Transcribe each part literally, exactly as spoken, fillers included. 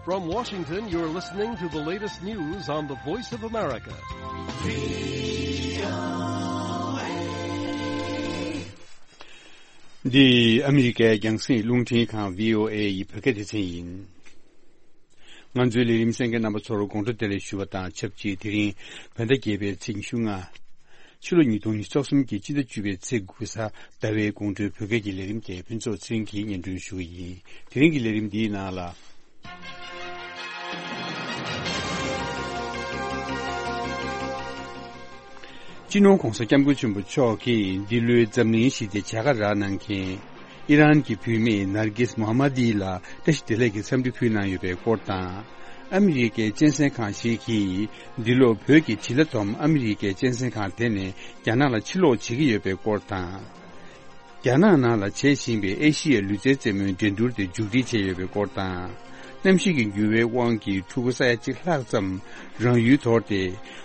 From Washington, you're listening to the latest news on the Voice of America. འདི་ཨ་མི་རི་ཀའི་རྒྱང་སྲིང་རླུང་འཕྲིན་ཁང་བྷི་ཨོ་ཨེ་ཡི་བོད་སྐད་སྡེ་ཚན་ཡིན། ང་ཚོའི་ལས་རིམ་གསན་མཁན་རྣམ་པ་ཚོར་དགོང་དྲོ་བདེ་ལེགས་ཞུ་བ་དང་ཆབས་ཅིག་དེ་རིང་བོད་ཟླ་བརྒྱད་པའི་ཚེས་ཉི་ཤུ་ལྔ། ཕྱི་ལོ་ཉིས་སྟོང་ཉི་ཤུ་རྩ་གསུམ་གྱི་སྤྱི་ཟླ་བཅུ་པའི་ཚེས་དགུ་གཟའ་ཟླ་བའི་དགོང་དྲོའི་བོད་སྐད་ཀྱི་ལས་རིམ་དེ་ཕུན་ཚོགས་ཚེ་རིང་གིས་སྙན་སྒྲོན་ཞུ་གི་ཡིན། དེ་རིང་གི་ལས་རིམ་འདིའི་ནང་ལ། སྤྱི་ནོར་༧གོང་ས་༧སྐྱབས་མགོན་ཆེན་པོ་མཆོག་གིས་འདི་ལོའི་འཛམ་གླིང་ཞི་བདེ་བྱ་དགའ་རག་གནང་མཁན་ཨི་རན་གྱི་བུད་མེད་ནར་གིས་མོ་ཧ་མ་དི་ལ་བཀྲ་ཤིས་བདེ་ལེགས་ཀྱི་འཚམས་འདྲི་ཕུལ་གནང་ཡོད་པའི་སྐོར་དང་། ཨ་མི་རི་ཀའི་གཅན་གཟན་ཁང་ཞིག་གིས་འདི་ལོ་བོད་ཀྱི་བྱི་ལ་བསྡོམས་ཨ་མི་རི་ཀའི་གཅན་གཟན་ཁང་དེ་ནས་རྒྱ་ནག་ལ་ཕྱིར་ལོག་བྱེད་ཀྱི་ཡོད་པའི་སྐོར་དང་། རྒྱ་ནག་ནང་ལ་བྱེད་བཞིན་པའི་ཨེ་ཤི་ཡའི་ལུས་རྩལ་རྩེད་མོའི་འགྲན་བསྡུར་དེ་མཇུག་སྒྲིལ་བྱས་ཡོད་པའི་སྐོར་དང་། གནམ་གཤིས་ཀྱི་འགྱུར་བའི་དབང་གིས་ཕྲུ་གུ་ས་ཡ་གཅིག་ལྷག་ཙམ་རང་ཡུལ་དོར་ཏེ་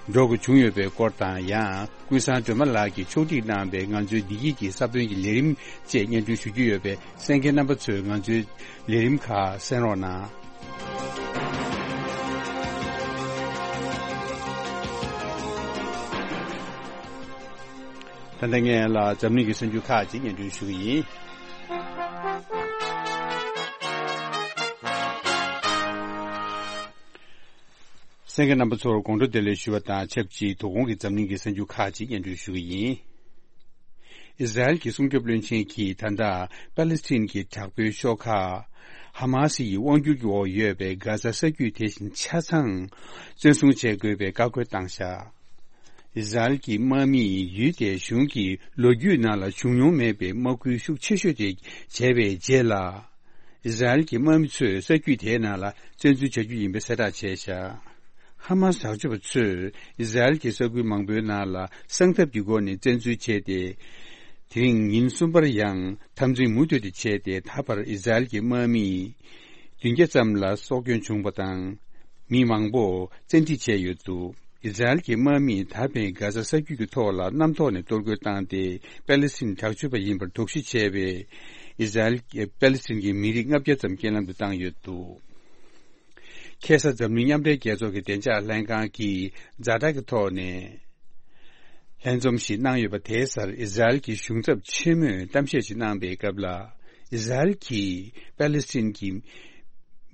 འགྲོ་དགོས་བྱུང་ཡོད་པའི་སྐོར་དང་། ཡང་ཀུན་བཟང་སྒྲོལ་མ་ལགས་ཀྱིས་ཕྱོགས་སྒྲིག་གནང་བའི་ང་ཚོའི་བདེ་སྐྱིད་ཀྱི་ས་བོན་གྱི་ལས་རིམ་བཅས་སྙན་སྒྲོན་ཞུ་རྒྱུ་ཡོད་པས། གསན་མཁན་རྣམ་པ་ཚོས་ང་ཚོའི་ལས་རིམ་ཁག་གསན་རོགས་གནང་། ད་ལྟ་ངས་ལ་འཛམ་གླིང་གི་གསར་འགྱུར་ཁག་ཅིག་སྙན་སྒྲོན་ཞུ་གི་ཡིན། གསན་མཁན་རྣམ་པ་ཚོར་དགོང་དྲོ་བདེ་ལེགས་ཞུ་བ་དང་ཆབས་ཅིག་དོ་དགོང་གི་འཛམ་གླིང་གི་གསར་འགྱུར་ཁག་ཅིག་སྙན་སྒྲོན་ཞུ་གི་ཡིན། ཨི་ཟ་རེལ་གྱི་སྲུང་སྐྱོབ་བློན་ཆེན་གྱིས་ད་ལྟ་པ་ལེ་སི་ཐན་གྱི་དྲག་པོའི་ཤོག་ཁག་ཧ་མ་སི་ཡི་དབང་སྒྱུར་གྱི་འོག་ཡོད་པའི་གྷ་ཟ་ས་རྒྱུད་དེ་བཞིན་ཆ་ཚང་བཙན་བཟུང་བྱེད་དགོས་པའི་བཀའ་བཀོད་བཏང་བཞག་ཨི་ཟ་རེལ་གྱི་དམག་མིས་ཡུལ་དེའི་གཞུང་གི་ལོ་རྒྱུས་ནང་ལ་བྱུང་མྱོང་མེད་པའི་དམག་ཁུལ་ཤུགས་ཆེ་ཤོས་དེ་བྱས་པའི་རྗེས་ལ། ཨི་ཟ་རེལ་གྱི་དམག་མི་ཚོས་ས་རྒྱུད་དེའི་ནང་ལ་བཙན་འཛུལ་བྱ་རྒྱུ་ཡིན་པའི་གསལ་བསྒྲགས་བྱས་བཞག་ཧ་མ་སི་དྲག་སྤྱོད་པ་ཚོས་ཨི་ཟ་རེལ་གྱི་ས་ཁུལ་མང་པོའི་ནང་ལ་གསང་ཐབས་ཀྱི་སྒོ་ནས་བཙན་འཛུལ་བྱས་ཏེ། དེ་རིང་ཉིན་གསུམ་པར་ཡང་འཐབ་འཛིང་མུ་མཐུད་དེ་བྱས་ཏེ། ད་བར་ཨི་ཟ་རེལ་གྱི་དམག་མི་བདུན་བརྒྱ་ཙམ་ལ་སྲོག་སྐྱོན་བྱུང་བ་དང་། མི་མང་པོ་བཙན་ཁྲིད་བྱས་ཡོད་འདུག་ཨི་ཟ་རེལ་གྱི་དམག་མིས་ད་ཕན་གྷ་ཟ་ས་རྒྱུད་ཀྱི་ཐོག་ལ་གནམ་ཐོག་ནས་གཏོར་རྒོལ་བཏང་སྟེ། པ་ལེ་སི་ཐན་དྲག་སྤྱོད་པ་ཡིན་པར་དོགས་གཞི་བྱས་པའི་ཨི་ཟ་རེལ་པ་ལེ་སི་ཐན་གྱི་མི་རིགས་ལྔ་བརྒྱ་ཙམ་རྐྱེན་ལམ་དུ་བཏང་ཡོད་འདུག་ཁ་སང་འཛམ་གླིང་མཉམ་འབྲེལ་རྒྱལ་ཚོགས་ཀྱི་བདེ་འཇགས་ལྷན་ཁང་གིས་ཛ་དྲག་གི་ཐོག་ནས་ལྷན་འཛོམས་ཤིག་གནང་ཡོད་པ་དེའི་སར། ཨི་ཟ་རེལ་གྱི་གཞུང་ཚབ་ཆེན་མོས་གཏམ་བཤད་ཅིག་གནང་པའི་སྐབས་ལ། ཨི་ཟ་རེལ་གྱིས་པ་ལེ་སི་ཐན་གྱི་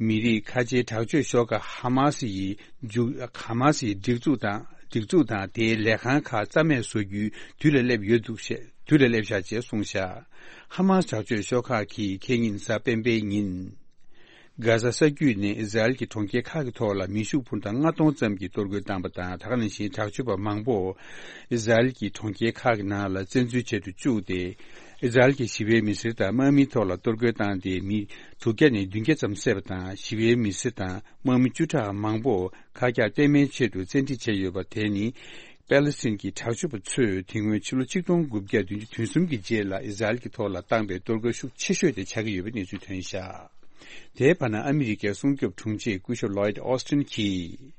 མི་རིགས་ཁ་ཆེའི་དྲག་སྤྱོད་ཤོག་ཁག་ཧ་མ་སི་ཡི་མཇུག་ཧ་མ་སི་ཡི་སྒྲིག་འཛུགས་དང་སྒྲིག་འཛུགས་དང་དེའི་ལས་ཁང་ཁག་རྩ་མེད་བཟོ་རྒྱུའི་དུས་ལ་སླེབས་ཡོད་འདུག་ཞེས། དུས་ལ་སླེབས་ཤག་ཅེས་གསུངས་ཤག་ཧ་མ་སི་དྲག་སྤྱོད་ཤོག་ཁག་གིས་ཁེ་ཉིན་གཟའ་སྤེན་པའི་ཉིན། གྷ་ཟ་ས་རྒྱུད་ནས་ཨི་ཟ་རེལ་གྱི་གྲོང་ཁྱེར་ཁག་གི་ཐོག་ལ་མེ་ཤུགས་འཕུར་མདའ་ལྔ་སྟོང་ཙམ་གྱིས་གཏོར་རྒོལ་བཏང་བ་དང་། ད་ག་ནང་བཞིན་དྲག་སྤྱོད་པ་མང་པོ་ཨི་ཟ་རེལ་གྱི་གྲོང་ཁྱེར་ཁག་གི་ནང་ལ་བཙན་འཛུལ་བྱེད་དུ་བཅུག་སྟེ། ཨི་ཟ་རེལ་གྱི་ཞི་བའི་མི་སེར་དང་དམག་མིའི་ཐོག་ལ་གཏོར་རྒོལ་བཏང་སྟེ། མི་དྲུག་བརྒྱ་ནས་བདུན་བརྒྱ་ཙམ་བསད་པ་དང་། ཞི་བའི་མི་སེར་དང་དམག་མི་བཅུ་ཕྲག་མང་པོ་ཁ་གྱག་སྟོན་མའི་ཆེད་དུ་བཙན་ཁྲིད་བྱས་ཡོད་པ་དེ་ནི། པ་ལེ་སི་ཐན་གྱི་དྲག་སྤྱོད་པ་ཚོས་དེ་སྔོན་ཕྱི་ལོ་ཆིག་སྟོང་དགུ་བརྒྱ་བདུན་ཅུ་དོན་གསུམ་གྱི་རྗེས་ལ་ཨི་ཟ་རེལ་གྱི་ཐོག་ལ་བཏང་པའི་གཏོར་རྒོལ་ཤུགས་ཆེ་ཤོས་དེ་ཆགས་ཀྱི་ཡོད་པའི་གནས་ཚུལ་ཐོན་ཤག་དེའི་བར་ན་ཨ་མི་རི་ཀའི་སྲུང་སྐྱོབ་དྲུང་ཆེ་སྐུ་ཞབས་ལོའིད་ཨོ་སི་ཊིན་གྱིས།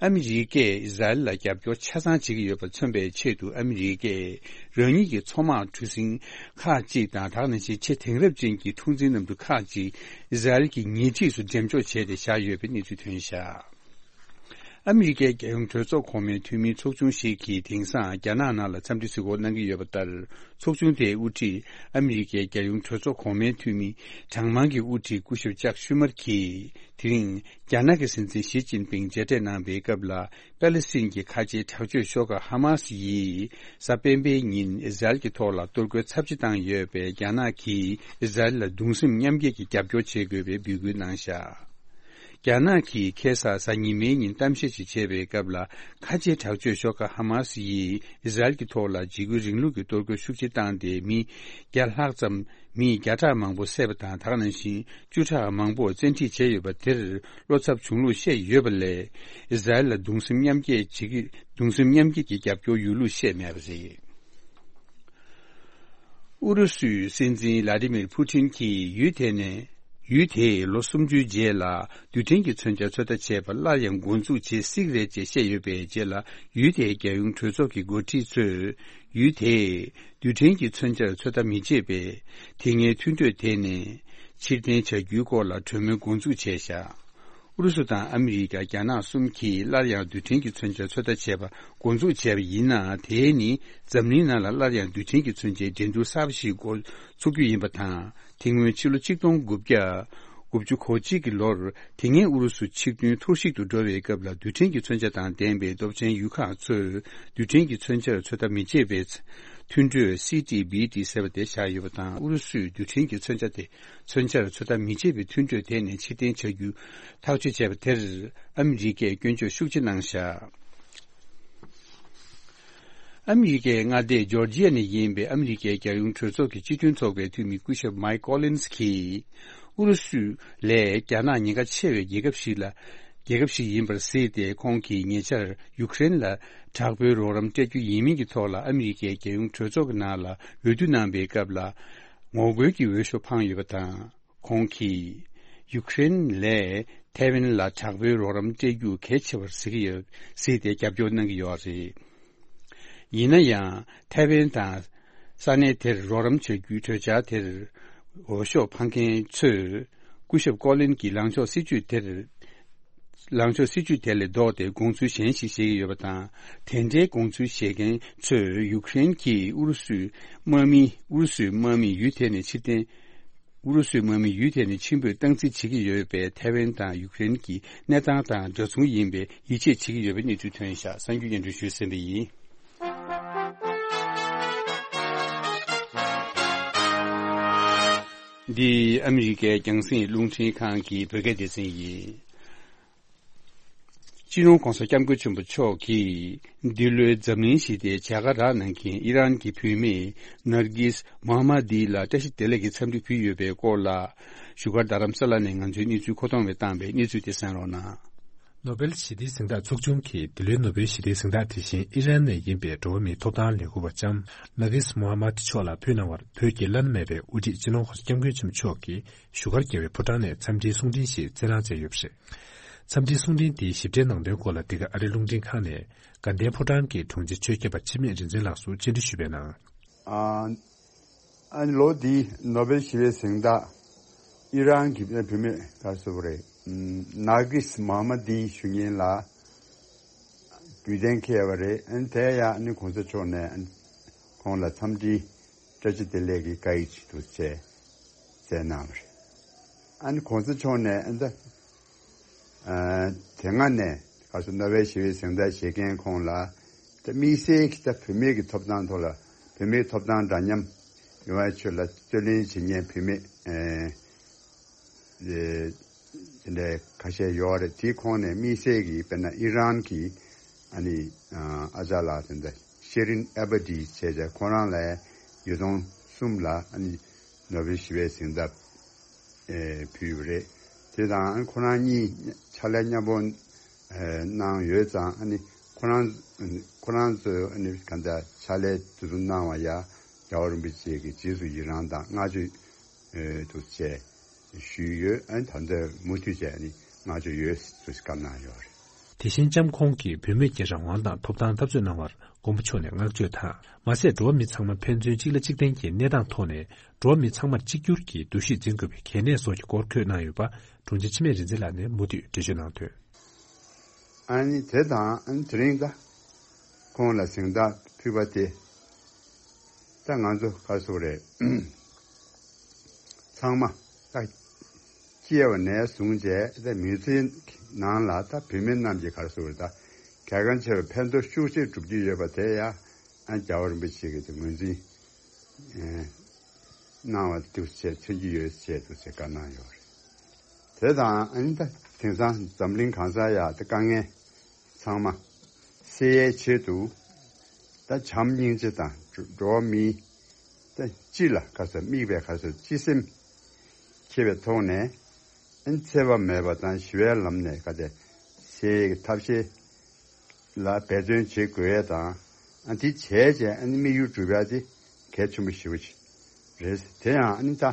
ཨ་མི་རི་ཀས་ཨི་ཟ་རེལ་ལ་རྒྱབ་སྐྱོར་ཆ་ཚང་བྱེད་ཀྱི་ཡོད་པ་མཚོན་པའི་ཆེད་དུ། ཨ་མི་རི་ཀས་རང་ཉིད་ཀྱི་མཚོ་དམག་གྲུ་གཟིངས་ཁག་ཅིག་དང་། ད་ག་ནང་བཞིན་ཆེས་དེང་རབས་ཅན་གྱི་འཁྲུག་འཛིང་གནམ་གྲུ་ཁག་ཅིག་ཨི་ཟ་རེལ་གྱི་ཉེ་འཁྲིས་སུ་འགྲེམས་འཇོག་བྱས་ཏེ་བཞག་ཡོད་པའི་གནས་ཚུལ་ཐོན་ཤག་ཨ་མི་རི་ཀའི་རྒྱལ་ཡོངས་གྲོས་ཚོགས་གོང་མའི་འཐུས་མིའི་ཚོགས་ཆུང་ཞིག་གིས་དེང་སང་རྒྱ་ནག་ནང་ལ་འཚམས་འདྲི་གཟིགས་སྐོར་གནང་གི་ཡོད་པ་ལྟར། ཚོགས་ཆུང་དེའི་དབུ་ཁྲིད་ཨ་མི་རི་ཀའི་རྒྱལ་ཡོངས་གྲོས་ཚོགས་གོང་མའི་འཐུས་མི་གྲངས་མང་གི་དབུ་ཁྲིད་སྐུ་ཞབས་ཅག་ཤུ་མར་གྱིས། དེ་རིང་རྒྱ་ནག་གི་སྲིད་འཛིན་ཞི་ཅིན་ཕིང་མཇལ་འཕྲད་གནང་པའི་སྐབས་ལ། པ་ལེ་སི་ཐན་གྱི་ཁ་ཆེའི་དྲག་སྤྱོད་ཤོག་ཁག་ཧ་མ་སི་ཡིས་གཟའ་སྤེན་པའི་ཉིན་ཨི་ཟ་རེལ་གྱི་ཐོག་ལ་གཏོར་རྒོལ་ཚབས་ཆེ་བཏང་ཡོད་པས། རྒྱ་ནག་གིས་ཨི་ཟ་རེལ་ལ་གདུང་སེམས་མཉམ་སྐྱེད་ཀྱི་རྒྱབ་སྐྱོར་བྱེད་དགོས་པའི་འབོད་སྐུལ་གནང་བཞག་རྒྱ་ནག་གིས་ཁ་སང་གཟའ་ཉི་མའི་ཉིན་གཏམ་བཤད་ཅིག་བྱས་པའི་སྐབས་ལ། ཁ་ཆེའི་དྲག་སྤྱོད་ཤོག་ཁག་ཧ་མ་སི་ཡིས་ཨི་ཟ་རེལ་གྱི་ཐོག་ལ་འཇིགས་སྐུལ་རིང་ལུགས་ཀྱི་གཏོར་རྒོལ་ཤུགས་ཆེ་བཏང་སྟེ། མི་བརྒྱ་ལྷག་ཙམ། མི་བརྒྱ་ཕྲག་མང་པོ་བསད་པ་དང་། ད་ག་ནང་བཞིན་བཅུ་ཕྲག་མང་པོ་བཙན་ཁྲིད་བྱས་ཡོད་པ་དེར་བློ་འཚབ་བྱུང་ལུགས་བཤད་ཡོད་པ་ལས། ཨི་ཟ་རེལ་ལ་གདུང་སེམས་མཉམ་སྐྱེད་བྱེད་ཀྱི། གདུང་སེམས་མཉམ་སྐྱེད་ཀྱི་རྒྱབ་སྐྱོར་ཡོད་ལུགས་བཤད་མེད་པ་རེད། ཨུ་རུ་སུའི་སྲིད་འཛིན་ལ་ཏི་མིར་ཕུ་ཊིན་གྱིས་ཡུལ་དེ་ནས། ཡུལ་དེས་ལོ་སུམ་ཅུའི་རྗེས་ལ་རྡུལ་ཕྲན་གྱི་མཚོན་ཆ་ཚོད་ལྟ་བྱས་པ་སླར་ཡང་འགོ་འཛུགས་བྱེད་སྲིད་རེད་ཅེས་བཤད་ཡོད་པའི་རྗེས་ལ། ཡུལ་དེའི་རྒྱལ་ཡོངས་གྲོས་ཚོགས་ཀྱི་འགོ་ཁྲིད་ཚོས། ཡུལ་དེས་རྡུལ་ཕྲན་གྱི་མཚོན་ཆར་ཚོད་ལྟ་མི་བྱེད་པའི་དེ་སྔའི་མཐུན་གྲོས་དེ་ནས་ཕྱིར་འཐེན་བྱ་རྒྱུའི་སྐོར་ལ་གྲོས་མོལ་འགོ་འཛུགས་བྱས་བཞག་ཨུ་རུ་སུ་དང་ཨ་མི་རི་ཀ། རྒྱ་ནག་གསུམ་གྱིས་སླར་ཡང་རྡུལ་ཕྲན་གྱི་མཚོན་ཆ་ཚོད་ལྟ་བྱས་པ་འགོ་འཛུགས་བྱས་པ་ཡིན་ན། དེས་ནི་འཛམ་གླིང་ནང་ལ་སླར་ཡང་རྡུལ་ཕྲན་གྱི་མཚོན་ཆའི་འགྲན་བསྡུར་གསར་པ་ཞིག་འགོ་ཚུགས་རྒྱུ་ཡིན་པ་དང་། དེ་སྔོན་ཕྱི་ལོ་ཆིག་སྟོང་དགུ་བརྒྱ་དགུ་བཅུ་གོ་གཅིག་གི་ལོར། དེ་སྔའི་ཨུ་རུ་སུ་ཆིག་མཐུན་འཐོར་ཞིག་ཏུ་འགྲོ་བའི་སྐབས་ལ། རྡུལ་ཕྲན་གྱི་མཚོན་ཆ་དང་ལྡན་པའི་སྟོབས་ཆེན་ཡུལ་ཁག་ཚོས་རྡུལ་ཕྲན་གྱི་མཚོན་ཆར་ཚོད་ལྟ་མི་བྱེད་པའི་མཐུན་གྲོས། སི་ཊི་བི་ཊི་ཟེར་བ་དེ་བཞག་ཡོད་པ་དང་། ཨུ་རུ་སུས་རྡུལ་ཕྲན་གྱི་མཚོན་ཆ་དེ། མཚོན་ཆར་ཚོད་ལྟ་མི་བྱེད་པའི་མཐུན་གྲོས་དེ་ནས་ཕྱིར་འཐེན་བྱ་རྒྱུ་ཐག་གཅོད་བྱས་པ་དེར། ཨ་མི་རི་ཀས་སྐྱོན་བརྗོད་ཤུགས་ཆེ་གནང་བཞག་ཨ་མི་རི་ཀའི་མངའ་སྡེ་ཇོར་ཇི་ཡ་ནས་ཡིན་པའི་ཨ་མི་རི་ཀའི་རྒྱལ་ཡོངས་གྲོས་ཚོགས་ཀྱི་སྤྱི་མཐུན་ཚོགས་པའི་འཐུས་མི་སྐུ་ཞབས་མའིག་ཀོ་ལིན་སི་གིས། ཨུ་རུ་སུ་ལས་རྒྱ་ནག་ཉེན་ཁ་ཆེ་བའི་རྒྱལ་ཁབ་ཞིག་ལ། རྒྱལ་ཁབ་ཞིག་ཡིན་པར་གཟིགས་ཏེ། ཁོང་གིས་ཉེ་ཆར་ཡུཀ་རེན་ལ་དྲག་པོའི་རོགས་རམ་སྤྲད་རྒྱུ་ཡིན་མིན་གྱི་ཐོག་ལ། ཨ་མི་རི་ཀའི་རྒྱལ་ཡོངས་གྲོས་ཚོགས་ཀྱི་ནང་ལ་འོས་བསྡུ་གནང་བའི་སྐབས་ལ། ངོ་རྒོལ་གྱི་འོས་ཤོག་འཕངས་ཡོད་པ་དང་། ཁོང་གིས་ཡུཀ་རེན་ལས་ཐའེ་ཝན་ལ་དྲག་པོའི་རོགས་རམ་སྤྲད་རྒྱུ་གལ་ཆེ་བར་གཟིགས་ཀྱི་ཡོད། གཟིགས་ཏེ་རྒྱབ་སྐྱོར་གནང་གི་ཡོད་རེད། ཡིན་ན་ཡང་། ཐའེ་ཝན་དང་ས་གནས་དེར་རོགས་རམ་བྱ་རྒྱུའི་གྲོས་འཆར་དེར་འོས་ཤོག་འཕང་མཁན་ཚོས། སྐུ་ཞབས་ཀོ་ལིན་གྱི་ལངས་ཕྱོགས་སྲིད་ཇུས་དེར། ལངས་ཕྱོགས་སྲིད་ཇུས་དེ་ལས་ལྡོག་སྟེ་དགོངས་ཚུལ་གཞན་ཞིག་བཞེས་ཀྱི་ཡོད་པ་དང་། དེ་འདྲའི་དགོངས་ཚུལ་བཞེས་མཁན་ཚོས། ཡུཀ་རེན་གྱིས་ཨུ་རུ་སུའི་དམག་མི། ཨུ་རུ་སུའི་དམག་མི་ཡུལ་དེ་ནས་ཕྱིར་འཐེན། ཨུ་རུ་སུའི་དམག་མི་ཡུལ་དེ་ནས་ཕྱིར་འབུད་སྟངས་འཛིན་བྱེད་ཀྱི་ཡོད་པས། ཐའེ་ཝན་དང་ཡུཀ་རེན་གྱི་གནས་སྟངས་དང་འདྲ་མཚུངས་ཡིན་པའི་ཡིད་ཆེས་བྱེད་ཀྱི་ཡོད་པའི་གནས་ཚུལ་ཐོན་བཞག་གསར་འགྱུར་སྙན་སྒྲོན་ཞུས་ཟིན་པ་ཡིན། འདི་ཨ་མི་རི་ཀའི་རྒྱང་སྲིང་རླུང་འཕྲིན་ཁང་གི་བོད་སྐད་སྡེ་ཚན་ཡིན། སྤྱི་ནོར་༧གོང་ས་༧སྐྱབས་མགོན་ཆེན་པོ་མཆོག་གིས། འདི་ལོའི་འཛམ་གླིང་ཞི་བདེའི་བྱ་དགའ་རག་གནང་མཁན་ཨི་རན་གྱི་བུད་མེད་ནར་གིས་མོ་ཧ་མ་དི་ལ་བཀྲ་ཤིས་བདེ་ལེགས་ཀྱི་འཚམས་འདྲི་ཕུལ་ཡོད་པའི་སྐོར་ལ། བཞུགས་སྒར་རྡ་རམ་ས་ལ་ནས་ང་ཚོའི་གནས་ཚུལ་མཁོ་གཏོང་བས་བཏང་བའི་གནས་ཚུལ་དེ་གསན་རོགས་གནང་། ནོ་བེལ་ཞི་བདེའི་གཟེངས་རྟགས་ཚོགས་ཆུང་གིས་འདི་ལོའི་ནོ་བེལ་ཞི་བདེའི་གཟེངས་རྟགས་དེ་བཞིན་ཨི་རན་ནས་ཡིན་པའི་འགྲོ་བ་མིའི་ཐོབ་ཐང་ལས་འགུལ་བ་ལྕམ་ནར་གིས་མོ་ཧ་མ་དི་མཆོག་ལ་ཕུལ་གནང་བར། བོད་ཀྱི་བླ་ན་མེད་པའི་དབུ་ཁྲིད་སྤྱི་ནོར་༧གོང་ས་༧སྐྱབས་མགོན་ཆེན་པོ་མཆོག་གིས་བཞུགས་སྒར་རྒྱལ་བའི་ཕོ་བྲང་ནས་འཚམས་འདྲིའི་གསུང་འཕྲིན་ཞིག་བསྩལ་གནང་མཛད་ཡོད་པ་རེད། འཚམས་འདྲིའི་གསུང་འཕྲིན་དེའི་ཞིབ་ཕྲའི་ནང་དོན་སྐོར་ལ། འདི་ག་ཨ་རིའི་རླུང་འཕྲིན་ཁང་ནས་དགའ་ལྡན་ཕོ་བྲང་གི་དྲུང་ཆེ་ཆོས་སྐྱབས་པ་འཆི་མེད་རིག་འཛིན་ལགས་སུ་བཅར་འདྲི་ཞུས་པའི་ནང་། ཨ་ཨ་ནི་ལོ་འདིའི་ནོ་བེལ་ཞི་བའི་གཟེངས་རྟགས་ཨི་རན་གྱི་བུད་མེད་ག་རེ་ཟེར་དགོས་རེད། ནར་གིས་མོ་ཧ་མ་དི་ཞུ་མཁན་ལ་རྒྱུན་གཏན་འཁེལ་བ་རེད། ཨ་ནི་དེ་ཡང་ཨ་ནི་གོང་ས་མཆོག་ནས་ཨ་ནི་ཁོང་ལ་འཚམས་འདྲི་བཀྲ་ཤིས་བདེ་ལེགས་ཀྱི་བཀའ་ཡིག་ཅིག་འདུག་བྱས་བསྩལ་གནང་བ་རེད། ཨ་ནི་གོང་ས་མཆོག་ནས་ཨ་ནི་ད་ཨ་དེ་སྔ་ནས་ག་རེ་ཟེར་ནོ་བེལ་ཞི་བའི་གཟེངས་རྟགས་བཞེས་མཁན་ཁོང་ལ་ད་དམིགས་བསལ་གྱི་ད་བུད་མེད་ཀྱི་ཐོབ་ཐང་ཐོག་ལ་བུད་མེད་ཐོབ་ཐང་འདྲ་མཉམ་ཡོང་བའི་ཆེད་ལ་རྩོད་ལེན་བྱེད་མཁན་བུད་མེད་ཨེ་ཨེ་དེ་འདྲའི་ཁ་ཤས་ཡོད་རེད། དེའི་ཁོངས་ནས་དམིགས་བསལ་གྱི་དཔེར་ན་ཨི་རན་གྱི་ཨ་ནི་ཨ་ཅག་ལགས་དེ་འདྲ་ཤེ་རིན་ཨེ་བྷ་ཏི་བྱས་བྱས་ཁོ་རང་ལ་ཉིས་སྟོང་གསུམ་ལ་ཨ་ནི་ནོ་བེལ་ཞི་བའི་གཟེངས་རྟགས་ཨེ་ཕུལ་བ་རེད། དེ་དང་ཁོ་རང་གཉིས་ཕྱག་ལས་མཉམ་པོ་ཨེ་གནང་ཡོད་ཙང་ཨ་ནི་ཁོ་རང་ཁོ་རང་ཚོས་ཨ་ནི་ག་འདྲ་ཕྱག་ལས་དེ་ཚོ་གནང་བ་ཡ་རྒྱལ་བ་རིན་པོ་ཆེ་གི་རྗེས་སུ་ཡི་རང་དང་བསྔགས་བརྗོད་ཨེ་དུ་བྱས་ཞུས་ཡོད། ཨ་ནི་ད་ལྟ་མུ་མཐུད་བྱས་ཨ་ནི་བསྔགས་བརྗོད་ཡོད་ཟེར་བཀའ་གནང་ཡོད་རེད། དེ་བཞིན་ལྕམ་ཁོང་གིས་བུད་མེད་ཀྱི་རང་དབང་དང་ཐོབ་ཐང་འཐབ་རྩོད་གནང་བར་མགོན་པོ་མཆོག་ནས་བསྔགས་བརྗོད་དང་། མ་ཟད་འགྲོ་བ་མི་ཚང་མ་ཕན་ཚུན་གཅིག་ལ་གཅིག་བརྟེན་གྱི་གནས་སྟངས་ཐོག་ནས་འགྲོ་བ་མི་ཚང་མར་གཅིག་གྱུར་གྱི་འདུ་ཤེས་འཛིན་དགོས་པའི་གལ་གནད་སོགས་ཀྱི་སྐོར་བཀོད་གནང་ཡོད་པ་དྲུང་ཆེ་འཆི་མེད་རིག་འཛིན་ལགས་ནས་མུ་མཐུད་འགྲེལ་བརྗོད་གནང་དོན། ཨ་ནི་དེ་དང་ཨ་ནི་དེ་རིང་ད་ཁོང་ལ་གཟེངས་རྟགས་ཕུལ་བ་དེ་ད་ང་ཚོ་ག་རེ་ཟེར་དགོས་རེད། ཚང་མ་ད་སྐྱེས་པ་ནས་བཟུང་བྱས་ད་མི་ཚེའི་ནང་ལ་ད་བུད་མེད་རྣམས་ཀྱིས་ག་རེ་ཟེར་དགོས་རེད། ད་གལ་འགངས་ཆེ་བའི་ཕན་ཐོགས་ཤུགས་ཆེ་སྒྲུབ་ཀྱི་ཡོད་པ་དེ་ཡང་ཨ་རྒྱལ་བ་རིན་པོ་ཆེ་གིས་དེ་ངོས་འཛིན་ཨེ་གནང་བ་འདུག་ཅེས་མཚོན་གྱི་ཡོད་ཅེས་འདུག་ཅེས་བཀའ་གནང་ཡོད་རེད། དེ་དང་ཨ་ནི་ད་དེང་སང་འཛམ་གླིང་གང་སར་ཡ་ད་དཀའ་ངལ་ཚང་མ་སེལ་ཡའི་ཆེད་དུ་ད་བྱམས་སྙིང་རྗེ་དང་འགྲོ་བ་མིའི་ད་སྤྱི་ལ་ག་ཚོད་དམིགས་པའི་ག་ཚོད་སྤྱི་སེམས་འཁྱེར་བའི་ཐོག་ནས་ཨ་ནི་འཚེ་བ་མེད་པ་དང་ཞི་བའི་ལམ་ནས་ག་ཚད་སེལ་ཡའི་ཐབས་ཤེས་ལ་འབད་བརྩོན་བྱེད་དགོས་ཡས་དང་། ཨ་འདི་བྱས་རྗེས་ཨ་ནི་དམིགས་ཡུལ་འགྲུབ་ཡ་དེ་གལ་ཆེན་པོ་ཞེ་པོ་ཅིག་རེད། དེ་ཡང་ཨ་ནི་ད་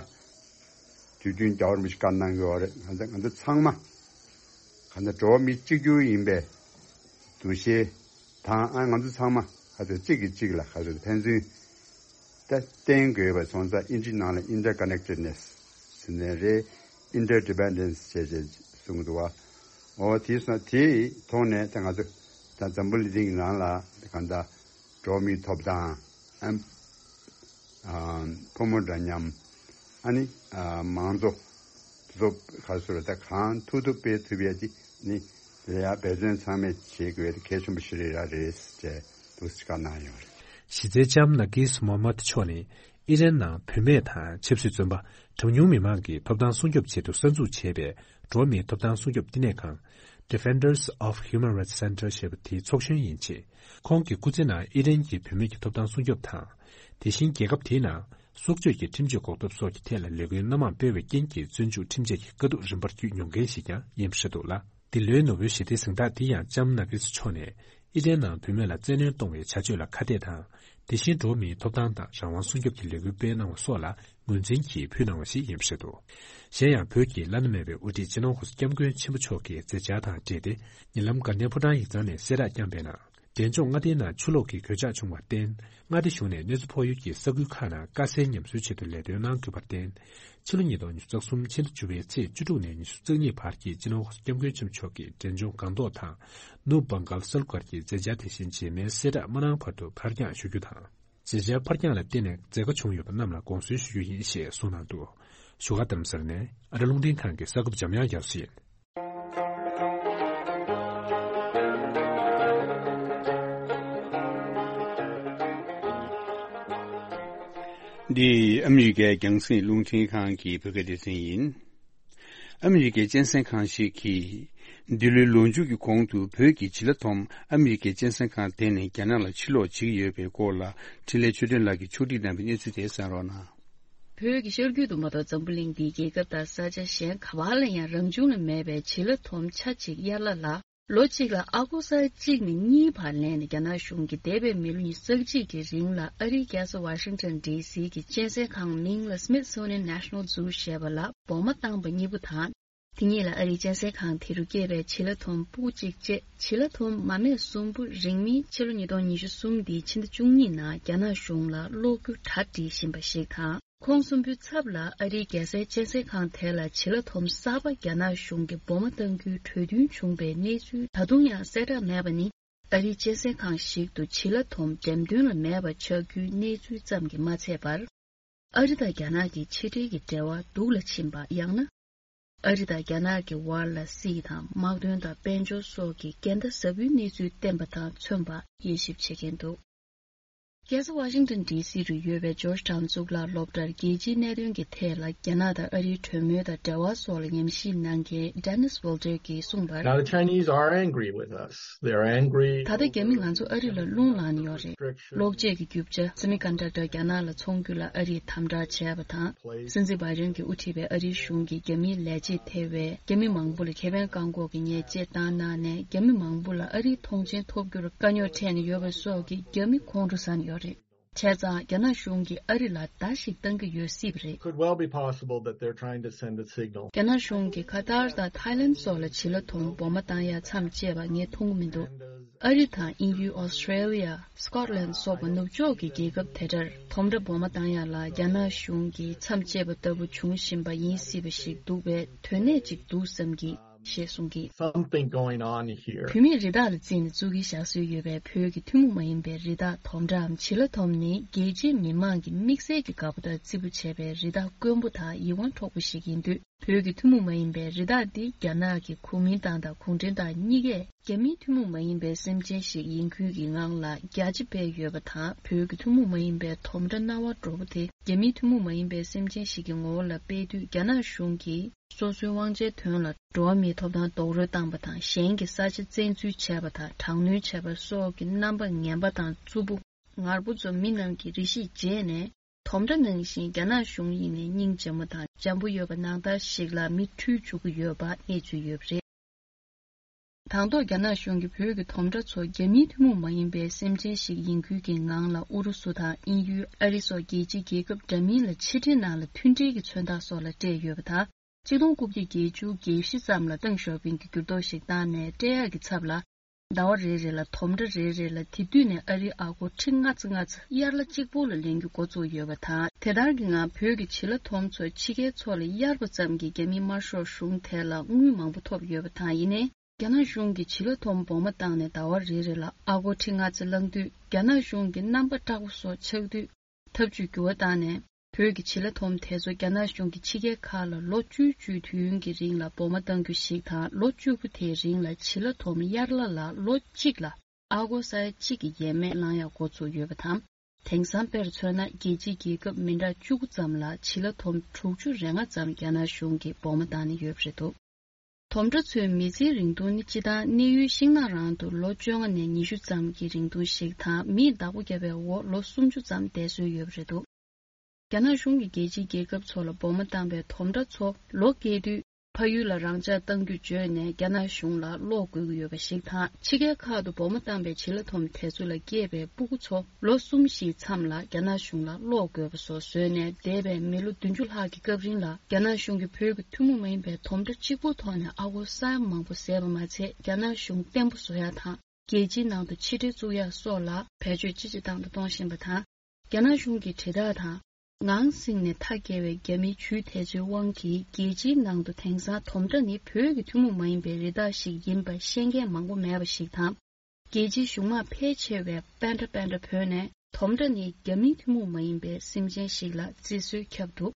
དུས་རྒྱུན་རྒྱལ་བ་རིན་པོ་ཆེས་བཀའ་གནང་གི་ཡོད་རེད། ང་ཚོ་ང་ཚོ་ཚང་མ་ག་ཚོད་འགྲོ་བ་མི་གཅིག་གྱུར་ཡིན་པའི་འདུ་ཤེས་དང་། ཨ་ང་ཚོ་ཚང་མ་ག་ཚོད་གཅིག་གིས་གཅིག་ལ་ག་ཚོད་ཕན་ཚུན་ད་བརྟེན་དགོས་པ་སོང་ཙང་ཨིན་ཇི་ནང་ལ་ཨིན་ཊར་ཀ་ནེག་ཊེཌ་ནེ་སི་ཟེར་ནའི་རེད། ཨིན་ཊར་ཌི་པེན་ཌེན་སི་བྱས་བྱས་གསུངས་འདུག་བ། འོ་དེ་སོང་དེའི་ཐོག་ནས་ད་ང་ཚོ་ད་འཛམ་བུ་གླིང་འདིའི་ནང་ལ་གང་ལྟར་འགྲོ་བ་མིའི་ཐོབ་ཐང་ཨམ། ཨ། ཕོ་མོ་འདྲ་མཉམ། ཨ་ནི། ཨ། མང་གཙོ། གཙོ་ག་སོ་ར་ད་གང་ཐུབ་ཐུབ་སྤེལ་ཐུབ་ཡ་དེ་ནི་ལ་ཡ་འབད་བརྩོན་ཚང་མས་བྱེད་དགོས་ཡ་དེ་གལ་ཆེན་པོ་ཞིག་རེད་ར་རེད་ཅེས་འདུག་སེ་བཀའ་གནང་ཡོད་རེད། གཞི་རྩའི་ལྕམ་ནར་ཀིས་མོ་ཧམ་མད་མཆོག་ནི་ཨི་རན་ནང་བུད་མེད་དང་ཆབ་སྲིད་བཙོན་པ་གྲངས་ཉུང་མི་མང་གི་ཐོབ་ཐང་སྲུང་སྐྱོབ་ཆེད་དུ་གསར་འཛུགས་བྱས་པའི་འགྲོ་བ་མིའི་ཐོབ་ཐང་སྲུང་སྐྱོབ་བསྟི་གནས་ཁང་Defenders of Human Rights Center ཞེས་པ་དེའི་ཚོགས་གཞོན་ཡིན་ཞིང་། ཁོང་གི་སྐུ་ཚེ་ནང་ཨི་རན་གྱི་བུད་མེད་ཀྱི་ཐོབ་ཐང་སྲུང་སྐྱོབ་དང་། དེ་བཞིན་རྒྱལ་ཁབ་དེའི་ནང་སྲོག་གཅོད་ཀྱི་ཁྲིམས་གཅོད་འགོག་ཐབས་སོགས་ཀྱི་ཐད་ལ་ལས་འགུལ་སྣ་མང་སྤེལ་བའི་རྐྱེན་གྱིས་བཙོན་འཇུག་ཁྲིམས་ཆད་ཀྱི་དཀའ་སྡུག་རིམ་པར་བརྒྱུད་མྱོང་མཁན་ཞིག་ཀྱང་ཡིན་པ་རེད་འདུག་ལ། འདི་ལོའི་ནོ་བེལ་ཞི་བདེའི་གཟེངས་རྟགས་འདི་ཡང་ལྕམ་ནར་ཀིས་མཆོག་ནས་ཨི་རན་ནང་བུད་མེད་ལ་བཙན་གནོན་གཏོང་བའི་བྱ་སྤྱོད་ལ་ཁ་གཏད་དང་། དེ་བཞིན་འགྲོ་བ་མིའི་ཐོབ་ཐང་དང་རང་དབང་སྲུང་སྐྱོབ་ཀྱི་ལས་འགུལ་སྤེལ་གནང་བ་སོགས་ལ་ངོས་འཛིན་གྱིས་ཕུལ་གནང་བ་ཞིག་ཡིན་པ་རེད་འདུག་གཞན་ཡང་བོད་ཀྱི་བླ་ན་མེད་པའི་དབུ་ཁྲིད་སྤྱི་ནོར་༸གོང་ས་༸སྐྱབས་མགོན་ཆེན་པོ་མཆོག་གི་མཛད་འཆར་དང་འབྲེལ་ཏེ། ཉེ་ལམ་དགའ་ལྡན་ཕོ་བྲང་ཡིག་ཚང་ནས་གསལ་བསྒྲགས་བསྐྱངས་པའི་ནང་། འབྲས་ལྗོངས་མངའ་སྡེའི་ནང་ཆུ་ལོག་གི་གོད་ཆག་བྱུང་བར་བརྟེན། མངའ་སྡེ་གཞུང་ནས་གནོད་འཚེ་ཕོག་ཡུལ་གྱི་ས་ཁུལ་ཁག་ནང་དཀའ་སེལ་ཉམས་གསོའི་ཆེད་དུ་ལས་དོན་གནང་དགོས་པར་བརྟེན། ཕྱི་ལོ་ཉིས་སྟོང་ཉི་ཤུ་རྩ་གསུམ་ཕྱི་ཟླ་བཅུ་པའི་ཚེས་བཅུ་དྲུག་ནས་ཉི་ཤུ་རྩ་གཉིས་བར་གྱི་སྤྱི་ནོར་༸གོང་ས་༸སྐྱབས་མགོན་ཆེན་པོ་མཆོག་གི་འབྲས་ལྗོངས་སྒང་ཏོག་དང་། ནུབ་བྷང་གཱལ་སལ་སྒར་གྱི་མཛད་འཆར་དེ་བཞིན་རྗེས་མའི་གསལ་བསྒྲགས་མ་གནང་བར་དུ་ཕར་འགྱངས་ཞུ་རྒྱུ་དང་། མཛད་འཆར་ཕར་འགྱངས་ལ་བརྟེན་ནས་མཛད་སྒོ་བྱུང་ཡོད་པ་རྣམས་ལ་དགོངས་སེལ་ཞུ་རྒྱུ་ཡིན་ཞེས་གསུངས་གནང་འདུག་བཞུགས་སྒར་རྡ་རམ་ས་ལ་ནས་ཨ་རི་རླུང་འཕྲིན་ཁང་གི་གསར་འགོད་པ་འཇམ་དབྱངས་རྒྱ་མཚོ་ཡིན། འདི་ཨ་མི་རི་ཀའི་རྒྱང་སྲིང་རླུང་འཕྲིན་ཁང་གི་བོད་སྐད་སྡེ་ཚན་ཡིན། ཨ་མི་རི་ཀའི་གཅན་གཟན་ཁང་ཞིག་གིས། འདི་ལོའི་ལོ་མཇུག་གི་གོང་དུ་བོད་ཀྱི་བྱི་ལ་ཐོམ་ཨ་མི་རི་ཀའི་གཅན་གཟན་ཁང་དེ་ནས་རྒྱ་ནག་ལ་ཕྱིར་ལོག་བྱེད་ཀྱི་ཡོད་པའི་སྐོར་ལ་འཕྲིན་ལས་ཆོས་སྒྲོན་ལགས་ཀྱིས་ཕྱོགས་སྒྲིག་གནང་བའི་གནས་ཚུལ་དེ་གསན་རོགས་གནང་། བོད་ཀྱི་ཤར་རྒྱུད་དུ་མ་གཏོགས་འཛམ་བུ་གླིང་འདིའི་རྒྱལ་ཁབ་དང་ས་ཆ་གཞན་ག་བ་ལ་ཡང་རང་བྱུང་ལ་མེད་པའི་བྱི་ལ་ཐོམ་ཆ་གཅིག་དབྱར་གླ་ལ། ལོ་གཅིག་ལ་ཨ་སྒོར་ས་ཡ་གཅིག་ནས་གཉིས་བར་ལེན་ནས་རྒྱ་ནག་གཞུང་གིས་འདས་པའི་མི་ལོ་ཉི་ཤུ་རྩ་གཅིག་གི་རིང་ལ་ཨ་རིའི་རྒྱལ་ས་ཝ་ཤིང་ཊོན་ཌི་སི་གི་གཅན་གཟན་ཁང་མིང་ལ་Smithsonian National Zoo ཞེས་པ་ལ་སྦོ་མ་བཏང་པ་གཉིས་པོ་དང་། དེ་གཉིས་ལ་ཨ་རིའི་གཅན་གཟན་ཁང་དེ་རུ་སྐྱེས་པའི་བྱི་ལ་ཐོམ་སྤུ་གུ་གཅིག་བཅས་བྱི་ལ་ཐོམ་མ་སྨད་གསུམ་པོ་རིང་མིན་ཕྱི་ལོ་ཉིས་སྟོང་ཉི་ཤུ་གསུམ་འདིའི་ཕྱི་ཟླ་བཅུ་གཉིས་ནང་རྒྱ་ནག་གཞུང་ལ་སློག་རྒྱུ་གྲ་སྒྲིག་བཞིན་པ་ཞིག་དང་། ཁོང་གསུམ་པོའི་ཚབ་ལ་ཨ་རིའི་རྒྱལ་སའི་གཅན་གཟན་ཁང་དེ་ལ་བྱི་ལ་ཐོམ་གསར་པ་རྒྱ་ནག་གཞུང་གིས་སྦོ་མ་གཏང་རྒྱུའི་གྲོས་མཐུན་བྱུང་བའི་གནས་ཚུལ་ད་དུང་ཡང་གསལ་བསྒྲགས་མེད་པ་ནི། ཨ་རིའི་གཅན་གཟན་ཁང་ཞིག་ཏུ་བྱི་ལ་ཐོམ་འགྲེམས་སྟོན་ལ་མེད་པ་ཆགས་རྒྱུའི་གནས་ཚུལ་ཙམ་གྱིས་མ་ཚད་པར། ཨ་རི་དང་རྒྱ་ནག་གི་ཕྱི་འབྲེལ་གྱི་འབྲེལ་བ་སྡུག་ལ་ཕྱིན་པ། ཡང་ན། ཨ་རི་དང་རྒྱ་ནག་གི་བར་ལ་སྲིད་དང་དམག་དོན་དང་དཔལ་འབྱོར་སོགས་ཀྱི་འགལ་ཟླ་ཟབ་པོའི་གནས་ཚུལ་བསྟན་པ་དང་མཚོན་པ་དབྱེ་ཞིབ་བྱེད་མཁན་འདུག་རྒྱལ་ས་ཝ་ཤིང་ཊོན་ཌི་སི་རུ་ཡོད་པའི་ཇོརྗ་ཊའུན་གཙུག་ལག་སློབ་གྲྭར་རྒྱལ་སྤྱིའི་གནད་དོན་གྱི་ཐད་ལ་རྒྱ་ནག་དང་ཨ་རིའི་གྲོས་མོལ་དང་འབྲེལ་བ་སོགས་ལ་ཉམས་ཞིབ་གནང་མཁན་Dennis Wilder གྱིས་གསུངས་པར། Now the Chinese are angry with us. They are angry. ད་ལྟ་རྒྱ་མི་ང་ཚོ་ཨ་རི་ལ་རླུང་ལངས་ནས་ཡོད་རེད། གློག་ཆས་ཀྱི་རྒྱུ་ཆ་semiconductor རྒྱ་ནག་ལ་འཚོང་རྒྱུ་ལ་ཨ་རིས་དམ་དྲག་བྱས་པ་དང་། སྲིད་འཛིན་བྷའི་ཌེན་གྱིས་དབུ་ཁྲིད་པའི་ཨ་རིའི་གཞུང་གིས་རྒྱ་མིའི་ལས་བྱེད་ཐེ་བའི་རྒྱ་མི་མང་པོ་ལ་ཁེ་ཕན་བཀག་འགོག་གི་ཉེས་ཆད་བཏང་གནང་ནས། རྒྱ་མི་མང་པོ་ལ་ཨ་རིའི་ཐོངས་མཆན་ཐོབ་རྒྱུར་དཀའ་རྙོག་འཕྲད་ནས་ཡོད་པ་སོགས་ཀྱིས་རྒྱ་མི་ཁོང་ཁྲོ་ཟ་ནས་ཡོད་རེད། བྱས་ཙང་རྒྱ་ནག་གཞུང་གིས་ཨ་རི་ལ་བརྡ་ཞིག་བཏང་གི་ཡོད་སྲིད་པ་རེད། Could well be possible that they're trying to send a signal. རྒྱ་ནག་གཞུང་གིས་ཁ་ཐར་དང་ཐའི་ལན་སོགས་ལ་བྱི་ལ་ཐོམ་སྦོ་མ་བཏང་ཡ་མཚམས་བཅད་པ་ངས་མཐོང་གི་མི་འདུག་ཨ་རི་དང་དབྱིན་ཡུལ། ཨོ་སི་ཀྲེ་ལི་ཡ། སི་ཀོཊ་ལན་སོགས་པ་ནུབ་ཕྱོགས་ཀྱི་རྒྱལ་ཁབ་དེ་འདྲར་ཐོམ་ཁྲ་སྦོ་མ་བཏང་ཡ་ལ་རྒྱ་ནག་གཞུང་གིས་མཚམས་བཅད་པ་ལྟ་བུ་འབྱུང་བཞིན་པ་ཡིན་སྲིད་པ་ཞིག་འདུག་པས། དོན་གནད་ཅིག་འདུག་བསམ་གི། ཞེས་གསུངས་ཀྱིས། Something going on here. བུད་མེད་རི་དྭགས་ལ་བརྩིས་ནས་བཙུགས་ཀྱིན་བཞག་སྲོལ་ཡོད་པའི་བོད་ཀྱི་ཐུན་མོང་མ་ཡིན་པའི་རི་དྭགས་དོམ་ཁྲའམ་བྱི་ལ་ཐོམ་ནི་རྒྱལ་སྤྱིའི་མི་དམངས་ཀྱི་དམིགས་བསལ་གྱི་དགའ་པོ་དང་བརྩི་པོ་བྱས་པའི་རི་དྭགས་དཀོན་པོ་དང་ཡིད་དབང་འཕྲོག་པོ་ཞིག་ཡིན་དུས། བོད་ཀྱི་ཐུན་མོང་མ་ཡིན་པའི་རི་དྭགས་འདི་རྒྱ་ནག་གིས་གོ་མིན་ཏང་དང་གུང་ཁྲན་ཏང་གཉིས་ཀས་རྒྱ་མིའི་ཐུན་མོང་མ་ཡིན་པའི་སེམས་ཅན་ཞིག་ཡིན་ཁུལ་གྱི་ངང་ལ་རྒྱ་ཆེ་སྤེལ་ཡོད་པ་དང་། བོད་ཀྱི་ཐུན་མོང་མ་ཡིན་པའི་དོམ་ཁྲ་རྣ་བ་འགྲོ་པོ་དེ་རྒྱ་མིའི་ཐུན་མོང་མ་ཡིན་པའི་སེམས་ཅན་ཞིག་གི་ངོ་བོ་ལ་སྤེལ་དུས། རྒྱ་ནག་གཞུང་གིས། སོ་སོའི་དབང་ཆའི་དོན་ལ་འགྲོ་བ་མིའི་ཐོབ་ཐང་རྡོག་རོལ་བཏང་པ་དང་། གཞན་གྱི་ས་ཆ་བཙན་འཛུལ་བྱས་པ་དང་། དྲག་གནོན་བྱས་པ་སོགས་ཀྱི་རྣམ་པ་ངན་པ་དང་རྩུབ་པོ་ངར་པོ་ཚོ་མི་རྣམས་ཀྱིས་རེ་ཞིག་བརྗེད་ནས། དོམ་ཁྲ་ནང་བཞིན་རྒྱ་ནག་གཞུང་ཡིན་ནའི་སྙིང་རྗེ་མོ་དང་འཇམ་པོ་ཡོད་པ་ནང་ལྟར་ཞིག་ལ་མིག་འཕྲུལ་འཇུག་གི་ཡོད་པ་གནས་ཚུལ་ཡོད་པ་རེད། དང་ཐོག་རྒྱ་ནག་གཞུང་གིས་བོད་ཀྱི་དོམ་ཁྲ་ཚོ་རྒྱ་མིའི་ཐུན་མོང་མ་ཡིན་པའི་སེམས་ཅན་ཞིག་ཡིན་ཁུལ་གྱི་ངང་ལ་ཨུ་རུ་སུ་དང་དབྱིན་ཡུལ། ཨ་རི་སོགས་རྒྱལ་སྤྱིའི་རྒྱལ་ཁབ་འདྲ་མིན་ལ་ཕྱི་འབྲེལ་ནང་ལ་མཐུན་འབྲེལ་གྱི་མཚོན་རྟགས་སོགས་ལ་སྤྲད་ཡོད་པ་དང་། ཆིག་སྟོང་དགུ་བརྒྱ་བརྒྱད་ཅུ་གྱ་བཞི་ཙམ་ལ་ཏེང་ཞའོ་ཕིང་གིས་འགྱུར་ལྡོག་ཞིག་བཏང་ནས། སྤྲད་ཡག་གི་ཚབ་ལ། ཟླ་བ་རེ་རེ་ལ་དོམ་ཁྲ་རེ་རེ་ལ་དེ་དུས་ནས་ཨ་རིའི་ཨ་སྒོར་ཁྲི་ལྔ་ཙམ་ལྔ་ཙམ་དབྱར་གླ་གཅིག་པོ་ལ་ལེན་རྒྱུ་འགོ་བཙུགས་ཡོད་པ་དང་། དེ་ལྟར་གྱི་ངང་བོད་ཀྱི་བྱི་ལ་དོམ་ཚོ་ཕྱི་རྒྱལ་ཚོ་ལ་གཡར་བ་ཙམ་གྱིས་རྒྱ་མིའི་དམར་ཤོག་གཞུང་དེ་ལ་དངུལ་མང་པོ་ཐོབ་ཡོད་པ་དང་། ཡིན་ནའི། རྒྱ་ནག་གཞུང་གིས་བྱི་ལ་ཐོམ་སྦོ་མ་བཏང་ནས་ཟླ་བ་རེ་རེ་ལ་ཨ་སྒོར་ཁྲི་ལྔ་ཙམ་བླངས་དུས། རྒྱ་ནག་གཞུང་གི་རྣམ་པ་སྐྲག་པོ་སོགས་ཆགས་དུས། ཐབས་ཇུས་འགྱུར་བ་བཏང་ནས། བོད་ཀྱི་བྱི་ལ་ཐོམ་དེ་ཚོ་རྒྱ་ནག་གཞུང་གིས་ཕྱི་རྒྱལ་ཁག་ལ་ལོ་བཅུ་བཅུའི་དུས་ཡུན་གྱི་རིང་ལ་སྦོ་མ་གཏང་རྒྱུ་ཞིག་དང་། ལོ་བཅུ་པོ་དེའི་རིང་ལ་བྱི་ལ་ཐོམ་དབྱར་གླ་ལ་ལོ་གཅིག་ལ་ཨ་སྒོར་ས་ཡ་གཅིག་གི་ཡས་མས་བླང་ཡག་འགོ་ཚུགས་ཡོད་པ་དང་། དེང་སང་དཔེར་མཚོན་ན། རྒྱལ་སྤྱིའི་རྒྱལ་ཁབ་མི་འདྲ་བཅུ་དགུ་ཙམ་ལ་བྱི་ལ་ཐོམ་དྲུག་ཅུ་རེ་ལྔ་ཙམ་རྒྱ་ནག་གཞུང་གིས་སྦོ་མ་བཏང་ནས་ཡོད་པ་རེད་འདུག་དོམ་ཁྲ་ཚོའི་མི་ཚེའི་རིང་ཐུང་ནི་སྤྱིར་བཏང་གནས་ཡུལ་ཤིང་ནགས་རང་དུ་ལོ་བཅོ་ལྔ་ནས་ཉི་ཤུ་ཙམ་གྱི་རིང་ཐུང་ཞིག་དང་། མིས་བདག་པོ་བརྒྱབ་པའི་འོག་ལོ་སུམ་ཅུ་ཙམ་བསྡད་སྲོལ་ཡོད་པ་རེད་འདུག་རྒྱ་ནག་གཞུང་གིས་རྒྱལ་སྤྱིའི་རྒྱལ་ཁབ་ཚོ་ལ་སྦོ་མ་བཏང་པའི་དོམ་ཁྲ་ཚོ་ལོ་རྒས་དུས་ཕ་ཡུལ་ལ་རང་འཇགས་གཏང་རྒྱུ་བརྗོད་ནས་རྒྱ་ནག་གཞུང་ལ་སློག་དགོས་ཀྱི་ཡོད་པ་ཞིག་དང་། ཕྱི་རྒྱལ་ཁག་ཏུ་སྦོ་མ་བཏང་པའི་བྱི་ལ་ཐོམ་དེ་ཚོ་ལ་སྐྱེས་པའི་སྤུ་གུ་ཚོ་ལོ་གསུམ་བཞིའི་མཚམས་ལ་རྒྱ་ནག་གཞུང་ལ་སློག་དགོས་པ་སོགས་བཟོས་ནས། འདས་པའི་མི་ལོ་བདུན་ཅུ་ལྷག་གི་སྐབས་རིང་ལ་རྒྱ་ནག་གཞུང་གིས་བོད་ཀྱི་ཐུན་མོང་མ་ཡིན་པའི་དོམ་ཁྲ་གཅིག་པོའི་ཐོག་ནས་ཨ་སྒོར་ས་ཡ་མང་པོ་ཟད་པ་མ་ཚད། རྒྱ་ནག་གཞུང་བརྟན་པོ་བཟོ་ཡག་དང་། རྒྱལ་སྤྱིའི་ནང་དུ་ཕྱི་འབྲེལ་བཙུགས་ཡག་སོགས་ལ་བེད་སྤྱོད་ཅི་ཇི་ཐད་དུ་གཏོང་བཞིན་པ་དང་། རྒྱ་ནག་གཞུང་གི་དྲིལ་བསྒྲགས་དང་། ངང་སིང་ནས་མཐའ་བརྒལ་བའི་རྒྱ་མིའི་ཇུས་དེ་ཚོའི་དབང་གིས། རྒྱལ་སྤྱིའི་ནང་དུ་དེང་སང་དོམ་ཁྲ་ནི་བོད་ཀྱི་ཐུན་མོང་མ་ཡིན་པའི་རི་དྭགས་ཤིག་ཡིན་པ་ཤེས་མཁན་མང་པོ་མེད་པ་ཞིག་དང་། རྒྱལ་སྤྱིའི་གཞུང་དམངས་ཕལ་ཆེ་བས་པེན་ཏྲ་པེན་ཏྲ་བོས་ནས། དོམ་ཁྲ་ནི་རྒྱ་མིའི་ཐུན་མོང་མ་ཡིན་པའི་སེམས་ཅན་ཞིག་ལ་བརྩི་སྲོལ་ཁྱབ་འདུག་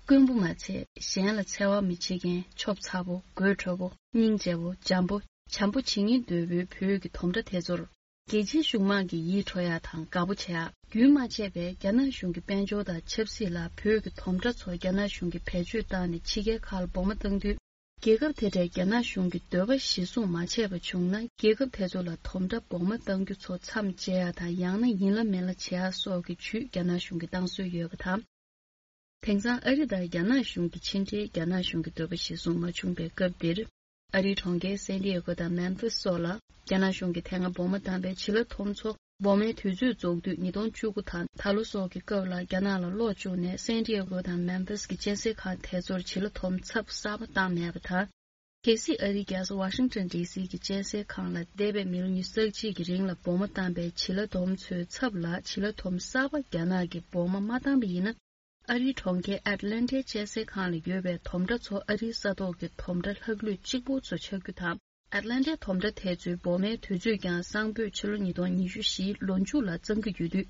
དཀོན་པོ་མ་ཚད། གཞན་ལ་འཚེ་བ་མི་བྱེད་མཁན། ཆོབ་ཚ་པོ།་དགོད་བྲོ་པོ། སྙིང་རྗེ་པོ། འཇམ་པོ། བྱམས་པོ་བྱེད་སྙིང་འདོད་པོའི་བོད་ཀྱི་དོམ་ཁྲ་དེ་ཚོར། རྒྱལ་སྤྱིའི་གཞུང་དམངས་ཀྱིས་ཡིད་འཕྲོག་ཡག་དང་དགའ་པོ་བྱེད་ཡག་རྒྱུན་མ་ཆད་པའི་རྒྱ་ནག་གཞུང་གི་དཔལ་འབྱོར་དང་ཆབ་སྲིད་ལ། བོད་ཀྱི་དོམ་ཁྲ་ཚོ་རྒྱ་ནག་གཞུང་གིས་བེད་སྤྱོད་བཏང་ནས་ཕྱི་རྒྱལ་ཁག་ལ་སྦོ་མ་བཏང་དུས། རྒྱལ་ཁབ་དེ་འདྲའི་རྒྱ་ནག་གཞུང་གི་འདོད་པ་གཞིར་བཟུང་མ་བྱས་པ་བྱུང་ན། རྒྱལ་ཁབ་དེ་ཚོ་ལ་དོམ་ཁྲ་སྦོ་མ་བཏང་རྒྱུ་ཚོ་མཚམས་བཅད་ཡག་དང་། ཡང་ན་ཡིན་ལ་མིན་ལ་བྱེད་ཡག་སོགས་ཀྱི་ཇུས་རྒྱ་ནག་གཞུང་གིས་བཏང་སྲོལ་ཡོད་པ་དང་། དེང་སང་ཨ་རི་དང་རྒྱ་ནག་གཞུང་གི་ཕྱི་འབྲེལ་རྒྱ་ནག་གཞུང་གི་འདོད་པ་གཞིར་བཟུང་མ་བྱུང་པའི་སྐབས་འདིར། ཨ་རིའི་གྲོང་ཁྱེར་སན་ཏི་ཨེ་གོ་དང་མེམ་ཕིས་སོགས་ལ་རྒྱ་ནག་གཞུང་གིས་དེ་སྔ་སྦོ་མ་བཏང་པའི་བྱི་ལ་དོམ་ཚོ་སྦོ་མའི་དུས་ཚོད་རྫོགས་དུས་ཉིས་སྟོང་བཅུ་དགུ་དང་ད་ལོ་སོགས་ཀྱི་སྐབས་ལ་རྒྱ་ནག་ལ་སློག་བཅུག་ནས། སན་ཏི་ཨེ་གོ་དང་མེམ་ཕིས་ཀྱི་གཅན་གཟན་ཁང་དེ་ཚོར་བྱི་ལ་དོམ་ཚབ་གསར་པ་བཏང་མེད་པ་དང་། གལ་སྲིད་ཨ་རིའི་རྒྱལ་ས་ཝ་ཤིང་ཊོན་ཌི་སི་གི་གཅན་གཟན་ཁང་ལ་འདས་པའི་མི་ལོ་ཉི་ཤུ་རྩ་གཅིག་གི་རིང་ལ་སྦོ་མ་བཏང་པའི་བྱི་ལ་དོམ་ཚོའི་ཚབ་ལ་བྱི་ལ་དོམ་གསར་པ་རྒྱ་ནག་གིས་སྦོ་མ་མ་བཏང་པ་ཡིན་ན། ཨ་རིའི་གྲོང་ཁྱེར་ཨེཊ་ལན་ཊའི་གཅན་གཟན་ཁང་ལ་ཡོད་པའི་དོམ་ཁྲ་ཚོ་ཨ་རིའི་ས་ཐོག་གི་དོམ་ཁྲ་ལྷག་ལུས་གཅིག་པུ་ཚོ་ཆགས་རྒྱུ་དང་། ཨེཊ་ལན་ཊའི་དོམ་ཁྲ་དེ་ཚོའི་སྦོ་མའི་དུས་ཚོད་ཀྱང་སང་ཕོད་ཕྱི་ལོ་ཉིས་སྟོང་ཉི་ཤུ་བཞིའི་ལོ་མཇུག་ལ་གཙང་གི་ཡོད་དུས།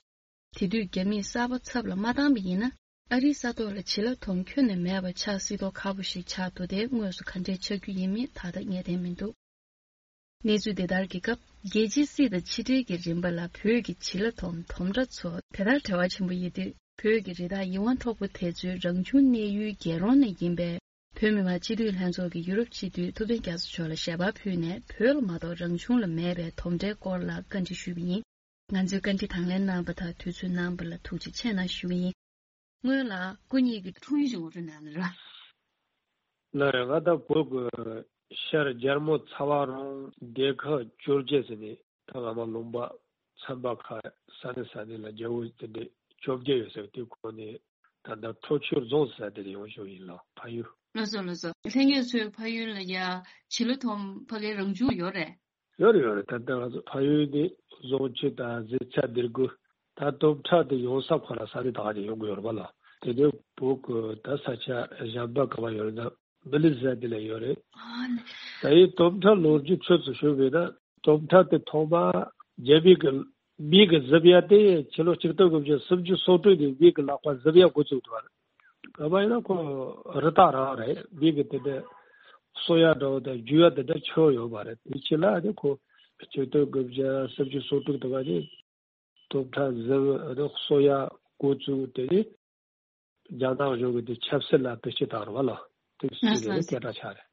དེ་དུས་རྒྱ་མིས་གསར་པ་ཚབ་ལ་མ་བཏང་པ་ཡིན་ན། ཨ་རིའི་ས་ཐོག་ལ་བྱི་ལ་དོམ་ཁྱོན་ནས་མེད་པ་ཆགས་སྲིད་མདོག་ཁ་པོ་ཞིག་ཆགས་འདུག་སྟེ། དངོས་སུ་ག་འདྲས་ཆགས་རྒྱུ་ཡིན་མིན་ད་ལྟ་ངེས་གཏན་མི་འདུག་གནས་ཚུལ་འདི་ལྟར་གྱི་སྐབས། རྒྱལ་སྤྱིའི་སྲིད་དང་ཕྱི་འབྲེལ་གྱི་རིམ་པ་ལ་བོད་ཀྱི་བྱི་ལ་དོམ་དོམ་ཁྲ་ཚོ་དེ་ལྟར་འབྲེལ་བ་ཆེན་པོ་ཡོད་དུས། བོད་ཀྱི་རི་དྭགས་ཡིད་དབང་འཕྲོག་པོ་དེ་ཚོའི་རང་བྱུང་གནས་ཡུལ་རྒྱལ་རོང་ནས་ཡིན་པའི་བོད་མི་མང་སྤྱི་འཐུས་ལྷན་ཚོགས་ཀྱི་ཡུ་རོབ་སྤྱི་འཐུས་ཐུབ་བསྟན་རྒྱ་མཚོ་མཆོག་ལ་ཞལ་པར་ཕུལ་ནས། བོད་ལ་མ་གཏོགས་རང་བྱུང་ལ་མེད་པའི་དོམ་ཁྲའི་སྐོར་ལ་བཀའ་འདྲི་ཞུས་པ་ཡིན། ང་ཚོའི་བཀའ་འདྲི་དང་ལེན་གནང་བ་དང་དུས་ཚོད་གནང་བ་ལ་ཐུགས་རྗེ་ཆེ་གནང་ཞུ་གི་ཡིན། སྔོན་ལ་སྐུ་ཉིད་ཀྱི་འཁྲུངས་ཡུལ་ཞིག་ངོ་སྤྲོད་གནང་ན་ར། ལགས་རེད། ང་ད་བོད་ཀྱི་ཤར་རྒྱལ་མོ་ཚ་བ་རོང་སྡེ་ཁག་ཇོ་རྗེ་ཟེར་ནས། ད་ང་མ་ལུང་པ་ཚན་པ་ཁག་ས་གནས་ས་གནས་ལ་རྒྱལ་པོ་དེ་འདྲས་བཅོ་བརྒྱད་ཡོད་ཟེར་བ་དེ་ཁོ་ནས། ད་ལྟ་ཁྲོ་ཆུ་རྫོང་ཟེར་དེ་ལ་ཡོང་བཞིན་ཡིན་ལགས། ཕ་ཡུལ། ལགས་སོ་ལགས་སོ། ལྷན་རྒྱས་ཚོའི་ཕ་ཡུལ་ལ་ཡ་བྱི་ལ་དོམ་ཕ་གིའི་རང་བྱུང་ཡོད་རེད། ཡོད་རེད་ཡོད་རེད། ད་ལྟ་ང་ཚོ་ཕ་ཡུལ་དེ་རྫོང་ཆུ་དང་གཟི་ཚ་སྡེ་དགུ། ད་དོམ་ཁྲ་དེ་ཡོང་ས་ཁོ་ར་ས་དེ་ད་ག་ནས་ཡོང་གི་ཡོད་རེད་པ་ལགས། དེ་ནས་བོད་ཀྱི་ད་ས་ཆ་གཞན་པ་ག་པ་ཡོད་རེད་ན། མི་ལི་ཟེར་དེ་ལ་ཡོད་རེད། ཨ་ནི། ད་ཡིན་དོམ་ཁྲ་ལོ་རྒྱུས་ཚོད་དུ་ཞུ་བས་ན། དོམ་ཁྲ་དེ་ཐོག་མ་རྒྱ་མི་གི་མི་གི་གཟབ་ཡ་དེ་ཕྱི་ལོ་ཆིག་སྟོང་དགུ་བརྒྱ་སུམ་ཅུ་སོ་དྲུག་ནས་མི་གི་ལག་པ་གཟབ་ཡ་འགོ་བཙུགས་འདུག་བ། ག་པ་ཡིན་ན་ཁོ་རི་དྭགས་རང་རེད། མི་གི་དེ་འདྲ་གསོ་ཡ་འདྲ་བོ་དང་རྒྱུ་ཡ་དེ་འདྲ་ཆེ་བོ་ཡོད་པ་རེད། དེ་ཕྱི་ལ་ནི་ཁོ་ཆིག་སྟོང་དགུ་བརྒྱ་སུམ་ཅུ་སོ་དྲུག་དུ་བ་ནི་དོམ་ཁྲ་གཟབ་ཡ་གསོ་ཡ་འགོ་བཙུགས། དེ་ནི་རྒྱ་ནག་གཞུང་གི་དེ་ཆབ་སྲིད་ལ་བེད་སྤྱོད་བཏང་རེད་བ་ལགས། དེ་སྲིད་ལ་སྐད་གྲགས་ཆགས་རེད།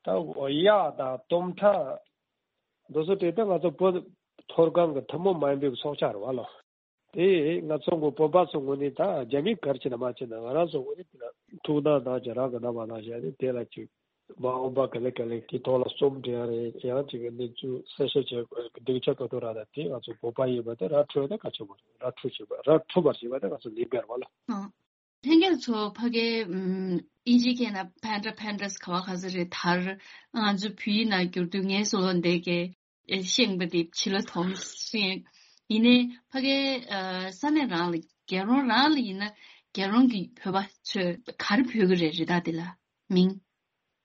ད་གཡག་དང་དོམ་ཁྲ་འདི་ཚོ་དེ་ལྟ་ང་ཚོ་བོད་མཐོ་སྒང་གི་ཐུན་མོང་མ་ཡིན་པའི་ཚོགས་ཆགས་རེད་བ་ལགས། དེ་ང་ཚོ་གི་བོད་པ་ཚོ་ངོས་ནས་ད་རྒྱ་མི་གར་ཕྱིན་ན་མ་ཕྱིན་ན་ང་རང་ཚོ་ངོས་ནས་དེ་ལ་ཐུགས་སྣང་གནང་བྱས་རང་གི་རྣམ་པ་གནང་བྱས་ནས་དེ་ལ་ཅིག་མ་འོངས་པ་ག་ལེ་ག་ལེ་དེ་ཐོག་ལ་རྩོམ་འབྲི་ཡ་རེད། ཡང་ཅིག་གི་གནས་ཚུལ་གསལ་བཤད་བྱེད་དགོས་སྡིངས་ཆ་ག་ཐུག་ར་ད་དེ་ང་ཚོ་བོད་པ་ཡིན་པ་དེ་ར་འཕྲོད་ན་ག་ཆེ་བ་རེད། ར་འཕྲོད་བྱེད་པ་ར་འཕྲོད་པར་བྱེད་པ་དེ་ང་ཚོ་ལས་འགན་རེད་བ་ལགས། ལྷན་རྒྱས་ཚོ་ཕ་གའི་ཨིན་ཇིའི་སྐད་ནང་ཕན་ཏྲ་ཕན་ཏྲས་ག་བ་ག་ས་རེད། དར་ང་ཚོ་བོད་ཡིག་ནང་བསྒྱུར་དུས་ངལ་གསོ་ལོ་འདས་ཀྱི་ཤེས་པ་དེ་བྱི་ལ་དོམ་ཤེས། ཡིན་ནའི་ཕ་གའི་ས་གནས་རང་ལ་རྒྱལ་རོང་རང་ལ་ཡིན་ན་རྒྱལ་རོང་གི་བོད་པ་ཚོས་ག་རེ་འབོད་ཀྱི་རེད། རི་དྭགས་དེ་ལ་མིང་།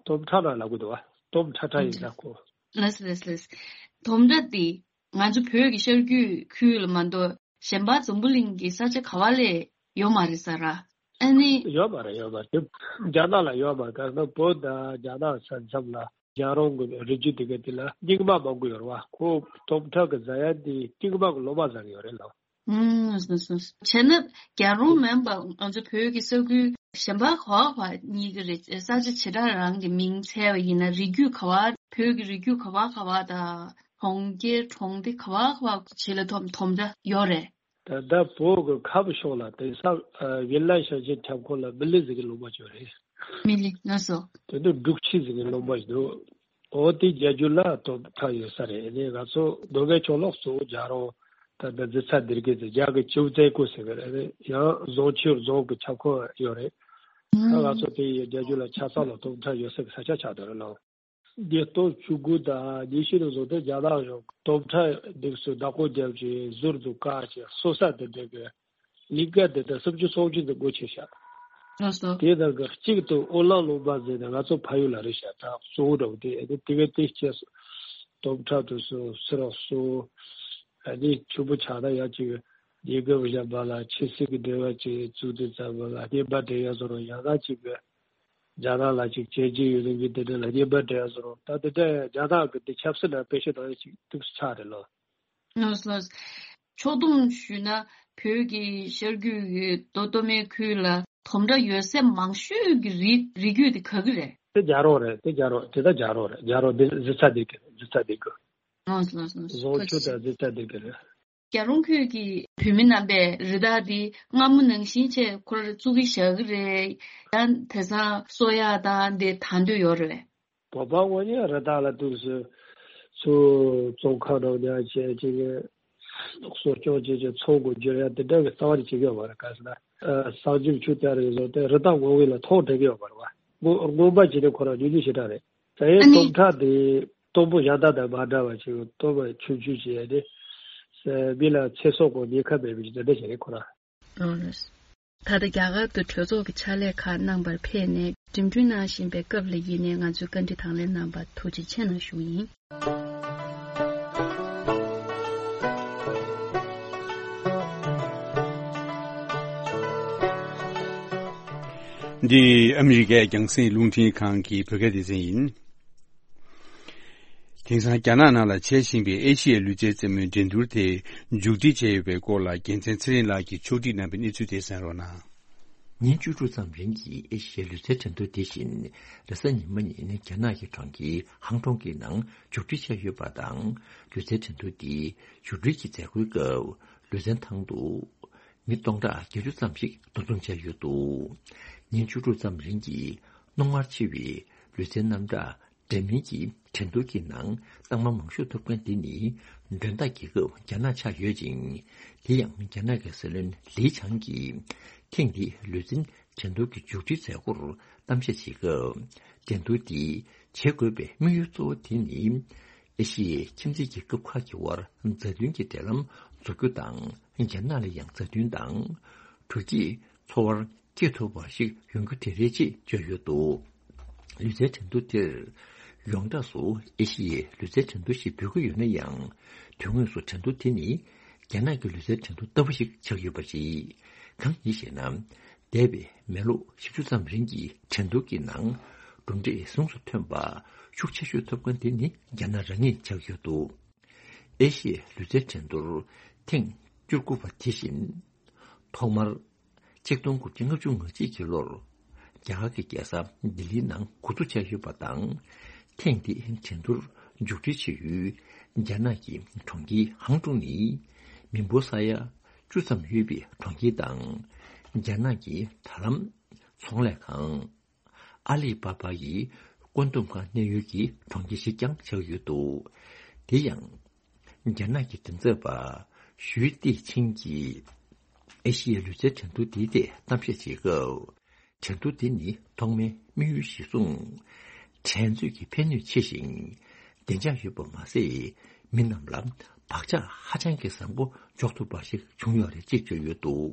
དོམ་ཁྲ་ལ་ལབ་གི་འདུག་བ། དོམ་ཁྲ་ཁྲ་ཡིན་ས་ཁོ། ལགས་ལགས་ལགས། དོམ་ཁྲ་དེ་ང་ཚོ་བོད་ཀྱི་ཤར་རྒྱུད་ཁུལ་ལ་མ་གཏོགས་གཞན་པ་འཛམ་བུ་གླིང་གི་ས་ཆ་ག་བ་ལས་ཡོད་མ་རེད་ས་ར། ཨ་ནི། ཡོད་མ་རེད། ཡོད་མ་རེད། རྒྱ་ནག་ལ་ཡོད་མ་རེད། ག་ན་བོད་དང་རྒྱ་ནག་ས་མཚམས་ལ་རྒྱལ་རོང་གི་རི་རྒྱུད་དེ་ག་དེ་ལ་རྙིང་མ་མང་པོ་ཡོད་རེད་བ། ཁོ་དོམ་ཁྲ་གི་ཟ་ཡ་དེ་རྙིང་མ་གི་ལོ་མ་ཟ་གི་ཡོད་རེད་ལ། ཨང་སོ་སོ། བྱས་ན་རྒྱལ་རོང་མིན་པ་ང་ཚོ་བོད་ཀྱི་ས་ཁུལ་གཞན་པ་ག་བ་ག་བ་གཉིས་ཀྱི་རེད། ས་ཆ་བྱེ་བྲག་རང་གི་མིང་འཚལ་བ་ཡིན་ན་རི་རྒྱུད་ག་བ། བོད་ཀྱི་རི་རྒྱུད་ག་བ་ག་བ་དང་གྲོང་ཁྱེར་གྲོང་སྡེ་ག་བ་ག་བ་བྱེད་ལ་དོམ་དོམ་ཁྲ་ཡོད་རེད། ད་ལྟ་བོད་ཀྱི་ཁམས་ཕྱོགས་ལ་དེང་སང་ཝི་ལ་ཞིང་ཆེན་ཁྱབ་ཁོངས་ལ་མི་ལི་ཟེར་གྱི་ལུང་པ་ཅིག་ཡོད་རེད། མི་ལི་ལགས་སོ། དེ་ནི་འབྲུག་ཆུ་ཟེར་གྱི་ལུང་པ་ཞིག་འདུག་འོ་དེ་རྒྱ་རྒྱུད་ལ་དོམ་ཁྲ་ཡོད་ས་རེད། ཨ་ནི་ང་ཚོ་མདོ་སྨད་ཕྱོགས་ལ་གཙོ་བོ་རྒྱལ་རོང་། ད་ལྟ་རྫི་ཚ་སྡེ་དགེ་ཟེར། རྒྱ་གི་ཅིའུ་ཙེ་ཀུ་ཟེར་གི་རེད། ཡང་ཟོང་ཆུ་རྫོང་གི་ཁྱབ་ཁོངས་ཡོད་རེད། ད་ང་ཚོ་དེ་ཡི་རྒྱ་རྒྱུད་ལ་ཆ་ཚང་ལ་དོམ་ཁྲ་ཡོད་ས་གི་ས་ཆ་ཆགས་བསྡད་རེད་ལ། ཉིས་སྟོང་བཅུ་དགུ་དང་ཉི་ཤུ་ནང་བཟོ་དེ་རྒྱ་ནག་གཞུང་དོམ་ཁྲ་འདེགས་སུ་བདག་པོ་རྒྱབ་ཀྱི་ཟུར་དུ་བཀག་ཅིང་གསོ་ས་དེ་འདྲ་གི་ལིང་ག་དེ་དག་སུམ་ཅུ་སོ་བཅུ་ཙམ་སྒོ་ཕྱེ་བཞག་ལགས་སོ། དེའི་ནང་གི་གཅིག་ཏུ་ཨོ་གླང་ལུང་པ་ཟེར་ནས་ང་ཚོ་ཕ་ཡུལ་ལ་རེད་བཞག་ད་གཙོ་བོ་འདྲ་བོ་དེ་ཨ་ནི་དེ་གའི་དེ་སྐྱེས་སོ། དོམ་ཁྲ་དུ་སོ་སི་རག་སོ། ཨ་ནི་ཆུ་བོ་ཆགས་ན་ཡང་གཅིག་ཉེ་གི་བཞག་པ་ལ་ཆུ་སྲིན་གྱི་འབྲེལ་བ་ཅིག་བཙུགས་དུས་ཙམ་པ་ལ་བསྟན་པ་འདྲེན་ཡ་བཟོ་རོགས་ཡང་ན་གཅིག་གི་རྒྱ་ནག་ལ་ཅིག་བྱས་རྗེས་ཡོད་ལུགས་ཀྱི་དེ་འདྲ་ལ་བསྟན་པ་འདྲེན་ཡ་བཟོ་རོགས་ད་དེ་འདྲ་རྒྱ་ནག་གི་དེ་ཆབ་སྲིད་ནང་དཔེ་ཤེས་དང་ཡ་ཅིག་ཏུག་ས་ཆགས་རེད་ལོ། ལགས་སོ། ཕྱོགས་བསྡོམས་ཞུས་ན་བོད་ཀྱི་ཤར་རྒྱུད་ཀྱི་མདོ་སྟོད་སྨད་ཁུལ་ལ་དོམ་ཁྲ་ཡོད་ས་མང་ཤོས་ཀྱི་རི་རི་རྒྱུད་དེ་ག་གི་རེད། དེ་རྒྱ་རོང་རེད། དེ་རྒྱ་རོང་དེ་ད་རྒྱ་རོང་རེད། རྒྱ་རོང་དེ་རྫི་ཚ་དེ་གི་རེད། རྫི་ཚ་དེ་གི། ལགས་སོ་ལགས་སོ་ལགས་སོ། ཟོང་ཆུ་དང་རྫི་ཚ་དེ་གི་རེད། རྒྱ་རོང་ཁུལ་གྱི་བོད་མི་རྣམ་པས་རི་དྭགས་འདི་སྔ་མོ་ནང་བཞིན་བྱས་ཁོ་ར་བཙུགས་ཀྱི་བཞག་གི་རེད། ཡང་དེང་སང་གསོ་ཡག་དང་དེ་དང་དུ་ཡོད་རེད། བོད་པ་དངོས་གནས་རི་དྭགས་ལ་ཏོག་ཙམ་ཚུར་བཙོན་ཁང་ནང་ཉར་བྱས་ཅིག་གསོ་སྐྱོང་བྱས་ཅིག་ཚོང་སྒོ་བསྒྱུར་ཡ་དེ་འདྲ་གི་རྩ་བ་ནས་བྱེད་ཀྱི་ཡོད་མ་རེད། ག་ཟེར་ན་ཨ་གསང་སྤྱོད་ཆུ་དེ་རེད་བཟོ་སྟེ་རི་དྭགས་ངོ་བོ་ལ་ཐོག་འགྲིག་གི་ཡོད་མ་རེད་བ། སྔོན་སྔོན་མ་བྱས་ཏེ་ཁོ་རང་ཉུང་ཉུང་ཞེ་དྲག་རེད། ད་ཡིན་ཨ་ནི། སྟོབས་ཁྲ་དེ་སྟོབས་པོ་གཞན་དག་དང་མ་འདྲ་བ་ཞིག་སྟོབས་པ་ཆུང་ཆུང་བྱས་ཏེ། མི་ལ་ཚེ་སྲོག་གི་ཉེན་ཁ་མེད་པའི་འདི་འདྲ་ཞིག་རེད་ཁོ་རང་། ལགས་ལགས། ད་ལྟ་རྒྱ་གར་དུ་གྲོས་ཚོགས་ཀྱི་ཕྱག་ལས་ཁག་གནང་བར་ཕེབས་ནས་འགྲིམ་འགྲུལ་གནང་བཞིན་པའི་སྐབས་ལ་ཡིན་ནས་ང་ཚོའི་བཀའ་འདྲི་དང་ལེན་གནང་བར་ཐུགས་རྗེ་ཆེ་གནང་ཞུ་ཡིན། འདི་ཨ་མི་རི་ཀའི་རྒྱང་སྲིང་རླུང་འཕྲིན་ཁང་གི་བོད་སྐད་སྡེ་ཚན་ཡིན། དེང་སང་རྒྱ་ནག་ནང་ལ་བྱེད་བཞིན་པའི་ཨེ་ཤི་ཡའི་ལུས་རྩལ་རྩེད་མོའི་འགྲན་བསྡུར་དེ་མཇུག་སྒྲིལ་བྱས་ཡོད་པའི་སྐོར་ལ་རྒྱལ་མཚན་ཚེ་རིང་ལགས་ཀྱིས་ཕྱོགས་སྒྲིག་གནང་བའི་གནས་ཚུལ་དེ་གསན་རོགས་གནང་། ཉིན་བཅུ་དྲུག་ཙམ་རིང་གི་ཨེ་ཤི་ཡའི་ལུས་རྩལ་འགྲན་བསྡུར་དེ་བཞིན་རེས་གཟའ་ཉི་མ་ཉིན་རྒྱ་ནག་གི་གྲོང་ཁྱེར་ཧང་ཀྲོང་གི་ནང་མཇུག་སྒྲིལ་བྱས་ཡོད་པ་དང་། ལུས་རྩལ་འགྲན་བསྡུར་དེའི་མཇུག་སྒྲིལ་གྱི་མཛད་སྒོའི་སྐབས་ལུས་རྩལ་ཐང་དུ་མི་སྟོང་ཕྲག་བརྒྱད་ཅུ་ཙམ་ཞིག་འདུ་འཛོམས་བྱས་ཡོད་འདུག་ཉིན་བཅུ་དྲུག་ཙམ་རིང་གི་རྣོ་ངར་ཆེ་བའི་ལུས་རྩལ་རྣམ་གྲངས་འདྲ་མིན་གྱི་འགྲན་བསྡུར་གྱི་ནང་རྟགས་མ་མང་ཤོས་ཐོབ་མཁན་དེ་ནི་མགྲོན་བདག་རྒྱལ་ཁབ་རྒྱ་ནག་ཆགས་ཡོད་ཅིང་། དེ་ཡང་རྒྱ་ནག་གི་སྲིད་བློན་ལི་ཆང་གིས་ཐེངས་འདིའི་ལུས་རྩལ་འགྲན་བསྡུར་གྱི་མཇུག་སྒྲིལ་མཛད་སྒོར་གཏམ་བཤད་བྱེད་སྐབས། འགྲན་བསྡུར་འདི་བྱེད་དགོས་པའི་དམིགས་ཡུལ་གཙོ་བོ་དེ་ནི། ཨེ་ཤི་ཡའི་ཁྱིམ་མཚེས་རྒྱལ་ཁབ་ཁག་གི་དབར་མཛའ་མཐུན་གྱི་འབྲེལ་ལམ་འཛུགས་རྒྱུ་དང་། རྒྱ་ནག་ལ་ཡང་མཛའ་མཐུན་དང་། དྲོ་སྐྱིད་འཚོ་བར་སྐྱེ་ཐུབ་པ་ཞིག་ཡོང་རྒྱུ་དེ་རེད་ཅེས་བརྗོད་ཡོད་འདུག་ལུས་རྩལ་འགྲན་བསྡུར་དེར་ཡོངས་གྲགས་སུ་ཨེ་ཤི་ཡའི་ལུས་རྩལ་འགྲན་བསྡུར་ཞེས་འབོད་ཀྱི་ཡོད་ན་ཡང་། དོན་དངོས་སུ་འགྲན་བསྡུར་དེ་ནི་རྒྱ་ནག་གི་ལུས་རྩལ་འགྲན་བསྡུར་ལྟ་བུ་ཞིག་ཆགས་ཡོད་པ་རེད། གང་ཡིན་ཞེ་ན། འདས་པའི་མི་ལོ་བཞི་བཅུ་ཙམ་རིང་གི་འགྲན་བསྡུར་གྱི་ནང་གྲུབ་འབྲས་གཟེངས་སུ་ཐོན་པ་ཤུགས་ཆེ་ཤོས་ཐོབ་མཁན་དེ་ནི་རྒྱ་ནག་རང་ཉིད་ཆགས་ཡོད་འདུག་ཨེ་ཤི་ཡའི་ལུས་རྩལ་འགྲན་བསྡུར་ཐེངས་བཅུ་དགུ་པ་དེ་བཞིན་ཐོག་མར་ཆིག་སྟོང་དགུ་བརྒྱ་ལྔ་བཅུ་ང་གཅིག་གི་ལོར་རྒྱ་གར་གྱི་རྒྱལ་ས་ལྡི་ལིའི་ནང་འགོ་འཛུགས་བྱས་ཡོད་པ་དང་། ཐེངས་འདིའི་འགྲན་བསྡུར་མཇུག་སྒྲིལ་བྱེད་ཡུལ་རྒྱ་ནག་གི་གྲོང་ཁྱེར་ཧང་ཀྲུང་ནི་མི་འབོར་ས་ཡ་བཅུ་ཙམ་ཡོད་པའི་གྲོང་ཁྱེར་དང་། རྒྱ་ནག་གི་དྲ་ལམ་ཚོང་ལས་ཁང་ཨ་ལི་པ་པ་ཡི་བཀོད་འདོམས་ཁང་གནས་ཡུལ་གྱི་གྲོང་ཁྱེར་ཞིག་ཀྱང་ཆགས་ཡོད་འདུག་དེ་ཡང་། རྒྱ་ནག་གི་མགྲིན་ཚབ་པ་ཞུས་ཏེ་ཆིང་གིས་ཨེ་ཤི་ཡའི་ལུས་རྩལ་འགྲན་བསྡུར་འདིའི་ཐད་གཏམ་བཤད་བྱེད་སྐབས། འགྲན་བསྡུར་འདི་ནི་ཐོག་མའི་དམིགས་ཡུལ་ཞིག་གསུངས། འགྲན་རྩོད་ཀྱི་ཕན་ནུས་ཆེ་ཞིང་། བདེ་འཇགས་ཡོད་པ་མ་ཟད། མི་རྣམས་ལ་བག་ཆགས་ཧ་ཅང་གི་བཟང་པོ་འཇོག་ཐུབ་པ་ཞིག་བྱུང་ཡོད་རེད་ཅེས་བརྗོད་ཡོད་འདུག་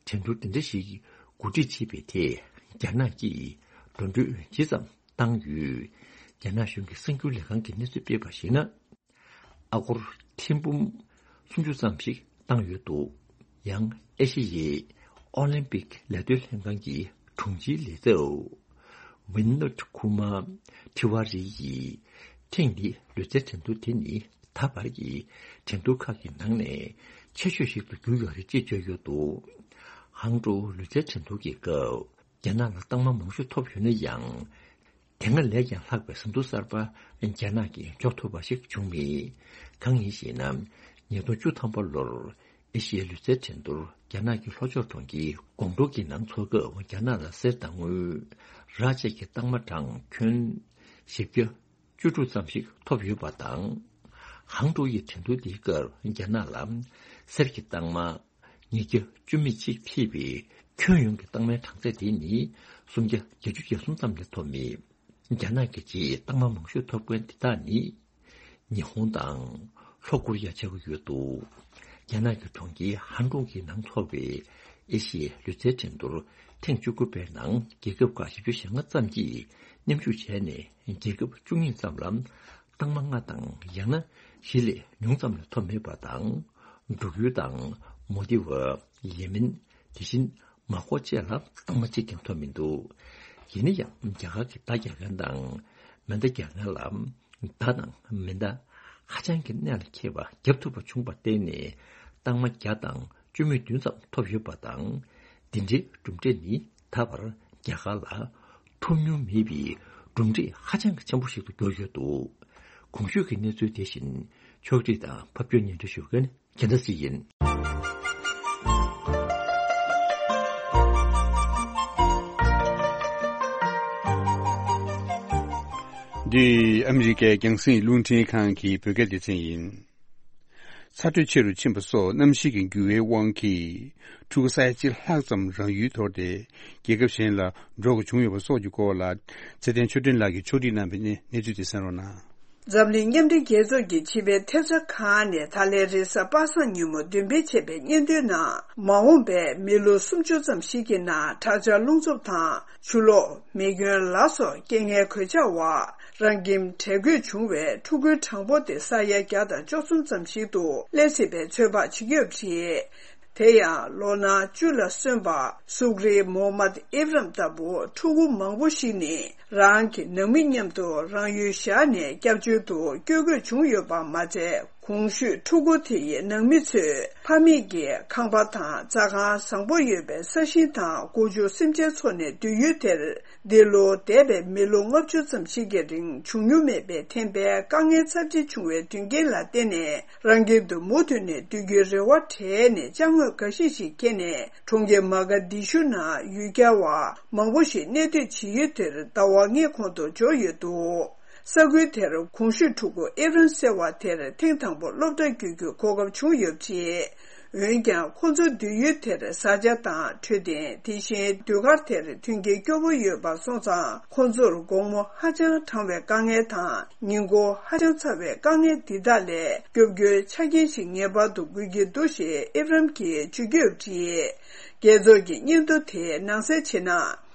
འགྲན་བསྡུར་འདི་འདྲ་ཞིག་གོ་སྒྲིག་བྱེད་པའི་ཐད་རྒྱ་ནག་གིས་འགྲོ་གྲོན་ཇི་ཙམ་བཏང་ཡོད། རྒྱ་ནག་གཞུང་གི་གསར་འགྱུར་ལས་ཁང་གིས་གནས་ཚུལ་སྤེལ་བར་གཞིགས་ན། ཨ་སྒོར་ཐེར་འབུམ་སུམ་ཅུ་ཙམ་ཞིག་བཏང་ཡོད་འདུག། ཡང་ཨེ་ཤེ་ཡའི་ཨོ་ལིམ་པིག་ལས་དོན་ལྷན་ཁང་གི་དྲུང་ཆེའི་ལས་ཚབ་ཝིན་ནོད་ཁུ་མ་ཐི་ཝ་རི་ཡིས། ཐེངས་འདིའི་ལུས་རྩལ་འགྲན་བསྡུར་དེ་ནི་ད་བར་གྱི་འགྲན་བསྡུར་ཁག་གི་ནང་ནས་ཆེ་ཤོས་ཤིག་ཏུ་གྱུར་ཡོད་རེད་ཅེས་བརྗོད་ཡོད་འདུག། ཧང་ཀྲོའུ་ལུས་རྩལ་འགྲན་བསྡུར་གྱི་སྐབས། རྒྱ་ནག་ལ་རྟགས་མ་མང་ཤོས་ཐོབ་ཡོད་ན་ཡང་། དེ་སྔ་ལས་ཀྱང་ལྷག་པའི་ཟིན་ཐོ་གསར་པ་རྒྱ་ནག་གིས་འཇོག་ཐུབ་པ་ཞིག་བྱུང་མེད། གང་ཡིན་ཞེ་ན། ཉིས་སྟོང་བཅུ་ཐམ་པ་ལོར་ཨེ་ཤི་ཡའི་ལུས་རྩལ་འགྲན་བསྡུར་རྒྱ་ནག་གི་ལྷོ་ཕྱོགས་གྲོང་ཁྱེར་ཀོང་ཀྲོའུ་གི་ནང་འཚོགས་སྐབས་རྒྱ་ནག་ལ་གསེར་དང་དངུལ། རག་བཅས་ཀྱི་རྟགས་མ་གྲངས་ཁྱོན་བཞི་བརྒྱ་བཅུ་དྲུག་ཙམ་ཞིག་ཐོབ་ཡོད་པ་དང་། ཧང་ཀྲོའུ་ཡི་འགྲན་བསྡུར་འདིའི་སྐབས་རྒྱ་ནག་ལ་གསེར་གྱི་རྟགས་མ་ཉིས་བརྒྱ་བཅུ་མེད་གཅིག་ཐེབས་པའི་ཁྱོན་ཡོངས་ཀྱི་རྟགས་མའི་གྲངས་ཚད་དེ་ནི་སུམ་བརྒྱ་བརྒྱད་ཅུ་གྱ་གསུམ་ཙམ་ལས་ཐོབ་མེད། རྒྱ་ནག་གི་རྗེས་རྟགས་མ་མང་ཤོས་ཐོབ་མཁན་དེ་དག་ནི་ཉི་ཧོང་དང་ལྷོ་ཀོ་རི་ཡ་ཆགས་ཀྱི་ཡོད་འདུག། རྒྱ་ནག་གི་གྲོང་ཁྱེར་ཧན་ཀྲུང་གི་ནང་འཚོགས་པའི་ཨེ་ཤི་ཡའི་ལུས་རྩལ་འགྲན་བསྡུར་ཐེངས་བཅུ་དགུ་པའི་ནང་རྒྱལ་ཁབ་ཁག་བཞི་བཅུ་ཞེ་ལྔ་ཙམ་གྱིས་མཉམ་ཞུགས་བྱས་ནས། རྒྱལ་ཁབ་བཅུ་གཉིས་ཙམ་ལ་རྟགས་མ་ལྔ་དང་ཡང་ན་བཞི་ལས་ཉུང་ཙམ་ལས་ཐོབ་མེད་པ་དང་། འབྲུག་ཡུལ་དང་མོལ་དི་ཝི། ཡེ་མེན། དེ་བཞིན་མར་ཀོ་བཅས་ལ་རྟགས་མ་གཅིག་ཀྱང་ཐོབ་མི་འདུག། ཡིན་ན་ཡང་རྒྱ་གར་གྱི་མདའ་རྒྱག་མཁན་དང་མེ་མདའ་རྒྱག་མཁན་ལ་མདའ་དང་མེ་མདའ་ཧ་ཅང་གི་གནད་ལ་འཁེལ་བ་བརྒྱབ་ཐུབ་པ་བྱུང་བར་བརྟེན་ནས། རྟགས་མ་བརྒྱ་དང་བཅུ་མེད་བདུན་ཙམ་ཐོབ་ཡོད་པ་དང་། འདི་འདྲའི་གྲུབ་འབྲས་ནི་ད་བར་རྒྱ་གར་ལ་ཐོབ་མྱོང་མེད་པའི་གྲུབ་འབྲས་ཧ་ཅང་གི་ཆེན་པོ་ཞིག་ཏུ་གྱུར་ཡོད་འདུག། གོང་ཞུས་ཀྱི་གནས་ཚུལ་དེ་བཞིན་ཕྱོགས་སྒྲིག་དང་ཕབ་སྒྱུར་སྙན་སྒྲོན་ཞུ་མཁན་རྒྱལ་མཚན་ཡིན། འདི་ཨ་མི་རི་ཀའི་རྒྱང་སྲིང་རླུང་འཕྲིན་ཁང་གི་བོད་སྐད་སྡེ་ཚན་ཡིན། ཚ་དྲོད་ཆེ་རུ་ཕྱིན་པ་སོགས་གནམ་གཤིས་ཀྱི་འགྱུར་བའི་དབང་གིས། ཕྲུ་གུ་ས་ཡ་གཅིག་ལྷག་ཙམ་རང་ཡུལ་དོར་ཏེ། རྒྱལ་ཁབ་གཞན་ལ་འགྲོ་དགོས་བྱུང་ཡོད་པ་སོགས་ཀྱི་སྐོར་ལ། ཚེ་བརྟན་ཆོས་སྒྲོན་ལགས་ཀྱིས་ཕྱོགས་སྒྲིག་གནང་བའི་གནས་གནས་ཚུལ་དེ་གསན་རོགས་གནང་། འཛམ་གླིང་མཉམ་འབྲེལ་རྒྱལ་ཚོགས་ཀྱི་སྤྱི་པའི་ཐེབས་རྩ་ཁང་ནས་ད་ལན་རེས་གཟའ་པ་སངས་ཉིན་མོ་འདོན་སྤེལ་བྱས་པའི་སྙན་ཐོའི་ནང་། མ་འོངས་པའི་མི་ལོ་སུམ་ཅུ་ཙམ་ཞིག་གི་ནང་། དྲག་ཆར་རླུང་འཚུབ་དང་ཆུ་ལོག་མེ་སྐྱོན་ལ་སོགས་རྐྱེན་ངན་གོད་ཆག་འོག་རང་ཁྱིམ་བྲལ་དགོས་བྱུང་བའི་ཕྲུ་གུའི་གྲངས་འབོར་དེ་ས་ཡ་བརྒྱ་དང་བཅུ་གསུམ་ཙམ་ཞིག་ཏུ་སླེབས་སྲིད་པའི་ཚོད་དཔག་བྱེད་ཀྱི་ཡོད་པ་རེད། དེ་ཡང་ལོ་ན་བཅུ་ལ་སོན་པ་སུག་རི་མོ་མད་ཨིབ་རམ་ལྟ་བུ་ཕྲུ་གུ་མང་པོ་ཞིག་ནི་རང་གི་ནང་མི་མཉམ་དུ་རང་ཡུལ་བཞག་ནས་སྐྱབས་བཅོལ་དུ་བསྐྱོད་དགོས་བྱུང་ཡོད་པ་མ་ཚད། གོང་ཞུས་ཕྲུ་གུ་དེ་ཡི་ནང་མི་ཚོས་ཕ་མེས་ཀྱི་ཁང་པ་དང་རྩྭ་ཁང་བཟང་པོ་ཡོད་པའི་ས་ཞིང་དང་སྒོ་ཕྱུགས་སེམས་ཅན་འཚོ་གནས་སྡོད་ཡུལ་དེར། འདི་ལོ་འདས་པའི་མི་ལོ་ལྔ་བཅུ་ཙམ་ཞིག་གི་རིང་བྱུང་མྱོང་མེད་པའི་ཐེམ་པའི་དཀའ་ངལ་ཚབས་ཆེ་བྱུང་བའི་མཐུན་རྐྱེན་ལ་བརྟེན་ནས། རང་ཁྱིམ་དུ་མུ་མཐུད་ནས་སྡོད་རྒྱུའི་རེ་བ་བྲལ་ནས་ཅ་དངོས་འགའ་ཤས་ཤིག་འཁྱེར་ནས་གྲོང་ཁྱེར་མ་ག་དི་ཤུ་ནང་ཡུལ་གྱར་བ་མང་པོ་ཞིག་གནས་སྡོད་བྱེད་ཡུལ་དེར་ཟླ་བ་ལྔའི་གོང་དུ་འབྱོར་ཡོད་འདུག། ས་ཁུལ་དེར་གོང་ཞུས་ཕྲུ་གུ་ཨེབ་རན་ཟེར་བ་དེར་ཐེངས་དང་པོ་སློབ་གྲྭ་བསྐྱོད་རྒྱུའི་གོ་སྐབས་བྱུང་ཡོད་པ་རེད། འོན་ཀྱང་ཁོ་ཚོ་སྡོད་ཡུལ་དེར་བཟའ་བཅའ་དང་འཕྲོད་བསྟེན། དེ་བཞིན་ཟློས་གར་དེར་མཐུན་རྐྱེན་སྐྱོ་པོ་ཡོད་པ་སོང་ཙང་། ཁོ་ཚོར་དགོང་མོ་ཧ་ཅང་གྲང་བའི་དཀའ་ངལ་དང་། ཉིན་གུང་ཧ་ཅང་ཚ་བའི་དཀའ་ངལ་འདི་དག་ལས་སྐྱོབ་རྒྱུའི་ཆ་རྐྱེན་ཞིག་ངེས་པར་དུ་དགོས་ཀྱི་འདུག་ཞེས་ཨེབ་རམ་གྱིས་བརྗོད་ཀྱི་ཡོད་པ་རེད། རྒྱལ་ཚོགས་ཀྱི་སྙན་ཐོ་དེ་ནང་གསལ་བྱས་ན།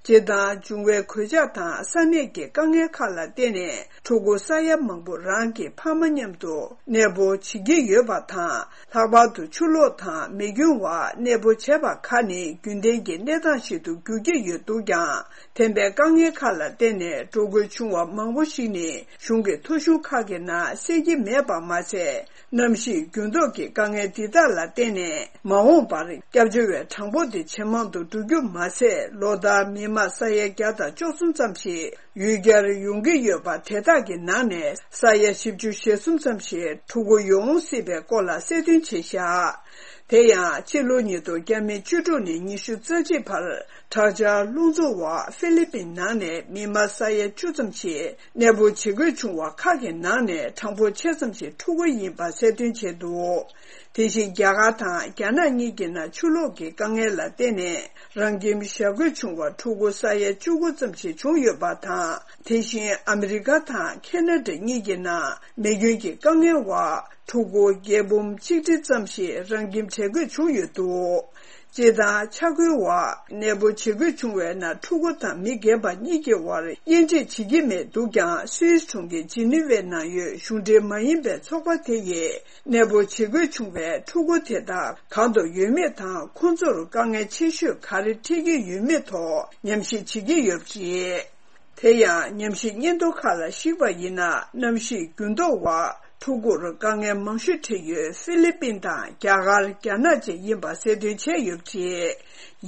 སྤྱིར་བཏང་འབྱུང་བའི་གོད་ཆག་དང་ས་གནས་ཀྱི་དཀའ་ངལ་ཁག་ལ་བརྟེན་ནས། ཕྲུ་གུ་ས་ཡ་མང་པོ་རང་གི་ཕ་མ་མཉམ་དུ་གནས་སྤོ་བྱེད་ཀྱི་ཡོད་པ་དང་། ལྷག་པར་དུ་ཆུ་ལོག་དང་མེ་སྐྱོན་འོག་གནས་སྤོ་བྱས་པ་ཁག་ནི་རྒྱུན་ལྡན་གྱི་གནས་སྟངས་ཤིག་ཏུ་འགྱུར་གྱི་ཡོད་འདུག་ཀྱང་། ཐེམ་པའི་དཀའ་ངལ་ཁག་ལ་བརྟེན་ནས་འགྲོ་དགོས་བྱུང་བ་མང་པོ་ཞིག་ནི་གཞུང་གི་ཐོ་གཞུང་ཁག་གི་ནང་གསལ་གྱི་མེད་པ་མ་ཟད། གནམ་གཤིས་འགྱུར་ལྡོག་གི་དཀའ་ངལ་འདི་དག་ལ་བརྟེན་ནས། མ་འོངས་པར་སྐྱབས་བཅོལ་བའི་གྲངས་འབོར་དེ་ཇེ་མང་དུ་འགྲོ་རྒྱུ་མ་ཟད། ལོ་ལྟར་མི་མང་ས་ཡ་བརྒྱ་དང་བཅུ་གསུམ་ཙམ་ཞིག་ཡུལ་གྱར་ཡོང་གི་ཡོད་པ། དེ་དག་གི་ནང་ནས་ས་ཡ་བཞི་བཅུ་ཞེ་གསུམ་ཙམ་ཞིག་ཕྲུ་གུ་ཡོང་སྲིད་པའི་སྐོར་ལ་གསལ་སྟོན་བྱས་བཞག། དེ་ཡང་ཕྱི་ལོ་ཉིས་སྟོང་བརྒྱ་མེད་བཅུ་དྲུག་ནས་ཉི་ཤུ་རྩ་གཅིག་བར། དྲག་ཆར་རླུང་འཚུབ་འོག་ཧྥི་ལི་པིན་ནང་ནས་མི་མང་ས་ཡ་བཅུ་ཙམ་ཞིག་གནས་སྤོ་བྱེད་དགོས་བྱུང་བ་ཁག་གི་ནང་ནས་གྲངས་འབོར་ཆེ་ཙམ་ཞིག་ཕྲུ་གུ་ཡིན་པ་གསལ་སྟོན་བྱས་འདུག། དེ་བཞིན་རྒྱ་གར་དང་རྒྱ་ནག་གཉིས་ཀྱི་ནང་ཆུ་ལོག་གི་དཀའ་ངལ་ལ་བརྟེན་ནས་རང་ཁྱིམ་བཞག་དགོས་བྱུང་བ་ཕྲུ་གུ་ས་ཡ་བཅུ་དགུ་ཙམ་ཞིག་བྱུང་ཡོད་པ་དང་། དེ་བཞིན་ཨ་མི་རི་ཀ་དང་ཁེ་ན་ཌ་གཉིས་ཀྱི་ནང་མེ་སྐྱོན་གྱི་དཀའ་ངལ་འོག་ཕྲུ་གུ་བརྒྱད་འབུམ་གཅིག་ཁྲི་ཙམ་ཞིག་རང་ཁྱིམ་བྲལ་དགོས་བྱུང་ཡོད་འདུག། སྤྱིར་བཏང་ཆ་བགོས་འོག་གནས་སྤོ་བྱེད་དགོས་བྱུང་བའི་ནང་ཕྲུ་གུ་དང་མི་རྒན་པ་གཉིས་ཀྱི་དབར་དབྱེ་འབྱེད་བྱེད་ཀྱི་མེད་འདུག་ཀྱང་། སུད་སི་གྲོང་ཁྱེར་ཇི་ནི་ཝའི་ནང་ཡོད་གཞུང་འབྲེལ་མ་ཡིན་པའི་ཚོགས་པ་དེ་ཡིས་གནས་སྤོ་བྱེད་དགོས་བྱུང་བའི་ཕྲུ་གུ་དེ་དག་གང་དུ་ཡོད་མེད་དང་། ཁོང་ཚོར་དཀའ་ངལ་ཆེ་ཤོས་ག་རེ་འཕྲད་ཀྱི་ཡོད་མེད་ཐོག་ཉམས་ཞིབ་བྱེད་ཀྱི་ཡོད་པ་རེད། དེ་ཡང་ཉམས་ཞིབ་སྙན་ཐོ་ཁག་ལ་གཞིགས་པ་ཡིན་ན། གནམ་གཤིས་འགྱུར་ལྡོག་འོག་ཕྲུ་གུར་དཀའ་ངལ་མང་ཤོས་འཕྲད་ཡུལ་ཧྥི་ལི་པིན་དང་རྒྱ་གར། རྒྱ་ནག་བཅས་ཡིན་པ་གསལ་སྟོན་བྱས་ཡོད་པ་རེད།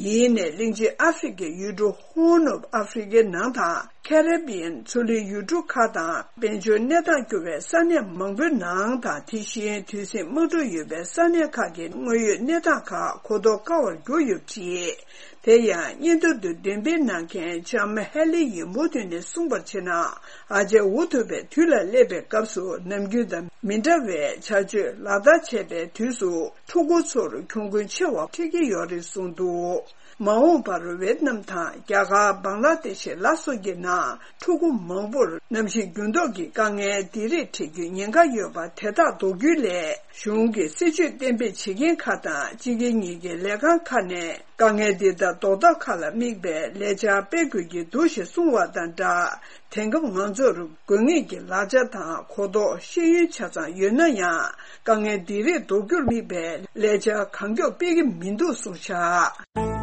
ཡིན་ནའི་གླིང་ཆེན་ཨ་ཧྥེ་རི་ཁའི་ཡུལ་གྲུ་Horn of Africa ནང་དང་། Caribbean མཚོ་གླིང་ཡུལ་གྲུ་ཁག་དང་། དཔལ་འབྱོར་གནས་སྟངས་སྐྱོ་བའི་ས་གནས་མང་པོའི་ནང་དང་། དེ་བཞིན་དུས་ཟིང་དམག་འཁྲུག་ཡོད་པའི་ས་གནས་ཁག་གི་དངོས་ཡོད་གནས་སྟངས་ཁག་གོ་རྟོགས་དཀའ་བར་གྱུར་ཡོད་པ་རེད། དེ་ཡང་སྙན་ཐོ་འདི་འདོན་སྤེལ་གནང་མཁན་ལྕམ་ཧེ་ལི་ཡིན་མུ་ཐུན་ནས་གསུངས་པར་བྱས་ན། ཨ་ཅག་འུ་ཐུག་པའི་དུས་ལ་སླེབས་པའི་སྐབས་སུ་ནམ་རྒྱུན་དང་མི་འདྲ་བའི་བྱ་སྤྱོད་ལག་བསྟར་བྱས་པའི་དུས་སུ། ཕྲུ་གུ་ཚོར་གྱོང་གུན་ཆེ་བ་འཕྲད་ཀྱི་ཡོད་རེད་གསུངས་འདུག། མ་འོངས་པར་ཝེད་ནམ་དང་རྒྱ་གར། བང་ལ་དེ་ཤི་ལ་སོགས་ཀྱི་ནང་ཕྲུ་གུ་མང་པོར་གནམ་གཤིས་འགྱུར་ལྡོག་གི་དཀའ་ངལ་འདི་རིགས་འཕྲད་རྒྱུའི་ཉེན་ཁ་ཡོད་པ་དེ་དག་ཟློག་རྒྱུའི་སླད། གཞུང་གི་སྲིད་ཇུས་གཏན་འབེབས་བྱེད་མཁན་ཁག་དང་སྤྱི་སྒེར་གཉིས་ཀྱི་ལས་ཁང་ཁག་ནས་དཀའ་ངལ་འདི་དག་ཟློག་ཐབས་ཁག་ལ་དམིགས་པའི་ལས་འཆར་སྤེལ་དགོས་ཀྱི་འདུག་ཞེས་གསུངས་པ་དང་སྦྲགས། དེང་སྐབས་ང་ཚོར་དགོས་ངེས་ཀྱི་ལག་ཆ་དང་གོ་རྟོགས་ཤེས་ཡོན་ཆ་ཚང་ཡོད་ན་ཡང་། དཀའ་ངལ་འདི་རིགས་ཟློག་རྒྱུར་དམིགས་པའི་ལས་འཆར་གང་མགྱོགས་སྤེལ་གྱི་མི་འདུག་གསུངས་བཞག།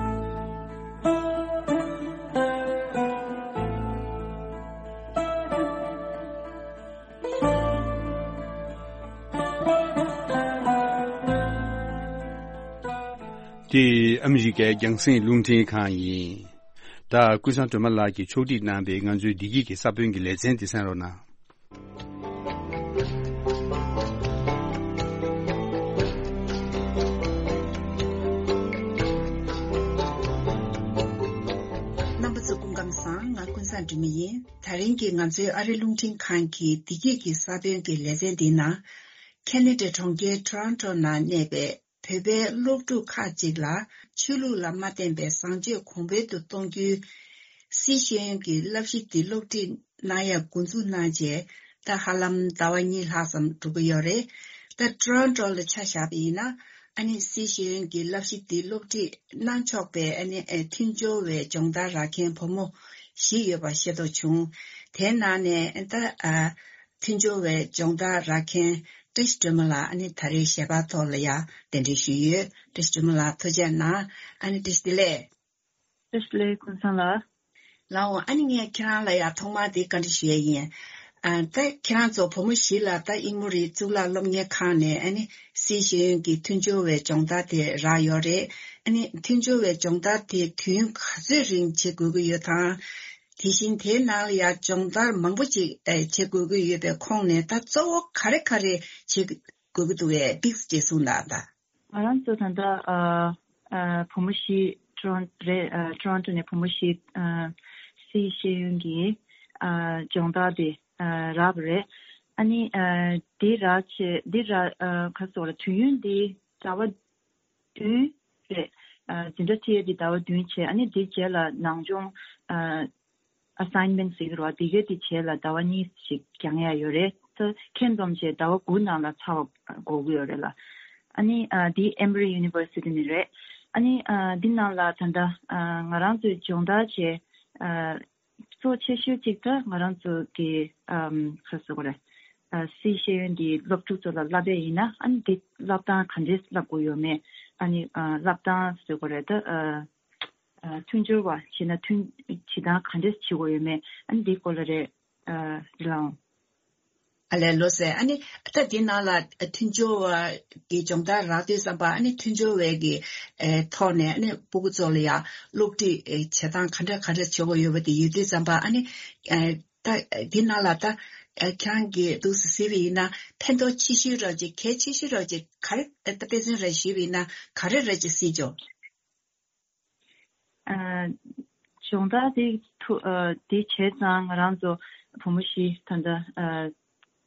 འདི་ཨ་མི་རི་ཀའི་རྒྱང་སྲིང་རླུང་འཕྲིན་ཁང་ཡིན། ད་ཀུན་བཟང་སྒྲོལ་མ་ལགས་ཀྱིས་ཕྱོགས་སྒྲིག་གནང་བའི་ང་ཚོའི་བདེ་སྐྱིད་ཀྱི་ས་བོན་གྱི་ལེ་ཚན་འདི་གསན་རོགས་གནང་། རྣམ་པ་ཚོ་སྐུ་ཁམས་བཟང་། ང་ཀུན་བཟང་སྒྲོལ་མ་ཡིན། ད་རིང་གི་ང་ཚོའི་ཨ་རི་རླུང་འཕྲིན་ཁང་གི་བདེ་སྐྱིད་ཀྱི་ས་བོན་གྱི་ལེ་ཚན་འདིའི་ནང་། ཁེ་ན་ཌའི་གྲོང་ཁྱེར་ཊོ་རོན་ཊོ་ནང་གནས་པའི་བོད་པའི་སློབ་ཕྲུག་ཁག་ཅིག་ལ་ཆོས་ལུགས་ལ་མ་བརྟེན་པའི་བཟང་སྤྱོད་གོང་འཕེལ་དུ་གཏོང་རྒྱུའི་སི་ཤེས་ཡོན་གྱི་བསླབ་གཞི་འདི་སློབ་ཁྲིད་གནང་ཡག་འགོ་འཛུགས་གནང་རྗེས། ད་ཧ་ལམ་ཟླ་བ་གཉིས་ལྷག་ཙམ་འགྲོ་གི་ཡོད་རེད། ད་ཊོ་རོན་ཊོ་ལ་ཆ་བཞག་པ་ཡིན་ན། ཨ་ནི་སི་ཤེས་ཡོན་གྱི་བསླབ་གཞི་འདི་སློབ་ཁྲིད་གནང་ཆོག་པའི་ཨ་ནི་ཨ་མཐུན་སྦྱོར་བའི་སྦྱོང་བརྡར་རག་མཁན་བུ་མོ་བཞི་ཡོད་པ་ཤེས་རྟོགས་བྱུང་། དེའི་ནང་ནས་ད་ཨ་མཐུན་སྦྱོར་བའི་སྦྱོང་བརྡར་རག་མཁན་བཀྲ་ཤིས་སྒྲོལ་མ་ལགས་ཨ་ནི་ད་རེས་ཞལ་པར་ཐོག་ལ་ཡང་གདན་འདྲེན་ཞུས་ཡོད། བཀྲ་ཤིས་སྒྲོལ་མ་ལགས་ཐུགས་རྗེ་གནང་། ཨ་ནི་བཀྲ་ཤིས་བདེ་ལེགས། བཀྲ་ཤིས་བདེ་ལེགས་ཀུན་བཟང་ལགས། ལགས་འོང་། ཨ་ནི་ངས་ཁྱེད་རང་ལ་ཡང་ཐོག་མར་དེ་བཀའ་འདྲི་ཞུ་ཡས་ཡིན། ཨ་ད་ཁྱེད་རང་ཚོ་བུ་མོ་བཞི་ལ་ད་དབྱིན་མོ་རི་གཙུག་ལག་སློབ་གཉེར་ཁང་ནས་ཨ་ནི་སི་ཤེས་ཡོན་གྱི་མཐུན་སྦྱོར་བའི་སྦྱོང་བརྡར་དེ་རག་ཡོད་རེད། ཨ་ནི་མཐུན་སྦྱོར་བའི་སྦྱོང་བརྡར་དེ་དུས་ཡུན་ག་ཚོད་རིང་བྱེད་དགོས་ཀྱི་ཡོད་དང་། དེ་བཞིན་དེའི་ནང་ལ་ཡང་སྦྱོང་བརྡར་མང་པོ་ཅིག་ཨེ་བྱེད་དགོས་ཀྱི་ཡོད་པའི་ཁོངས་ནས་ད་གཙོ་བོ་ག་རེ་ག་རེ་བྱེད་དགོས་ཀྱི་འདུག་གས་ཏིག་ཙམ་ཅིག་གསུངས་དང་ད། ང་རང་ཚོ་ད་ལྟ་ཨ་ཨ་བུ་མོ་བཞི་ཊོ་རོན་རེད། ཨ་ཊོ་རོན་ཊོ་ནས་བུ་མོ་བཞི་ཨ་སི་ཤེས་ཡོན་གྱི་ཨ་སྦྱོང་བརྡར་དེ་ཨ་རག་པ་རེད། ཨ་ནི་ཨ་འདི་རག་བྱས་འདི་རག་ཨ་ག་རེ་ཟེར་དགོས་རེད། དུས་ཡུན་འདི་ཟླ་བ་བདུན་རེད། ཨ་འཛིན་གྲྭ་ཁྲིད་ཡས་འདི་ཟླ་བ་བདུན་བྱས། ཨ་ནི་འདི་རྗེས་ལ་ནང་སྦྱོང་ཨ་assignment་ཟེར་གྱི་རེད་བ། དེ་གའི་དེ་བྱས་ལ་ཟླ་བ་གཉིས་ཤིག་འགྱངས་ཡ་ཡོད་རེད། ད་ཁྱོན་བསྡོམས་བྱས་ཟླ་བ་དགུ་ནང་ལ་ཚར་བ་དགོས་ཀྱི་ཡོད་རེད་ལ། ཨ་ནི་ཨ་འདི་Emory University་ནས་རེད། ཨ་ནི་ཨ་འདི་ནང་ལ་ད་ལྟ་ཨ་ང་རང་ཚོའི་སྦྱོང་བརྡར་བྱས་ཨ་གཙོ་བོ་ཆེ་ཤོས་གཅིག་ད་ང་རང་ཚོ་གི་ཨམ་ག་རེ་ཟེར་དགོས་རེད། ཨ་སི་ཤེས་ཡོན་འདི་སློབ་ཕྲུག་ཚོ་ལ་བསླབ་པ་ཡིན་ན། ཨ་ནི་འདི་བསླབ་སྟངས་ག་འདྲས་བསླབ་དགོས་ཡོད་མེད། ཨ་ནི་ཨ་བསླབ་སྟངས་ཟེར་དགོས་རེད་ད། ཨ། ཨ། མཐུན་སྦྱོར་བ་བྱེད་ན་མཐུན་བྱེད་སྟངས་ག་འདྲས་བྱེད་དགོས་ཡོད་མེད། ཨ་ནི་འདིའི་སྐོར་ལ་རེད། ཨ། རེད་ལགས་འོང་། ཨ་ལས། ལགས་སེ། ཨ་ནི་ད་འདི་ནང་ལ་མཐུན་སྦྱོར་བ་གི་སྦྱོང་བརྡར་རག་དུས་ཙམ་པ། ཨ་ནི་མཐུན་སྦྱོར་བའི་གི་ཨེ་ཐོག་ནས་ཨ་ནི་སྤུ་གུ་ཚོ་ལ་ཡང་སློབ་ཁྲིད་ཨེ་བྱེད་སྟངས་ག་འདྲ་ག་འདྲ་བྱེད་དགོས་ཡོད་པ་དེ་ཡོད་དུས་ཙམ་པ། ཨ་ནི་ཨེ་ད་འདི་ནང་ལ་ད་ཨེ་ཁྱེད་རང་གིས་འདུག་སེ་གཟིགས་པ་ཡིན་ན་ཕན་ཐོགས་ཆེ་ཤོས་ར་ཅིག་གལ་ཆེ་ཤོས་ར་ཅིག་ག་རེ། ཨེ་ད་དཔེ་མཚོན་ར་ཞུས་པ་ཡིན་ན་ག་རེ་ར་ཅིག་གཟིགས་འཇོག་ཨ། སྦྱོང་བརྡར་དེ་ཐུ་ཨ་དེ་བྱས་ཙང་ང་རང་ཚོ་བུ་མོ་བཞི་ད་ལྟ་ཨ་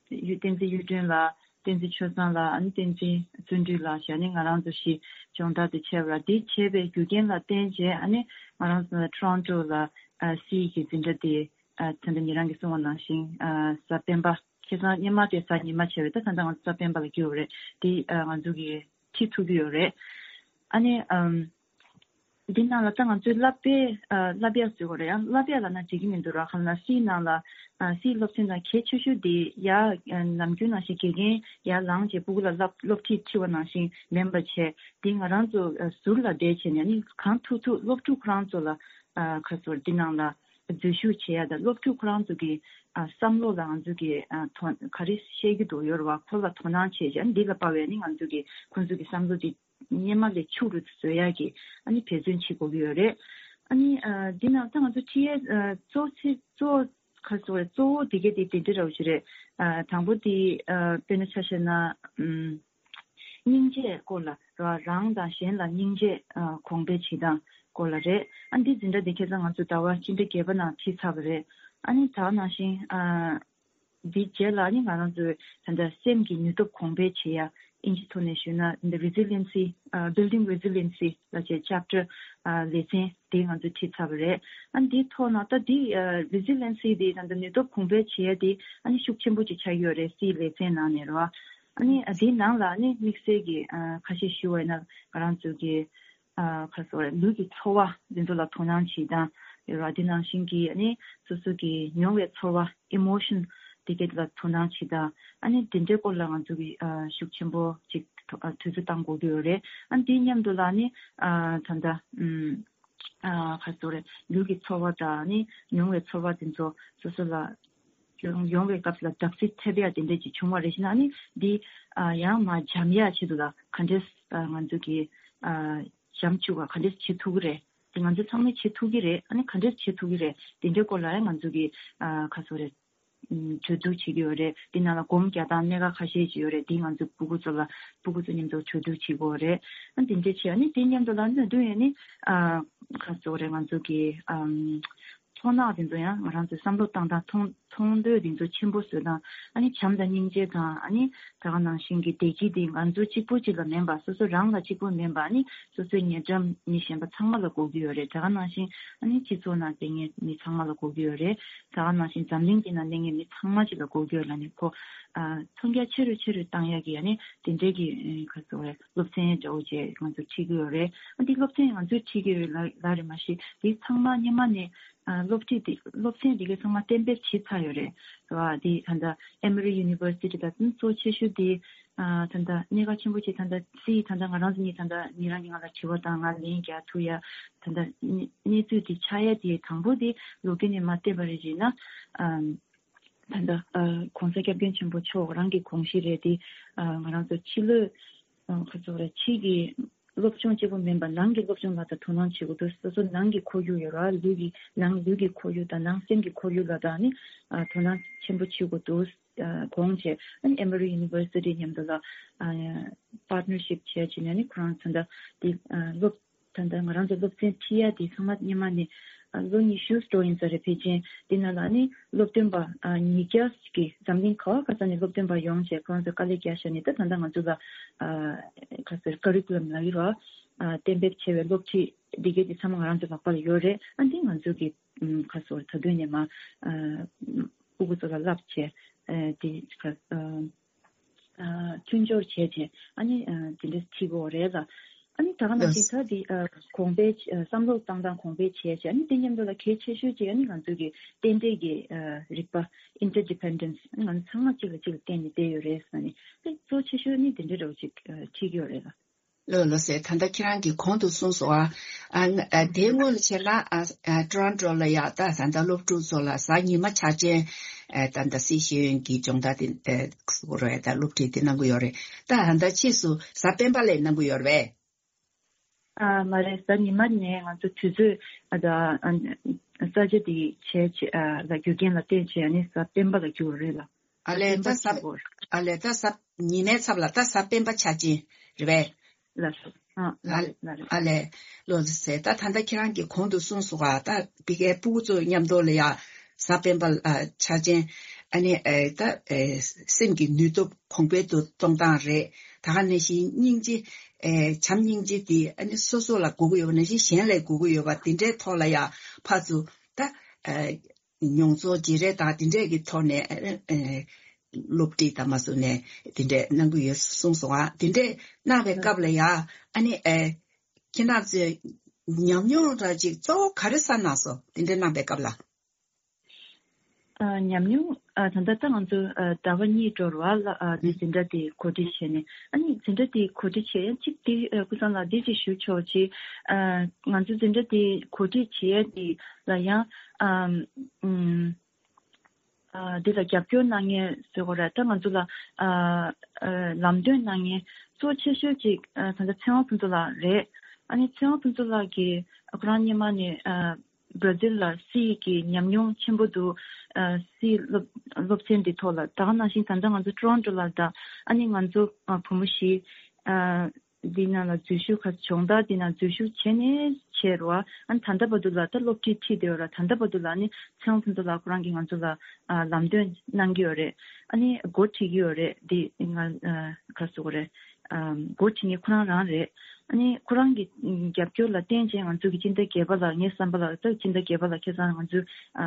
གཡུ་བསྟན་འཛིན་གཡུ་སྒྲོན་ལགས། བསྟན་འཛིན་ཆོས་བཟང་ལགས། ཨ་ནི་བསྟན་འཛིན་བརྩོན་འགྲུས་ལགས་བྱས་ནས་ང་རང་ཚོ་བཞི་སྦྱོང་བརྡར་དེ་བྱས་པ་ར། དེ་བྱས་པའི་རྒྱུ་རྐྱེན་ལ་བརྟེན་བྱས་ཨ་ནི་ང་རང་ཚོ་ཊོ་རོན་ཊོ་ལ་ཨ་སི་ཨི་གི་འཛིན་གྲྭ་དེ་ཨ་ད་ལྟ་ཉེ་རང་གིས་གསུངས་པ་ནང་བཞིན་ཨ་གཟའ་སྤེན་པ། ཁ་སང་སྔོན་མ་དེ་གཟའ་ཉི་མ་བྱས་པས། ད་ད་ལྟ་ང་ཚོ་གཟའ་སྤེན་པ་ལ་འགྱུར་བ་རེད། དེ་ཨ་ང་ཚོ་གིས་ཁྲིད་ཐུབ་ཀྱི་ཡོད་རེད། ཨ་ནི་ཨམ་ འདི་ནང་ལ་ད་ང་ཚོའི་བསླབ་པའི་ཨ་བསླབ་ཡག་བཟོས་དགོས་རེད། ཡང་བསླབ་ཡག་ལབ་ན་འགྲིག་གི་མི་འདུག་ར། གང་ལ་སིའི་ནང་ལ་ཨ་སིའི་སློབ་ཚན་དང་གལ་ཆེ་ཤོས་དེ་ཡ་ཨ་ནམ་རྒྱུན་ནང་བཞིན་དགེ་རྒན་ཡར་ལངས་བྱས་སྤུ་གུ་ལ་བསླབ་སློབ་ཁྲིད་ཁྲིད་པ་ནང་བཞིན་མིན་པ་བྱས། འདི་ང་རང་ཚོ་ཨ་ཟུར་ལ་བསྡད་བྱས་ནས་ནི་གང་ཐུབ་ཐུབ་སློབ་ཕྲུག་ཁོ་རང་ཚོ་ལ་ཨ་ག་ཟེར་འདི་ནང་ལ་འཛུལ་ཞུགས་བྱེད་ཡ་དང་། སློབ་ཕྲུག་ཁོ་རང་ཚོ་གི་ཨ་བསམ་བློ་ལ་ང་ཚོ་གི་ཨ་དོ་ག་རེ་བཤད་ཀྱི་འདུག་ཡོད་རེད་བ། ཁོ་ལ་དོ་སྣང་བྱས་བྱས་འདི་ལ་དཔག་པའི་ནི་ང་ཚོ་གི་ཁོ་ཚོ་གི་བསམ་བློ་འདི་སྔོན་མ་ལས་ཕྱུག་རུ་བཟོ་ཡག་གི་ཨ་ནི་འབད་བརྩོན་བྱེད་དགོས་ཀྱི་ཡོད་རེད། ཨ་ནི་ཨ་འདི་ནང་ད་ང་ཚོ་ཁྲིད་ཡས་ཨ་གཙོ་ཆེ་གཙོ་ག་ཟེར་བ་རེད། གཙོ་བོ་འདི་གས་དེ་དེ་འདྲ་འདྲ་བོ་ཞིག་རེད། ཨ་དང་པོ་དེ་ཨ་དཔེར་ན་ཆ་བཞག་ན་ཨམ་སྙིང་རྗེ་སྐོར་ལ་ར། རང་དང་གཞན་ལ་སྙིང་རྗེ་ཨ་གོང་འཕེལ་བྱེད་སྟངས་སྐོར་ལ་རེད། ཨ་འདི་འཛིན་གྲྭ་འདི་ཁ་སང་ང་ཚོ་ཟླ་བ་སྤྱི་ཟླ་བརྒྱད་པ་ནང་ཁྲིད་ཚར་བ་རེད། ཨ་ནི་ད་ག་ནང་བཞིན་ཨ་འདི་རྗེས་ལ་ནི་ང་རང་ཚོའི་ད་ལྟ་སེམས་ཀྱི་ནུས་སྟོབས་གོང་འཕེལ་བྱེད་ཡ། ཨིན་ཇི་ཐོག་ནས་ཞུས་ན་འདི་Resiliency, ཨ་Building Resiliency ལབ་བྱས་chapter ཨ་ལེ་ཚན་དེ་ང་ཚོས་ཁྲིད་ཚར་བ་རེད། ཨ་འདིའི་ཐོག་ནས་ད་འདི་ཨ་Resiliency འདི་ད་ལྟ་ནུས་སྟོབས་གོང་འཕེལ་བྱེད་ཡ་དེ་ཨ་ནི་ཤུགས་ཆེན་པོ་ཅིག་ཆགས་ཀྱི་ཡོད་རེད། སིའི་ལེ་ཚན་ནང་ནས་རེད་བ། ཨ་ནི་ཨ་འདིའི་ནང་ལ་ཨ་ནི་དམིགས་བསལ་གྱི་ཨ་ཁ་ཤས་ཞུ་བ་ཡིན་ན་ང་རང་ཚོ་གི་ཨ་ག་ཟེར་བ་རེད། ལུས་ཀྱི་ཚོར་བ་འདི་ཚོ་ལ་དོ་སྣང་བྱེད་སྟངས་ཡོད་ར། དེ་ནང་བཞིན་གྱི་ཨ་ནི་སོ་སོ་གི་མྱོང་བའི་ཚོར་བ་emotion དེ་གས་ལ་དོ་སྣང་བྱེད་སྟངས། ཨ་ནི་དེ་འདྲའི་སྐོར་ལ་ང་ཚོ་གི་ཨ་ཤུགས་ཆེན་པོ་ཅིག་ཨ་དུས་ཚོད་བཏང་དགོས་ཀྱི་ཡོད་རེད། ཨ་ནི་དེའི་མཉམ་དུ་ལ་ཨ་ནི་ཨ་ད་ལྟ་ཨམ་ཨ་ག་ཟེར་རེད། ལུས་ཀྱི་ཚོར་བ་དང་ཨ་ནི་མྱོང་བའི་ཚོར་བ་དེ་ཚོ་སོ་སོ་ལ་ཡོང་ཡོང་བའི་སྐབས་ལ་བརྡབ་གསིག་ཐེབས་ཡ་དེ་འདྲ་ཅིག་བྱུང་བ་རེད་ཤི་ན། ཨ་ནི་འདི་ཨ་ཡང་མ་འཇམ་ཡ་ཆེད་དུ་ལ་ག་འདྲས་ཨ་ང་ཚོ་གི་ཨ་འཇམ་བཅུག་ག་ག་འདྲས་བྱེད་ཐུབ་ཀྱི་རེད། དེ་ང་ཚོ་ཚང་མས་བྱེད་ཐུབ་ཀྱི་རེད། ཨ་ནི་ག་འདྲས་བྱེད་ཐུབ་ཀྱི་རེད། དེ་འདྲའི་སྐོར་ལ་ཡང་ང་ཚོ་གི་ཨ་ག་ཟེར་རེད། ཨམ་གྲོས་བསྡུར་བྱེད་ཀྱི་ཡོད་རེད། དེ་ནང་ལ་སྒོམ་རྒྱག་སྟངས་སྣ་ཁ་ཁ་ཤས་ཅིག་ཡོད་རེད། དེ་ང་ཚོ་སྤུ་གུ་ཚོ་ལ་སྤུ་གུ་ཚོ་མཉམ་དུ་གྲོས་བསྡུར་བྱེད་དགོས་རེད། ཨ་དེ་འདྲ་བྱས། ཨ་ནི་དེ་མཉམ་དུ་ལ་ནི་དུས་ཡིན་ནི་ཨ་ག་ཟེར་རེད། ང་ཚོ་གི་ཨམ་མཐོང་སྣང་དེ་ཚོ་ཡང་ང་རང་ཚོའི་བསམ་བློ་བཏང་སྟངས་མཐོང་མཐོང་འདོད་དེ་ཚོ་ཆེན་པོ་བཟོས་དང་། ཨ་ནི་བྱམས་དང་སྙིང་རྗེ་དང་། ཨ་ནི་ད་ག་ནང་བཞིན་གྱི་བདེ་སྐྱིད་དེ་ང་ཚོ་གཅིག་པུ་གཅིག་ལ་མིན་པ། སོ་སོ་རང་ལ་གཅིག་པུ་མིན་པ། ཨ་ནི་སོ་སོའི་ཉེ་འགྲམ་མི་གཞན་པ་ཚང་མ་ལ་དགོས་ཀྱི་ཡོད་རེད། ད་ག་ནང་བཞིན་ཨ་ནི་སྤྱི་ཚོགས་ནང་བསྡད་མཁན་མི་ཚང་མ་ལ་དགོས་ཀྱི་ཡོད་རེད། ད་ག་ནང་བཞིན་འཛམ་གླིང་འདི་ནང་གནས་མཁན་མི་ཚང་མ་ཅིག་ལ་དགོས་ཀྱི་ཡོད་ལབ་ནས་ཁོ་ཨ་མཐོང་རྒྱ་ཆེ་རུ་ཆེ་རུ་བཏང་ཡག་གི་ཨ་ནི་དེ་འདྲའི་གི་ཨ་ག་ཟེར་བ་རེད། སློབ་ཚན་འདྲ་བོ་ཅིག་ང་ཚོ་ཁྲིད་ཀྱི་ཡོད་རེད། ཨ་འདི་སློབ་ཚན་ང་ཚོས་ཁྲིད་ཀྱི་ཡོད་ལ་ལ་རེད། མ་གཞི་འདི་ཚང་མ་སྔོན་མ་ནས་ཨ་སློབ་ཁྲིད་འདི་སློབ་ཚན་འདི་གའི་ཚང་མ་གཏན་འབེབས་བྱས་ཚར་ཡོད་རེད། རེད་བ། འདི་ད་ལྟ་Emory University ལ་གཙོ་ཆེ་ཤོས་འདི་ཨ་ད་ལྟ་གནད་འགག་ཆེན་པོ་ཅིག་ད་ལྟ་སི་ད་ལྟ་ང་རང་ཚོ་གཉིས་ད་ལྟ་ཉིད་རང་གིས་ང་ལ་དྲི་བ་དང་ང་ལན་རྒྱག་ཐུབ་ཡ། ད་ལྟ་གནས་གནས་ཚུལ་འདི་ཆགས་ཡ་དེ་དང་པོ་དེ་ལོ་རྒྱུས་ནས་མར་བལྟས་པ་རེད་ཅེ་ན། ཨམ་ད་ལྟ་ཨ་༸གོང་ས་༸སྐྱབས་མགོན་ཆེན་པོ་མཆོག་རང་གི་དགོངས་གཞི་རེད་དེ། ཨ་ང་རང་ཚོ་ཕྱི་ལོགས་ཨ་ག་ཚོད་རེད། ཕྱི་གི་སློབ་སྦྱོང་གཅིག་པུ་མིན་པ་ནང་གི་སློབ་སྦྱོང་ལ་ད་དོ་སྣང་བྱེད་དགོས་འདུག་སོ་སོ་ནང་གི་ཁོར་ཡུག་ཡོད་ར། ལུས་ཀྱི་ནང་ལུས་ཀྱི་ཁོར་ཡུག་དང་ནང་སེམས་ཀྱི་ཁོར་ཡུག་ལ་ད་ནི་ཨ་དོ་སྣང་ཆེན་པོ་བྱེད་དགོས་འདུག་ཨ་དགོངས་བྱས། ཨ་ནི་Emory University མཉམ་དུ་ལ་ཨ་partnership བྱས་བྱས་ནས་ནི་ཁོ་རང་ཚོ་ད་འདི་ཨ་སློབ་ད་ལྟ་ང་རང་ཚོ་སློབ་ཚན་ཁྲིད་ཡ་དེ་ཚང་མ་སྔོན་མ་ནས་ཨ་ལོ་ཉི་ཤུ་འགྲོ་ཡིན་ས་རེད། ཕལ་ཆེར་དེ་ནང་ལ་ནི་སློབ་སྟོན་པ་ཨ་ཉིས་བརྒྱ་ཞིག་གིས་འཛམ་གླིང་ག་བ་ག་ས་ནས་སློབ་སྟོན་པ་ཡོང་བྱས་ཁོ་རང་ཚོས་དཀའ་ལས་བརྒྱབ་བཞག་ནས། ད་ད་ལྟ་ང་ཚོ་ལ་ཨ་ག་ཟེར་curriculum ལབ་ཀྱི་རེད་བ། ཨ་གཏན་འབེབས་བྱས་པའི་སློབ་ཁྲིད་འདི་གའི་དེ་ཚང་མ་ང་རང་ཚོ་ལག་པ་ལ་ཡོད་རེད། ཨ་འདི་ང་ཚོ་གི་ཨམ་ག་ཟེར་ད་དུང་ནས་མ་ཨ་སྤུ་གུ་ཚོ་ལ་བསླབ་བྱས་ཨ་དེ་ག་ཨ། ཨ་མཐུན་སྦྱོར་བྱས་བྱས་ཨ་ནི་ཨ་དེ་འདྲ་ཁྲིད་དགོས་རེད་ལ། ཨ་ནི་ད་ག་ནང་བཞིན་ད་དེ་ཨ་གོང་འཕེལ་ཨ་བསམ་བློ་བཏང་སྟངས་གོང་འཕེལ་བྱས་བྱས། ཨ་ནི་དེ་མཉམ་དུ་ལ་གལ་ཆེ་ཤོས་ཅིག་ཨ་ནི་ང་ཚོ་གི་རྟེན་འབྲེལ་གྱི་ཨ་རིག་པ་interdependence ང་ཚོ་ཚང་མ་གཅིག་ལ་གཅིག་ལ་བརྟེན་ནས་བསྡད་ཡོད་རེད་ཟེར་ནས། དེ་གཙོ་ཆེ་ཤོས་ནི་དེ་འདྲ་འདྲ་བོ་ཅིག་ཨ་ཁྲིད་ཀྱི་ཡོད་རེད་ལ། ལགས་ལགས་སེ། ད་ལྟ་ཁྱེད་རང་གིས་གོང་དུ་གསུངས་སོང་ཨ། ཨ་ཨ་དེའི་སྔོན་ལ་བྱས་ན་ཨ་ཨ་ཊོ་རོན་ཊོ་ལ་ཡ་ད་ད་ལྟ་སློབ་ཕྲུག་ཚོ་ལ་གཟའ་ཉི་མ་འཆར་ཅན་ཨ་ད་ལྟ་སྲིད་ཤེས་ཡོན་གྱི་སྦྱོང་བརྡར་དེ་ཨ་ཟེར་དགོས་རེད། ད་སློབ་ཁྲིད་དེ་གནང་གི་ཡོད་རེད། ད་ད་ལྟ་ཕྱིས་སུ་གཟའ་སྤེན་པ་ལ་གནང་གི་ཡོད་རེད་པས། ཨ་མ་རེད། གཟའ་ཉི་མ་ནས་ང་ཚོ་དུས་ཚོད་ཨ་ད་ཨ་ས་ཆ་དེ་བྱས་བྱས་ཨ་ལ་རྒྱུ་རྐྱེན་ལ་བརྟེན་བྱས་ནས་གཟའ་སྤེན་པ་ལ་འགྱུར་བ་རེད་ལ། ཨ་ལས་ད་གཟའ་སྤེན་པ་ལ་འགྱུར་བ་རེད། ཨ་ལས་ད་གཟའ་ཉི་མའི་ཚབ་ལ་ད་གཟའ་སྤེན་པ་འཆར་ཅན་རེད་པས། ལགས་སོ། ཨ་ལགས་ལགས་རེད། ཨ་ལས། ལགས་སོ་ཟེར། ད་ད་ལྟ་ཁྱེད་རང་གིས་གོང་དུ་གསུངས་སོང་ག་ད་ཕ་གིའི་སྤུ་གུ་ཚོ་མཉམ་དུ་ལ་ཡ་གཟའ་སྤེན་པ་ཨ་འཆར་ཅན་ཨ་ནི་ཨེ་ད་ཨེ་སེམས་ཀྱི་ནུས་སྟོབས་གོང་འཕེལ་དུ་གཏོང་སྟངས་རེད། ད་ག་ནང་བཞིན་སྙིང་རྗེ་ཨེ་བྱམས་སྙིང་རྗེ་དེ་ཨ་ནི་སོ་སོ་ལ་དགོས་ཀྱི་ཡོད་པ་ནང་བཞིན་གཞན་ལ་དགོས་ཀྱི་ཡོད་པ་དེ་འདྲའི་ཐོག་ལ་ཡ་ཕར་ཚུར་ད་ཨེ་མྱོང་ཚོར་བརྗེ་རེས་དང་དེ་འདྲས་ཀྱི་ཐོག་ནས་ཨེ་སློབ་ཁྲིད་དང་མ་སོང་ནས་དེ་འདྲས་གནང་གི་ཡོད་གསུངས་སོང་ཨ། དེ་འདྲས་གནང་བའི་སྐབས་ལ་ཡ་ཨ་ནི་ཨེ་ཁྱེད་རང་ཚོས་ ཉམས་མྱོང་འདྲ་ཅིག་གཙོ་བོ་ག་རེ་བསགས་གནང་སོང་དེ་འདྲ་གནང་པའི་སྐབས་ལ། ཨ། ཉམས་མྱོང་། ཨ། ད་ལྟ་ད་ང་ཚོ་ཨ་ཟླ་བ་གཉིས་འགྲོ་རུ་བ་ལ་ཨ་འཛིན་གྲྭ་དེ་གོ་སྒྲིག་བྱས་ནས། ཨ་ནི་འཛིན་གྲྭ་དེ་གོ་སྒྲིག་བྱས་ཡ་གཅིག་དེ་ཨ་ཀུན་བཟང་ལགས་འདི་ཅིག་ཞུ་ཆོག་ཅིག་ཨ། ང་ཚོ་འཛིན་གྲྭ་དེ་གོ་སྒྲིག་བྱེད་ཡ་དེ་ལ་ཡང་ཨམ། ཨུམ། ཨ། འདི་ལ་རྒྱབ་སྐྱོར་གནང་མཁན་ཟེར་དགོས་རེད། ད་ང་ཚོ་ལ་ཨ་ཨ་ལམ་སྟོན་གནང་མཁན་གཙོ་ཆེ་ཤོས་ཅིག་ཨ་ད་ལྟ་ཚེ་དབང་ཕུན་ཚོགས་ལགས་རེད། ཨ་ནི་ཚེ་དབང་ཕུན་ཚོགས་ལགས་ཀྱིས་ཁོ་རང་སྔོན་མ་ནས་ཨ་བྷར་ཛིལ་ལ་སི་གི་ཉམས་མྱོང་ཆེན་པོ་འདུག་ཨ་སི་སློབ་སློབ་ཚན་འདི་ཐོག་ལ། ད་ག་ནང་བཞིན་ད་ལྟ་ང་ཚོ་ཊོ་རོན་ཊོ་ལ་དང་། ཨ་ནི་ང་ཚོ་ཨ་བུ་མོ་བཞི་ཨ་འདི་ནང་ལ་འཛུལ་ཞུགས་ཁ་སྦྱོང་བརྡར་འདི་ནང་འཛུལ་ཞུགས་བྱས་ནས་བྱས་རོ། ཨ་ནི་ད་ལྟ་བར་དུ་ལ་ད་སློབ་ཁྲིད་ཁྲིད་བསྡད་ཡོད་ར། ད་ལྟ་བར་དུ་ལ་ནི་ཚེ་དབང་ཕུན་ཚོགས་ལགས་ཁོ་རང་གིས་ང་ཚོ་ལ་ཨ་ལམ་སྟོན་གནང་གི་ཡོད་རེད། ཨ་ནི་འགོ་ཁྲིད་ཀྱི་ཡོད་རེད། འདི་ང་ཨ་ག་རེ་ཟེར་དགོས་རེད། ཨ་འགོ་ཁྲིད་མཁན་ཁོ་རང་རང་རེད། ཨ་ནི་ཁོ་རང་གི་རྒྱབ་སྐྱོར་ལ་བརྟེན་བྱས་ང་ཚོ་གི་སྤྱི་ཟླ་བརྒྱད་པ་ལ། ངའི་བསམ་པ་ལ་ད་སྤྱི་ཟླ་བརྒྱད་པ་ལ་ཁ་སང་ང་ཚོ་ཨ་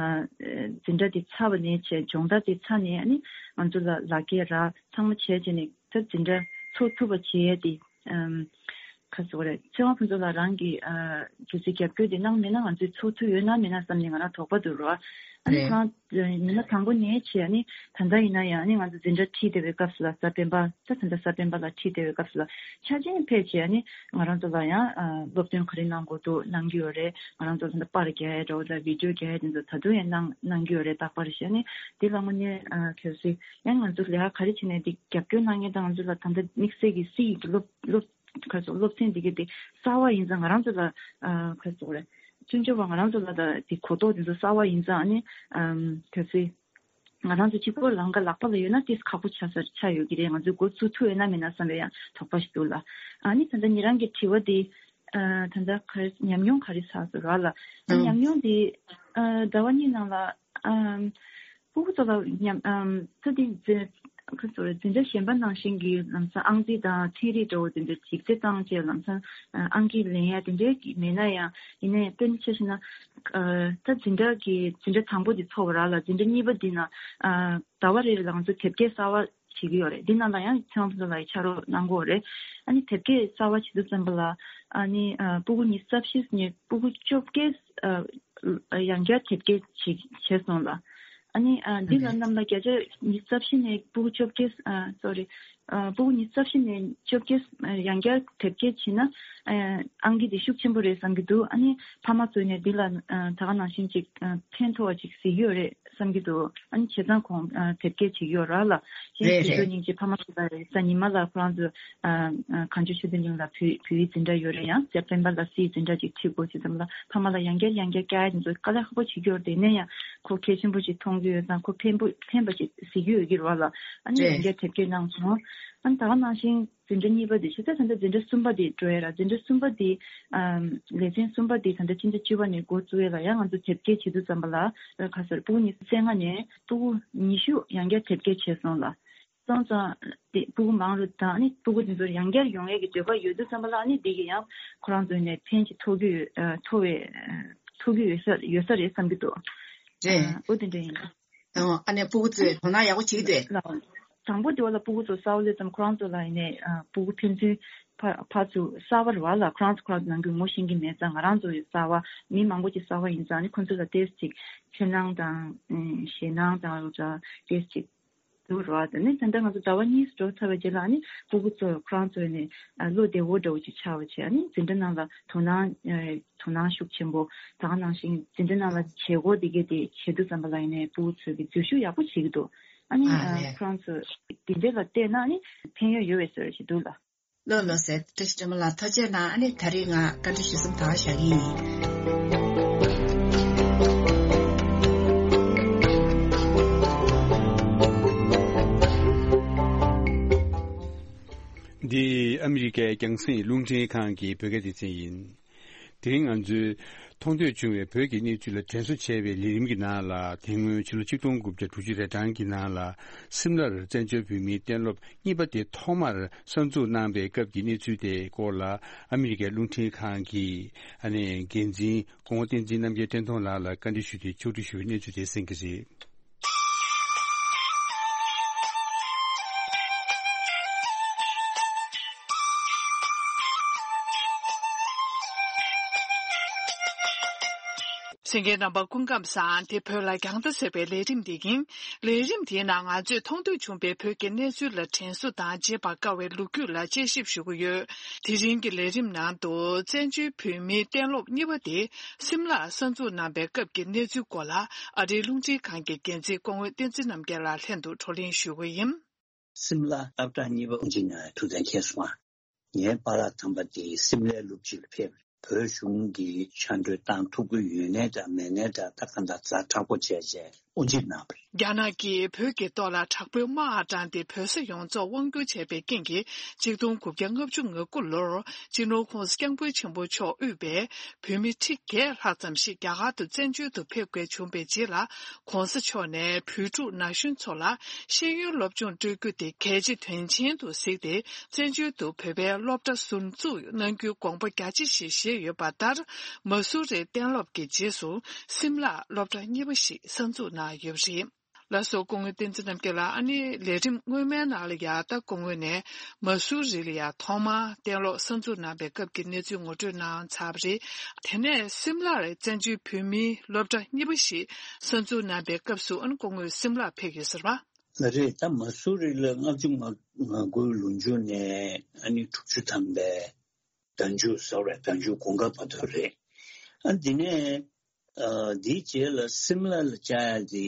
འཛིན་གྲྭ་དེ་ཚར་བ་ནས་བྱས། སྦྱོང་བརྡར་དེ་ཚར་ནས་ཨ་ནི་ང་ཚོ་ལ་ལག་འཁྱེར་རག་ཚང་མ་བྱས་བྱས་ནས། ད་འཛིན་གྲྭ་ཚོགས་ཐུབ་པ་བྱེད་ཡས་དེ། ཨམ། ག་རེ་ཟེར་དགོས་རེད། ཚེ་དབང་ཕུན་ཚོགས་ལགས་རང་གིས་ཨ་གལ་སྲིད་རྒྱབ་སྐྱོར་དེ་གནང་མེད་ན་ང་ཚོས་ཚོགས་ཐུབ་ཡོད་ན་མེད་ན་བསམ་ནས་ང་རང་དོགས་པ་འདུག་རོ། ཨ་ནི་རེད། ཁོ་རང་ཉི་མ་དང་པོ་ནས་བྱས། ཨ་ནི་ད་ལྟ་ཡིན་ན་ཡང་ཨ་ནི་ང་ཚོ་འཛིན་གྲྭ་ཁྲིད་བསྡད་པའི་སྐབས་སུ་ལ། གཟའ་སྤེན་པ། ད་ད་ལྟ་གཟའ་སྤེན་པ་ལ་ཁྲིད་བསྡད་པའི་སྐབས་སུ་ལ་ཆ་ཆེན་ཕེབས་བྱས། ཨ་ནི་ང་རང་ཚོ་ལ་ཡང་ཨ་སློབ་སྟོན་ག་རེ་གནང་དགོས་འདུག་གནང་གི་ཡོད་རེད། ང་རང་ཚོ་ད་ལྟ་པར་རྒྱག་ཡས་འདྲ་བོ་དང་བི་ཌི་ཡོ་རྒྱག་ཡས་དེ་ཚོ་ད་དུང་ཡང་གནང་གནང་གི་ཡོད་རེད། རྟག་པར་བྱས། ཨ་ནི་འདི་ལ་དངོས་གནས་ཨ་གལ་སྲིད། ཡང་ང་ཚོ་ལས་ཀ་ག་རེ་བྱས་ནས་འདི་རྒྱབ་སྐྱོར་གནང་མཁན་དང་། ང་ཚོ་ལ་ད་ལྟ་དམིགས་བསལ་གྱི་སི་ཡི་གི་སློབ་སློབ་ག་རེ་ཟེར། སློབ་ཚན་འདི་གའི་དེ་གསར་པ་ཡིན་ཙང་། ང་རང་ཚོ་ལ་ཨ་ག་རེ་ཟེར་དགོས་རེད། སྤྱི་ཚོགས་པ་ང་རང་ཚོ་ལ་ད་དེ་གོ་རྟོགས་དེ་ཚོ་གསར་པ་ཡིན་ཙང་། ཨ་ནི་ཨམ་གལ་སྲིད་ང་རང་ཚོ་གཅིག་པོ་ལམ་ཁ་ལག་པ་ལ་ཡོད་ན་ཏིས་ཁག་པོ་ཆགས་ས་ཆགས་ཡོད་ཀྱི་རེད། ང་ཚོས་འགོ་བཙུགས་ཐུབ་ཡོད་ན་མེད་ན་བསམ་པའི་ཡང་དོགས་པ་ཞིག་འདུག་ལ། ཨ་ནི་ད་ལྟ་ཉེ་རང་གི་དྲི་བ་དེ། ཨ་ད་ལྟ་ག་རེ་ཉམས་མྱོང་ག་རེ་བསགས་སོང་ར་ལ། ཨ་ཉམས་མྱོང་དེ་ཨ་ཟླ་བ་གཉིས་ནང་ལ་ཨམ་སྤུ་གུ་ཚོ་ལ་ཉམས་ཨམ་ཚ་དེ་འཛིན་ག་ཚོ་རེད། འཛིན་གྲྭ་གཞན་པ་ནང་བཞིན་གྱི་ལམ་སང་ཨང་རྩིས་དང་ཚན་རིག་འདྲ་བོ་དེ་འདྲ་ཅིག་རྩེ་བཏང་བྱས། ལམ་སང་ཨང་ཀི་ལེན་ཡ་དེ་འདྲའི་གི་མེད་ན་ཡང་། ཡིན་ན་ཡང་དཔེར་ན་ཆ་བཞག་ན་ཨ་ད་འཛིན་གྲྭ་གི་འཛིན་གྲྭ་དང་པོ་དེ་ཚོགས་པ་ར་ལ། འཛིན་གྲྭ་གཉིས་པ་འདི་ན་ཨ་ཟླ་བ་རེ་རེ་ལ་ང་ཚོ་དེབ་སྐྱེལ་གསར་པ་བྱེད་ཀྱི་ཡོད་རེད། འདི་ནང་ལ་ཡང་ཚེ་དབང་ཕུན་ཚོགས་ལགས་ཀྱིས་ཕྱག་རོགས་གནང་གི་ཡོད་རེད། ཨ་ནི་དེབ་སྐྱེལ་གསར་པ་བྱེད་དུས་ཙམ་པ་ལ། ཨ་ནི་ཨ་སྤུ་གུ་ཉི་ཤུ་རྩ་བཞི་ནས་སྤུ་གུ་བཅོ་བརྒྱད་ཨ་ཡང་བསྐྱར་དེབ་སྐྱེལ་བྱེད་བྱས་སོང་ལ། ཨ་ནི་ཨ་འདི་ལ་གནམ་ལ་བརྒྱ་ཆ་ཉི་ཤུ་རྩ་བཞི་ནས་སྤུ་གུ་བཅོ་བརྒྱད། ཨ་སོ་རི། ཨ་སྤུ་གུ་ཉི་ཤུ་རྩ་བཞི་ནས་བཅོ་བརྒྱད་ཡང་བསྐྱར་དེབ་སྐྱེལ་བྱས་ན། ཨ་ཨང་ཀི་འདི་ཤུགས་ཆེན་པོ་རེད་བསམ་གྱི་འདུག་ཨ་ནི་ཕ་མ་ཚོ་ནས་འདི་ལ་ཨ་ད་ག་ནང་བཞིན་ཅིག་ཨ་ཕན་ཐོགས་པ་ཅིག་གཟིགས་ཀྱི་ཡོད་རེད། བསམ་གྱི་འདུག་ཨ་ནི་བྱས་ཙང་ཁོང་ཨ་དེབ་སྐྱེལ་བྱེད་ཀྱི་ཡོད་ར་ལ། གཞན་རེད་དེ་ཚོ་རེད། སྙིང་རྗེ། ཕ་མ་ཚོ་ལ་རེད། གཟའ་ཉི་མ་ལ་ཁོ་རང་ཚོ་ཨ་ཨ་གངས་ལྗོངས་ཆོས་ལྡན་གླིང་ལ་བོད་བོད་ཡིག་འཛིན་གྲྭ་ཡོད་རེད། ཡང་གཟའ་སྤེན་པ་ལ་སི་ཡི་འཛིན་གྲྭ་ཅིག་ཁྲིད་དགོས་ཟེར་ཙམ་ལ། ཕ་མ་ལ་ཡང་བསྐྱར་ཡང་བསྐྱར་བསྐྱར་ཡ་དེ་ཚོ་དཀའ་ལས་ཁག་པོ་བྱེད་ཀྱི་ཡོད་རེད། དེ་ནས་ཡང་ཁོ་གལ་ཆེན་པོ་ཅིག་མཐོང་གི་ཡོད་ཙང་། ཁོ་ཕན་པོ་ཕན་པ་ཅིག་གཟིགས་ཀྱི་ཡོད་ཀྱི་རེད་བ་ལ། ཨ་ནི་ཡང་རེད། བསྐྱར་དེབ་སྐྱེལ་གནང་སོང་། ཨ་ནི་ད་ག་ནང་བཞིན་འཛིན་གྲྭ་གཉིས་པ་དེ་བྱས་ཙང་། ད་ལྟ་འཛིན་གྲྭ་གསུམ་པ་དེ་འགྲོ་ཡ་ར། འཛིན་གྲྭ་གསུམ་པ་དེ་ཨམ་ལེ་ཚན་གསུམ་པ་དེ་ད་ལྟ་ཕྱི་ཟླ་བཅུ་པ་ནས་འགོ་བཙུགས་ཡ་ལ། ཡང་ང་ཚོ་དེབ་སྐྱེལ་བྱེད་དུས་ཙམ་པ་ལ་ཁ་སོར་སྤུ་གུ་ཉི་ཤུ་རྩ་ལྔ་ནས་སྤུ་གུ་ཉི་ཤུ་ཡང་བསྐྱར་དེབ་སྐྱེལ་བྱས་སོང་ལ། སོང་ཙང་དེ་སྤུ་གུ་མང་རུ་དང་། ཨ་ནི་སྤུ་གུ་དེ་ཚོ་ཡང་བསྐྱར་ཡོང་ཡས་ཀྱི་འདོད་པ་ཡོད་དུས་ཙམ་པ་ལ། ཨ་ནི་དེ་གི་ཡང་ཁོ་རང་ཚོ་ནས་ཕན་ཅིག་ཐོགས་ཀྱི་ཡོད། ཨ་ཐོགས་པའི་ཨ་ཐོགས་ཀྱི་ཡོད་ས་ཡོད་ས་རེད་བསམ་གྱི་འདུག་རེད། ཨ་འོ་དེ་འདྲ་ཡིན། ཨ་ནི་སྤུ་གུ་ཚོས་དོ་སྣང་ཡག་པོ་བྱེད་ཀྱི་འདུག་ལ། དང་པོ་དེ་བ་ལ་སྤུ་གུ་ཚོ་གསར་པ་སླེབས་ཙམ་ཁོ་རང་ཚོ་ལ་ཡིན་ནའི་ཨ་སྤུ་གུ་ཕན་ཚུན་ཕ་ཕར་ཚུར་གསར་པ་རེད་བ་ལ། ཁོ་རང་ཚོ་ཁོ་རང་ཚོ་ནང་ཁུལ་ངོ་ཤེས་ཀྱི་མེད་ཙང་། ང་རང་ཚོ་ཡང་གསར་པ། མི་མང་པོ་ཅིག་གསར་པ་ཡིན་ཙང་། ཨ་ནི་ཁོ་ཚོ་ལ་ཏོག་ཙམ་ཅིག་འཁྲུལ་སྣང་དང་ཨ་ཞེད་སྣང་དང་ཡོད་ཙང་ཏོག་ཙམ་ཅིག་འདུག་རེད་བ། དེ་ནས་ད་ལྟ་ང་ཚོ་ཟླ་བ་གཉིས་འགྲོ་ཚར་བའི་རྗེས་ལ། ཨ་ནི་སྤུ་གུ་ཚོ་ཁོ་རང་ཚོ་ནས་ཨ་བློ་བདེ་བོ་འདྲ་བོ་ཅིག་ཆགས་པ་བྱས། ཨ་ནི་འཛིན་གྲྭ་ནང་ལ་དོ་སྣང་ཨ་དོ་སྣང་ཤུགས་ཆེན་པོ། ད་ག་ནང་བཞིན་འཛིན་གྲྭ་ནང་ལ་བྱེད་སྒོ་དེ་གས་དེ་བྱེད་དུས་ཙམ་པ་ལ་ཡིན་ནའི་སྤུ་གུ་ཚོས་ཀྱི་འཛུལ་ཞུགས་ཡག་པོ་བྱེད་ཀྱི་འདུག་ཨ་ནི་ཨ་ཨ་ལས། ཁོ་རང་ཚོ་དེ་འདྲ་ལ་བལྟས་ན་ཨ་ནི་ཕན་ཡོན་ཡོད་པའི་བཟོ་འདྲ་ཞིག་འདུག་ལ། ལགས་ལགས་སེ། བཀྲ་ཤིས་སྒྲོལ་མ་ལགས་ཐུགས་རྗེ་གནང་། ཨ་ནི་ད་རེས་ང་བཀའ་འདྲི་ཞུ་མཚམས་ད་ག་བཞག་གི་ཡིན། འདི་ཨ་མི་རི་ཀའི་རྒྱང་སྲིང་རླུང་འཕྲིན་ཁང་གི་བོད་སྐད་སྡེ་ཚན་ཡིན། དེ་རིང་ང་ཚོས་མཐོང་ཐོས་བྱུང་བའི་བོད་ཀྱི་གནས་ཚུལ་ལ་དྲན་གསོ་བྱས་པའི་ལས་རིམ་གྱི་ནང་ལ། དེ་སྔོན་ཕྱི་ལོ་ཆིག་སྟོང་དགུ་བརྒྱ་དྲུག་ཅུ་རེ་གྲངས་ཀྱི་ནང་ལ་སིམ་ལར་བཙན་བྱོལ་བོད་མིའི་གཏན་སློབ་གཉིས་པ་དེ་ཐོག་མར་གསར་འཛུགས་གནང་པའི་སྐབས་ཀྱི་གནས་ཚུལ་དེའི་སྐོར་ལ། ཨ་མི་རི་ཀའི་རླུང་འཕྲིན་ཁང་གི་ཨ་ནི་འགན་འཛིན་སྐུ་ངོ་བསྟན་འཛིན་རྣམ་རྒྱལ་བཀྲས་མཐོང་ལགས་ལ་བཀའ་འདྲི་ཞུས་ཏེ་ཕྱོགས་སྒྲིག་ཞུ་བའི་གནས་ཚུལ་དེ་གསན་གྱི་རེད། གསན་མཁན་རྣམ་པ་སྐུ་ཁམས་བཟང་། དེ་བོད་ལ་རྒྱང་ལྟ་ཟེར་བའི་ལས་རིམ་དེ་ཡིན། ལས་རིམ་དེའི་ནང་ང་ཚོས་མཐོང་ཐོས་བྱུང་བའི་བོད་ཀྱི་གནས་ཚུལ་ལ་དྲན་གསོ་དང་བརྗེད་པར་དཀའ་བའི་ལོ་རྒྱུས་ལ་དཔྱད་ཞིབ་ཞུ་གི་ཡོད། དེ་རིང་གི་ལས་རིམ་ནང་དུ་བཙན་བྱོལ་བོད་མིའི་གཏན་སློབ་གཉིས་པ་དེ་སིམ་ལར་གསར་འཛུགས་གནང་པའི་སྐབས་ཀྱི་གནས་ཚུལ་སྐོར་ལ་ཨ་རིའི་རླུང་འཕྲིན་ཁང་གི་འགན་འཛིན་སྐུ་ངོ་བསྟན་འཛིན་རྣམ་རྒྱལ་ལགས་ལྷན་དུ་བགྲོ་གླེང་ཞུ་གི་ཡིན། སིམ་ལ་སློབ་གྲྭ་གཉིས་པ་དབུ་འབྱེད་གནང་ཡ་ཐུགས་གཏན་འཁེལ་སོང་ང་། ངའི་པཱ་ལགས་དམ་པ་དེ་སིམ་ལའི་སློབ་སྤྱི་ལ་ཕེབས། བོད་གཞུང་གིས་ཕྱག་འབྲེལ་བཏང་ཐུབ་ཀྱི་ཡོད་ནའི་འདྲ་མེད་ནའི་འདྲ། ད་གང་ལྟར་ཛ་དྲག་པོ་བྱས་བྱས་དབུ་འབྱེད་གནང་བ་རེད། རྒྱ་ནག་གིས་བོད་ཀྱི་ཐོག་ལ་དྲག་པོའི་དམག་དྲངས་ཏེ་བོད་ས་ཡོངས་རྫོགས་དབང་བསྒྱུར་བྱས་པའི་རྐྱེན་གྱིས། ཆིག་སྟོང་དགུ་བརྒྱ་ལྔ་བཅུ་ང་དགུ་ལོར་སྤྱི་ནོར་༸གོང་ས་༸སྐྱབས་མགོན་ཆེན་པོ་མཆོག་དབུས་པའི་བོད་མི་ཁྲི་བརྒྱད་ལྷག་ཙམ་ཞིག་རྒྱ་གར་དུ་བཙན་བྱོལ་དུ་ཕེབས་དགོས་བྱུང་བའི་རྗེས་ལ། ༸གོང་ས་མཆོག་ནས་བོད་ཕྲུག་ན་གཞོན་ཚོ་ལ་ཤེས་ཡོན་སློབ་སྦྱོང་སྤྲོད་རྒྱུ་དེ་གལ་ཆེ་དོན་ཆེན་དུ་གཟིགས་ཏེ། བཙན་བྱོལ་དུ་བོད་པའི་སློབ་གྲྭ་ཟུར་འཛུགས་གནང་རྒྱུའི་དགོངས་པ་རྒྱ་ཆེ་ཞིག་བཞེས་ཡོད་པ་ལྟར། མ་སུ་རི་གཏན་སློབ་ཀྱི་རྗེས་སུ་སིམ་ལར་སློབ་གྲྭ་གཉིས་པ་ཞིག་གསར་འཛུགས་གནང་ཡོད་པ་རེད། ལགས་སོ། སྐུ་ངོ་བསྟན་འཛིན་རྣམ་རྒྱལ་ལགས། ཨ་ནི་ལས་རིམ་སྔོན་མའི་ནང་ལ་ཡ་ད་སྐུ་ངོ་ནས་མ་སུ་རི་ལ་ཡ་ཐོག་མར་གཏན་སློབ་གསར་འཛུགས་གནང་པའི་སྐབས་ཀྱི་གནས་ཚུལ་ངོ་སྤྲོད་གནང་ཚར་བ་རེད། དེ་ནས་སིམ་ལར་བཙན་བྱོལ་བོད་མིའི་སློབ་གྲྭ་གཉིས་པ་ཞིག་གསར་འཛུགས་གནང་པའི་སྐབས་སུ། ཨ་ནི་སྐུ་ངོ་སིམ་ལར་ཕེབས་ཡོད་ཟེར་བ། ལགས་རེད། ད་མ་སུ་རི་ལ་ལྔ་བཅུ་ང་དགུའི་ལོ་མཇུག་ནས་ཨ་ནི་དྲུག་ཅུ་ཐམ་པའི་ཟླ་མཇུག་ཟེར་བ་རེད། ཟླ་མཇུག་དགུན་ཁ་བར་དུ་རེད། ཨ་འདི་ནས་ཨ་འདིའི་རྗེས་ལ་སིམ་ལ་ལ་བཅར་ཡ་དེ།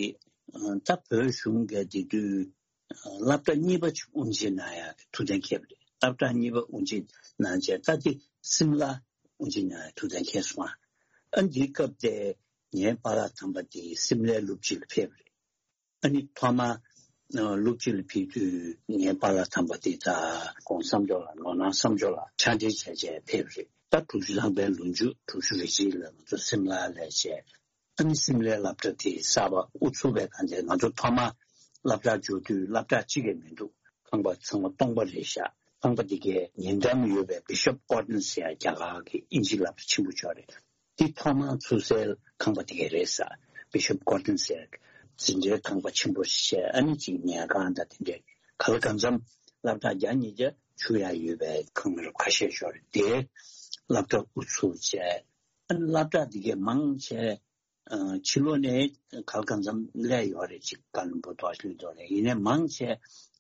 ཨ་ད་བོད་གཞུང་གིས་དེ་དུས་ཨ་སློབ་གྲྭ་གཉིས་པ་ཅིག་དབུ་འབྱེད་གནང་ཡ་གི་ཐུགས་གཏན་འཁེལ་བ་རེད། སློབ་གྲྭ་གཉིས་པ་དབུ་འབྱེད་གནང་རྗེས་ད་དེ་སིམ་ལ་དབུ་འབྱེད་གནང་ཡ་ཐུགས་གཏན་འཁེལ་སོང་ང་། ཨ་འདིའི་སྐབས་དེ་ངའི་པཱ་ལགས་དམ་པ་དེ་སིམ་ལའི་སློབ་སྤྱི་ལ་ཕེབས་པ་རེད། ཨ་ནི་ཐོག་མ་ཨ་སློབ་སྤྱི་ལ་ཕེབས་དུས་ངའི་པཱ་ལགས་དམ་པ་དེ་དང་༸གོང་ས་མཆོག་ལ་ནོར་གནག་བསམ་འགྲུབ་ལགས་ཕྱག་འབྲེལ་བྱས་བྱས་ཕེབས་རེད། ད་དྲུག་ཅུ་ཐམ་པའི་ལོ་མཇུག་དྲུག་ཅུ་རེ་གཅིག་ལ་ང་ཚོ་སིམ་ལ་ལ་བྱས། ཨ་ནི་སིམ་ལའི་སློབ་གྲྭ་དེ་གསར་པ་དབུ་ཚུགས་པའི་སྒང་དེ། ང་ཚོ་ཐོག་མ་སློབ་གྲྭར་འབྱོར་དུས་སློབ་གྲྭ་གཅིག་ཀྱང་མི་འདུག་ཁང་པ་ཚང་མ་སྟོང་པ་རེད་ཤག་ཁང་པ་དེ་གའི་ཉེ་འགྲམ་ཡོད་པའི་Bishop Gordon ཟེར་ཡ་རྒྱ་གར་གྱི་དབྱིན་ཇི་སློབ་གྲྭ་ཆེན་པོ་ཅིག་ཡོད་རེད། དེ་ཐོག་མར་ཚུགས་སའི་ཁང་པ་དེ་ག་རེད་ཟེར། Bishop Gordon ཟེར་འཛིན་གྲྭའི་ཁང་པ་ཆེན་པོ་ཞིག་བྱས། ཨ་ནི་ཅིག་ཉལ་ཁང་དང་དེ་འདྲའི་ག་ལ་གང་འཚམ་སློབ་གྲྭ་བརྒྱ་ཉིས་བརྒྱ་ཚུགས་ཡ་ཡོད་པའི་ཁང་རབ་ཁ་ཤས་ཤིག་ཡོད་རེད། དེའི་སློབ་གྲྭ་དབུ་ཚུགས་བྱས། ཨ་ནི་སློབ་གྲྭ་དེ་གའི་མང་ཆེ་ཨ་ཕྱི་ལོགས་ནས་ག་ལ་གང་འཚམ་སླེབས་ཡོད་རེད། ཅིག་ཀ་ལོན་སྦུག་ཐོག་སླེབས་འདུག་རེད། ཡིན་ནའི་མང་ཆེ་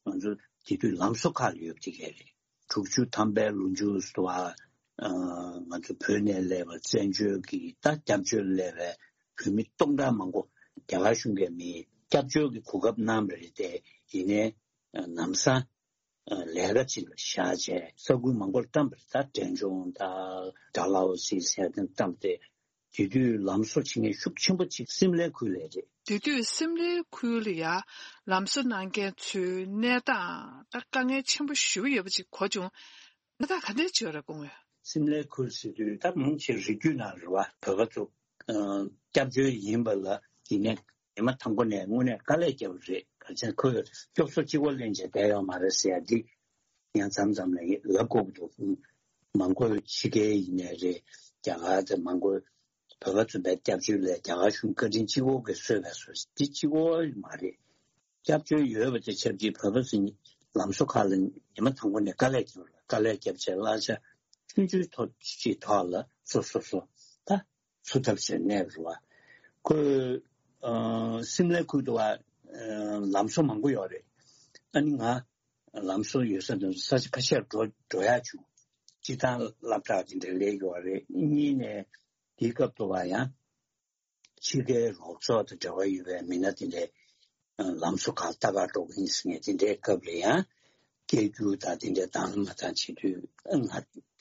ང་ཚོ་དེ་དུས་ལམ་བཟོ་ཁག་ལ་ཡོད་པ་དེ་ག་རེད། དྲུག་ཅུ་ཐམ་པའི་ལོ་མཇུག་ཏུ་བ། ཨ་ང་ཚོ་བོད་ནས་སླེབས་པ་བཙན་བྱོལ་གྱི་ད་སྐྱབས་བཅོལ་སླེབས་པའི་བོད་མི་སྟོང་ཕྲག་མང་པོ་རྒྱ་གར་གཞུང་གིས་མི་སྐྱབས་བཅོལ་གྱི་གོ་སྐབས་གནང་བ་རེད་དེ། ཡིན་ནའི་ཨ་ལམ་སང་ཨ་ལས་ཀ་ཅིག་ལ་བཞག་བྱས་ས་ཁུལ་མང་པོར་བཀྲམ་པ་རེད། ད་འབྲས་ལྗོངས་དང་ཌལ་ཧོ་སི་ཟེར་དེ་བཀྲམ་སྟེ། དེ་དུས་ལམ་བཟོ་བྱེད་མཁན་ཤུགས་ཆེན་པོ་ཅིག་སིམ་ལའི་ཁུལ་ལ་རེད། དེ་དུས་སིམ་ལའི་ཁུལ་ལ་ཡ་ལམ་བཟོ་གནང་མཁན་ཚོའི་གནས་སྟངས་ད་དཀའ་ངལ་ཆེན་པོ་ཞེ་པོ་ཡོད་པ་ཅིག་གོ་བྱུང་། གནས་སྟངས་ག་འདྲ་ཅིག་ཡོད་རེད་སྐུ་ངོ། སིམ་ལའི་ཁུལ་ཟེར་དུས་ད་མང་ཆེ་རི་རྒྱུད་ནང་རེད་བ། བོད་པ་ཚོ་ཨ་སྐྱབས་བཅོལ་ཡིན་པ་ལ་ཡིན་ནའི་ཉི་མ་དང་པོ་ནས་དངོས་གནས་དཀའ་ལས་བརྒྱབ་པ་རེད། ག་ཚད་ཁོས་སྐྱོབ་གསོ་གཅིག་པོ་ལེན་བྱས་བསྡད་ཡོད་མ་རེད་ཟེར་ཡ་འདི་ཡང་མཚམས་མཚམས་ལ་ལབ་དགོས་ཀྱི་འདུག་མང་པོ་ཕྱི་རྒྱལ་ཡིན་ནའི་རེད། རྒྱ་གར་དང་མང་པོ་བོད་པ་ཚོ་བའི་སྐྱབས་བཅོལ་ལ་རྒྱ་གར་གཞུང་བཀའ་དྲིན་གཅིག་པོ་གིས་གསོས་པའི་བཟོ་འདི་གཅིག་པོ་མ་རེད། སྐྱབས་བཅོལ་ཡོད་པ་དེ་ཆབས་ཅིག་བོད་པ་ཚོ་ལམ་བཟོ་ཁག་ལ་ཉི་མ་དང་པོ་ནས་དཀའ་ལས་བརྒྱབ་རེད། དཀའ་ལས་བརྒྱབ་བྱས་གླ་ཆ་ཆུང་ཆུང་ཐོག་ཅིག་ཐོག་ལ་སོ་སོ་སོ་ད་ཚུགས་ཐབས་བྱས་གནས་རེད་བ། ཁོས་ཨ་སིམ་ལའི་ཁུལ་དུ་བ་ཨ་ལམ་བཟོ་མང་པོ་ཡོད་རེད། ཨ་ནི་ང་ལམ་བཟོ་ཡོད་ས་དང་ས་ཆ་ཁ་ཤས་འགྲོ་འགྲོ་ཡག་བྱུང་། སྤྱིར་བཏང་སློབ་གྲྭ་དེ་འདྲ་སླེབས་ཡོད་རེད། གཉིས་ནས་དེའི་སྐབས་དུ་བ་ཡང་ཕྱི་རྒྱལ་རོགས་ཚོགས་དང་འབྲེལ་བ་ཡོད་པའི་མི་སྣ་དེ་འདྲའི་ལམ་བཟོ་ཁག་ལྟ་ག་འགྲོ་གི་ཡིན་ཟེར་མཁན་དེ་འདྲའི་སྐབས་ལ་ཡང་སྐད་སྒྱུར་དང་དེ་འདྲའི་དང་མ་དང་བྱེད་དུས་ང་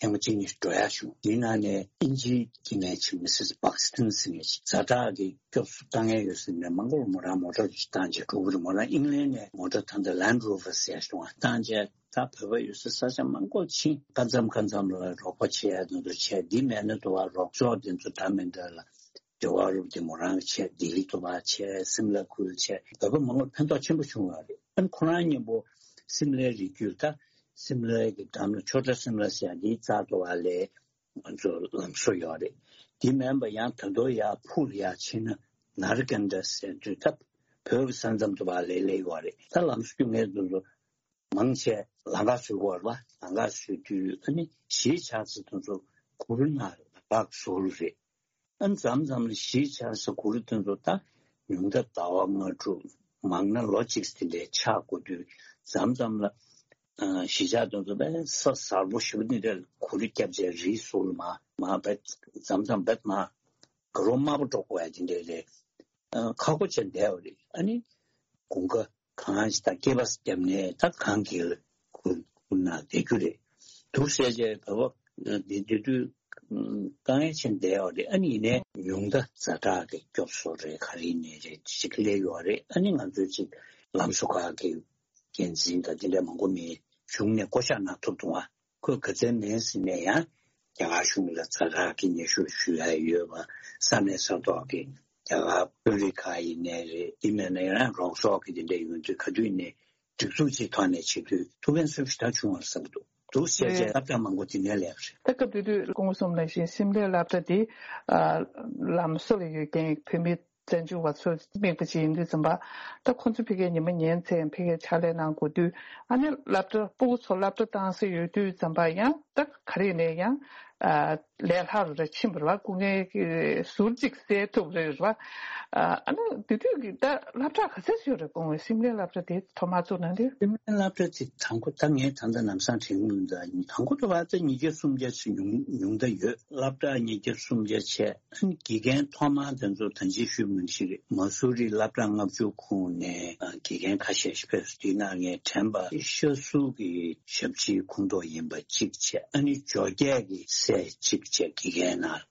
ཐེངས་མ་གཅིག་གཉིས་འགྲོ་ཡག་བྱུང་། དེའི་ནང་ནས་དབྱིན་ཇིའི་སྐྱེ་དམན་ཅིག་མི་སིས་བྷག་སི་ཏན་ཟེར་མཁན་ཅིག་ཛ་དྲག་གི་སྐྱོབ་གསོ་བཏང་ཡས་ཡོད་ཟེར་ནས་མང་པོར་མོ་རང་མོ་ཊ་ཅིག་བཏང་བྱས་འགྲོ་གི་རེད། མོ་རང་ཨིང་ལན་ནས་མོ་ཊ་ད་ལྟ་ལན་རོ་ཝར་ཟེར་ཡག་བྱུང་བ་བཏང་བྱས། ད་བོད་པ་ཡོད་ས་ས་ཆ་མང་པོ་ཕྱིན། སྐབས་མཚམས་སྐབས་མཚམས་ལ་རོགས་པ་བྱེད་ཡ་དེ་ཚོ་བྱས། འདི་མེད་ན་དུ་བ་རོགས་ཚོགས་དེ་ཚོ་ད་མི་འདྲ་ལ་འབྲེལ་བ་རུབ་དེ་མོ་རང་བྱས། ལྡི་ལི་དུ་བ་བྱས། སིམ་ལ་ཁུལ་བྱས། བོད་པ་མང་པོར་ཕན་ཐོགས་ཆེན་པོ་བྱུང་བ་རེད། ཨ་ནི་ཁོ་རང་མཉམ་པོ་སིམ་ལའི་རི་རྒྱུད་ད་སིམ་ལའི་གི་འགྲམ་ལ་ཆོས་གྲྭ་སིམ་ལ་ཟེར་ཡ་འདིའི་རྩ་དུ་བ་ལས་ང་ཚོ་ལམ་བཟོ་ཡོད་རེད། འདི་མིན་པ་ཡང་ད་དུང་ཡར་ཕུ་ལ་ཡར་ཕྱིན་ན་ནར་ཀན་ཌ་ཟེར་དུས་ད་བོད་ཀྱི་ས་མཚམས་དུ་བ་ལས་སླེབས་ཡོད་རེད། ད་ལམ་བཟོ་རྒྱུ་ངས་དུ་མང་ཆེ་ལམ་ཁ་བཟོ་གི་ཡོད་རེད་བ། ལམ་ཁ་བཟོ་དུས་ཨ་ནི་གཞིས་ཆགས་ཚེ་དེ་ཚོ་གུར་ནང་ལ་བག་བཟོ་རུ་རེད། ཨ་མཚམས་མཚམས་ལ་གཞིས་ཆགས་ས་གུ་རུ་དེ་ཚོ་ད་ཉུང་མཐའ་ཟླ་བ་ལྔ་དྲུག་མང་ན་ལོ་གཅིག་དེ་འདྲའི་ཆགས་དགོས་དུས་མཚམས་མཚམས་ལ་གཞིས་ཆགས་དེ་ཚོ་དཔེ་ས་གཟར་པོ་ཞེ་པོ་དེ་འདྲ་གུ་རུ་བརྒྱབ་བྱས་རི་ཟུར་ལ་མར་མར་དཔེ་མཚམས་མཚམས་དཔེ་མར་དགའ་རོགས་དམར་པོ་འགྲོ་དགོས་ཡ་དེ་འདྲ་རེད། ཁག་པོ་བྱས་བསྡད་པ་རེད། ཨ་ནི་དགུན་ཁ་གང་ཞིག་ད་སྐྱེས་པ་བརྒྱབ་ནས་ད་གངས་སྐྱིད་ལ་ཁུར་ཁུར་ན་བསྡད་རྒྱུ་རེད། འདུག་ཟེར་བྱས་བོད་པ་འདི་འདི་དུས་དཀའ་ངལ་ཆེན་བསྡད་ཡོད་རེད། ཨ་ནི་ཡིན་ནའི་ཉུང་མཐའ་ཛ་དྲག་གི་སྐྱོབ་གསོ་རེད་ག་རེ་ནས་རེད་ཅིག་སླེབས་ཡོད་རེད། ཨ་ནི་ང་ཚོས་ཅིག་ལམ་བཟོ་ཁག་གི་འགན་འཛིན་དང་དེ་འདྲ་མང་པོ་མི་གཞུང་ནས་བསྐོ་བཞག་གནང་ཐུབ་འདུག་ཨ། ཁོས་ག་ཚད་མིན་ཟིན་ནས་ཡང་རྒྱ་གར་གཞུང་ལ་ཛ་དྲག་གི་སྙན་ཞུ་ཞུ་ཡ་ཡོད་པ། ས་གནས་ས་ཐོག་གི་རྒྱ་གར་དཔོན་རིགས་ཁག་ཡིན་ནའི་རེད། དེ་མིན་ན་ཡང་རོགས་ཚོགས་ཀྱི་དེ་འདྲ་ཡོང་དུས་ག་དུས་ནས་སྒྲིག་འཛུགས་ཀྱི་ཐོག་ནས་བྱེད་དུས་ཐུགས་ཕན་གསོས་ཞེ་དྲག་བྱུང་བར་བསམ་འདུག་འདུག་ཟེར་བྱས་རེད། སློབ་གྲྭ་མང་པོ་དེ་ནས་ལས་པ་རེད། ད་སྐབས་དེ་དུས་སྐུ་ངོ་གསུངས་ནང་བཞིན་སིམ་ལའི་སློབ་གྲྭ་དེ་ལམ་བཟོ་ལ་ཡོད་མཁན་བོད་མི་བཙན་བྱོལ་བ་ཚོས་དམིགས་པ་ཅིག་ཡིན་དུས་ཙམ་པ། ད་ཁོང་ཚོ་ཕ་གིའི་ཉི་མ་ཉིན་མཚན་ཕ་གིར་ཕྱག་ལས་གནང་དགོས་དུས། ཨ་ནི་སློབ་གྲྭ་སྤུ་གུ་ཚོ་སློབ་གྲྭ་བཏང་ས་ཡོད་དུས་ཙམ་པ་ཡང་ད་ག་རེ་ནས་ཡང་ལས་སླ་རུ་རེ་ཕྱིན་པ་རེད་བ། སྐུ་ངལ་ཟུར་གཅིག་སེལ་ཐུབ་རེད་བ། ཨ་ནི་དེ་དུས་ཀྱི་ད་སློབ་གྲྭ་ག་ཚད་ཡོད་རེད། སྐུ་ངོ་སིམ་ལའི་སློབ་གྲྭ་དེ་ཐོག་མར་བཙུགས་གནང་དུས། སིམ་ལའི་སློབ་གྲྭ་དེ་དང་པོ་ད་ངས་ད་ལྟ་ལམ་སང་དྲན་གྱི་མི་འདུག་དང་པོ་དུ་བ་ད་ཉིས་བརྒྱ་སུམ་བརྒྱ་ཞིག་ཉུང་ཉུང་ད་ཡོད། སློབ་གྲྭ་ཉིས་བརྒྱ་སུམ་བརྒྱ་བྱས། དགེ་རྒན་ཐོག་མར་དེ་ཚོ་ད་ཅི་ཞུས་མིན་ཞིག་རེད། མ་སུ་རི་སློབ་གྲྭ་ལྔ་བཅུ་ཁོངས་ནས་དགེ་རྒན་ཁ་ཤས་ཤིག་ཕེབས་སོང་། དེའི་ནང་ངས་དྲན་པ་ཤ་གསུག་གི་ཞབས་ཕྱིའི་ཁོངས་གཏོགས་ཡིན་པ་གཅིག་བྱས། ཨ་ནི་འཇོ་སྒེག་གི་སྲས་གཅིག་བྱས་དགེ་རྒན་ནང་།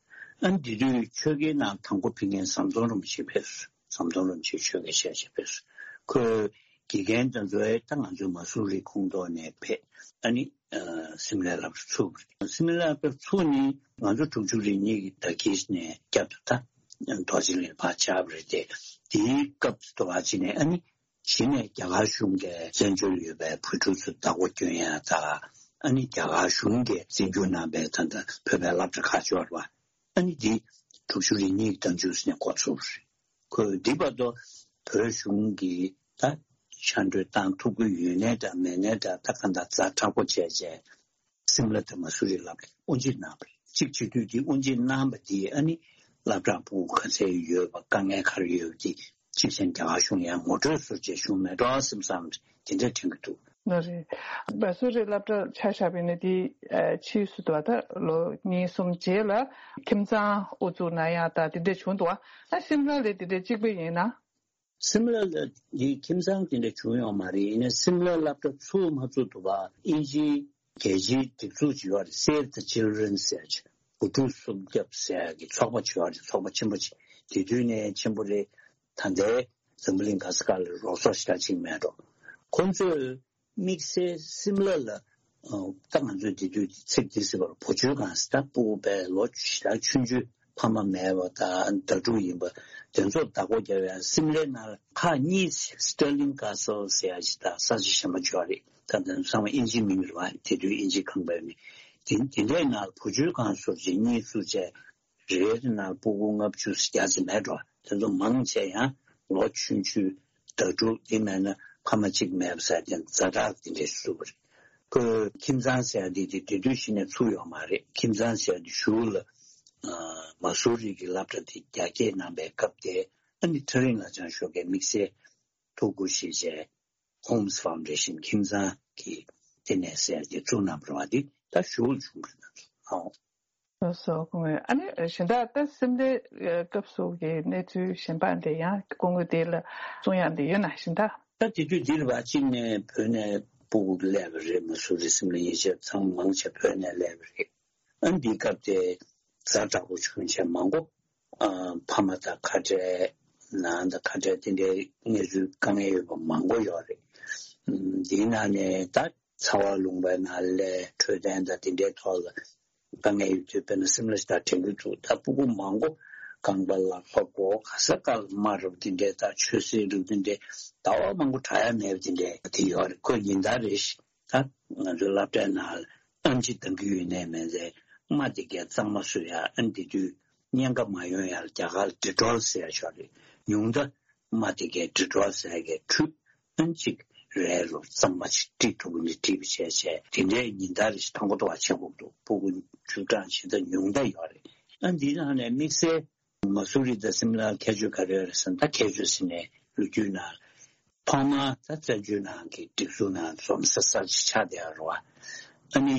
ཨ་ནི་དེ་དུས་ཆོས་རྒྱལ་ནང་དང་པོ་ཕེབས་མཁན་ཟམ་གདོང་རིན་པོ་ཆེ་ཕེབས་སོང་། ཟམ་གདོང་རིན་པོ་ཆེ་ཆོས་རྒྱལ་ཞལ་ཆེ་ཕེབས་སོང་། ཁོས་དགེ་རྒན་དེ་ཚོ་ད་ང་ཚོའི་མ་སུ་རི་ཁོངས་གཏོགས་ནས་ཕེབས། ཨ་ནི་སིམ་ལའི་སློབ་གྲྭ་ཚུགས། སིམ་ལའི་སློབ་གྲྭ་ཚུགས་ནི་ང་ཚོ་དྲུག་ཅུ་རེ་གཉིས་ཀྱི་ཟླ་དཀྱིལ་ནས་བསྐྱར་དུ་ད་རྡོ་རྗེ་གླིང་ཕར་བཅར་བ་རེད་དེ། དེའི་སྐབས་སུ་དུ་བ་ཅི་ནས་ཨ་ནི་གཞི་ནས་རྒྱ་གར་གཞུང་གིས་བཙན་བྱོལ་ཡོད་པའི་བོད་ཕྲུག་ཚོ་བདག་པོ་སྐྱོན་ཡ་དང་། ཨ་ནི་རྒྱ་གར་གཞུང་གིས་བཙན་བསྒྱུར་གནང་པའི་ད་ལྟ་བོད་པའི་སློབ་གྲྭ་ཁག་ཅིག་ཡོད་རེད་བ། ཨ་ནི་འདི་དྲུག་ཅུ་རེ་གཉིས་ཀྱི་ཟླ་མཇུག་ནས་འགོ་ཚུགས་རེད། ཁོས་འདི་བར་དུ་བོད་གཞུང་གིས་ད་ཕྱག་འབྲེལ་བཏང་ཐུབ་ཀྱི་ཡོད་ནའི་འདྲ་མེད་ནའི་འདྲ། ད་གང་ལྟར་ཛ་དྲག་པོ་བྱས་བྱས་སིམ་ལ་དང་མ་སུ་རི་སློབ་གྲྭ་དབུ་འབྱེད་གནང་བ་རེད། གཅིག་བྱེད་དུས་འདི་དབུ་འབྱེད་གནང་བ་འདིས་ཨ་ནི་སློབ་གྲྭ་སྤུ་གུ་ག་ཚད་ཡོད་པ་དཀའ་ངལ་ག་རེ་ཡོད་པ་འདི་གཅིག་བྱས་རྒྱ་གར་གཞུང་ཡང་ངོ་སྤྲོད་ཟུར་བྱས་བྱུང་མེད་འགྲོ་བསམ་བསམ་དེ་འདྲ་དྲན་གྱི་འདུག་ལགས་རེད། མ་སུ་རི་སློབ་གྲྭ་ཆ་བཞག་པ་ཡིན་ན་དེ་ཕྱིས་སུ་དུ་བ་ད་ལོ་གཉིས་གསུམ་རྗེས་ལ་ཁྱིམ་ཚང་དབུ་བཙུགས་གནང་ཡག་ད་དེ་འདྲ་བྱུང་འདུག་ཨ་སིམ་ལ་ལ་དེ་འདྲ་གཅིག་པ་ཡིན་ན། སིམ་ལ་ལ་དེ་ཁྱིམ་ཚང་དེ་འདྲ་བྱུང་ཡོད་མ་རེད། ཡིན་ན་སིམ་ལ་སློབ་གྲྭ་ཚུགས་མ་ཚུགས་དུ་བ་དབྱིན་ཇིའི་རྒྱལ་སྤྱིའི་སྒྲིག་འཛུགས་ཅིག་ཡོད་རེད། Save the Children ཟེར་ཅིག་བུ་ཕྲུག་སྲུང་སྐྱོབ་ཟེར་ཡག་གི་ཚོགས་པ་ཅིག་ཡོད་རེད། ཚོགས་པ་ཆེན་པོ་ཅིག་དེ་དུས་ནས་ཆེན་པོ་རེད། ད་ལྟའི་འཛམ་བུ་གླིང་ག་ས་ག་ལ་རོགས་ཚོགས་ཞེ་དྲག་ཅིག་མེད་འགྲོ། ཁོང་ཚོས་དམིགས་བསལ་སིམ་ལ་ལ་ད་ང་ཚོས་དེ་དུས་ཚིག་འདི་ཟེར་བར་བུ་བཅོལ་ཁང་ཟེར། ད་སྤུ་གུ་དཔེ་ལོ་ཞེ་དྲག་ཆུང་ཆུང་ཕ་མ་མེད་པ་དང་ཟླ་དྲུག་ཡིན་པ་དེ་ཚོར་བདག་པོ་རྒྱབ་ཡ། སིམ་ལའི་ནང་ལ་ཁག་གཉིས་Stirling Castle ཟེར་ཡ་ཞིག་དང་ས་ཆ་གཞན་པ་ཅིག་ཡོད་རེད། ད་དེ་ཚང་མ་དབྱིན་ཇིའི་མིང་རེད་བ། དེ་དུས་དབྱིན་ཇིའི་ཁང་པའི་མིང་། དེ་དེ་འདྲའི་ནང་ལ་བུ་བཅོལ་ཁང་ཟུར་བཅད་གཉིས་བཙུགས་བྱས། རེ་རེ་ནང་སྤུ་གུ་ལྔ་བཅུ་བརྒྱ་ཙམ་མེད་འགྲོ། དེ་ཚོ་མང་ཆེ་ཡང་ལོ་ཆུང་ཆུང་ཟླ་དྲུག་དེ་མེད་ན་ཕ་མ་གཅིག་མེད་པ་ཟེར་དེ་ཛ་དྲག་དེ་འདྲས་བཟོས་པ་རེད། ཁོས་ཁྱིམ་ཚང་ཟེར་ཡ་དེ་དེ་དེ་དུས་གཞི་ནས་ཚུགས་ཡོད་མ་རེད། ཁྱིམ་ཚང་ཟེར་ཡ་དེ་གཞུག་ལ་མ་སུ་རི་གི་སློབ་གྲྭ་དེ་རྒྱ་སྐྱེད་གནང་པའི་སྐབས་དེ་ཨ་ནི་ཐག་རིང་ལ་བྱང་ཤོག་གི་དམིགས་བསལ་ཐུགས་ཁུར་བཞེས་བྱས་Homes Foundation ཁྱིམ་ཚང་གི་ལྟེ་གནས་ཟེར་ཡ་དེ་བཙུགས་གནང་བ་རེད་བ། དེ་ད་གཞུག་ལ་བྱུང་བ་རེད། ཨོ། ལགས་སོ་སྐུ་ངོ། ཨ་ནི་གཞན་དག་ད་སིམ་ལའི་སྐབས་སུ་གི་གནས་ཚུལ་གཞན་པ་འདི་ཡང་སྐུ་ངོ་དེ་ལ་གསུང་ཡག་འདི་ཡོད་ན་གཞན་དག་ད་དེ་དུས་འདིར་བ་གཅིག་ནས་བོད་ནས་སྤུ་གུ་སླེབས་པ་རེད། མ་སུ་རི་སིམ་ལ་ཡན་ཆད་ཚང་མ་མང་ཆེ་བོད་ནས་སླེབས་པ་རེད། ཨ་འདིའི་སྐབས་དེ་ཛ་དྲག་པོ་བྱུང་བྱས་མང་པོ་ཨ་ཕ་མ་དང་ཁ་བྲལ། ནང་དང་ཁ་བྲལ་དེ་འདྲའི་གནས་ཚུལ་དཀའ་ངལ་ཡོད་པ་མང་པོ་ཡོད་རེད། ཨ་འདིའི་ནང་ནས་ད་ཚ་བ་ལུང་པའི་ནང་ལ་འཕྲོད་བསྟེན་དང་དེ་འདྲའི་ཐོག་ལ་དཀའ་ངལ་ཡོད་དུས་དཔེར་ན་སིམ་ལ་ཞིག་དང་དྲན་གྱི་འདུག་ད་སྤུ་གུ་མང་པོ་རྐང་པ་ལག་པ་མགོ་ག་ས་ག་ལ་རྨ་རུབ་དེ་འདྲའི་དང་ཆུ་སེར་རུབ་དེ་འདྲའི་ཟླ་བ་མང་པོ་དྲག་ཡ་མེད་པ་དེ་འདྲའི་དེ་ཡོད་རེད། ཁོས་ཉིན་ལྟར་རེ་བཞིན་ད་ང་ཚོའི་སློབ་གྲྭའི་ནང་ལ་ཨེམ་ཆི་འདང་གི་ཡོད་ནའི་མེད་ཚེ་རྨ་དེ་གས་གཙང་མ་བཟོ་ཡ། ཨ་ནི་དེ་དུས་གཉན་ཁ་མ་ཡོང་ཡ་ལ་རྒྱ་གར་ལ་ཌི་ཊོལ་ཟེར་ཡ་ཅིག་ཡོད་རེད། ཉུང་མཐའ་རྨ་དེ་གས་ཌི་ཊོལ་ཟེར་ཡ་གས་འཁྲུད། ཨ་ནི་གཅིག་རལ་རུ་གཙང་མ་ཅིག་དཀྲིས་ཐུབ་ཀྱི་ནི་དཀྲིས་པ་བྱས་བྱས་དེ་འདྲའི་ཉིན་ལྟར་རེ་བཞིན་དང་པོ་ཐོག་བྱེད་དགོས་འདུག་སྤུ་གུ་བཅུ་གྲངས་ཇི་ལྟར་ཉུང་མཐའ་ཡོད་རེད། ཨ་ནི་འདིའི་ནང་ནས་དམིགས་བསལ་ མ་སུ་རི་དང་སིམ་ལ་ཁྱད་ཆོས་ག་རེ་ཡོད་རེད་ཟེར་ན། ད་ཁྱད་ཆོས་ཟེར་ནས་ལོ་རྒྱུས་ནང་ཐོག་མར་ད་བཙན་བྱོལ་ནང་གི་སྒྲིག་འཛུགས་ནང་འཛོམས་ས་གསར་ཅིག་ཆགས་བསྡད་ཡོད་རེད་བ། ཨ་ནི་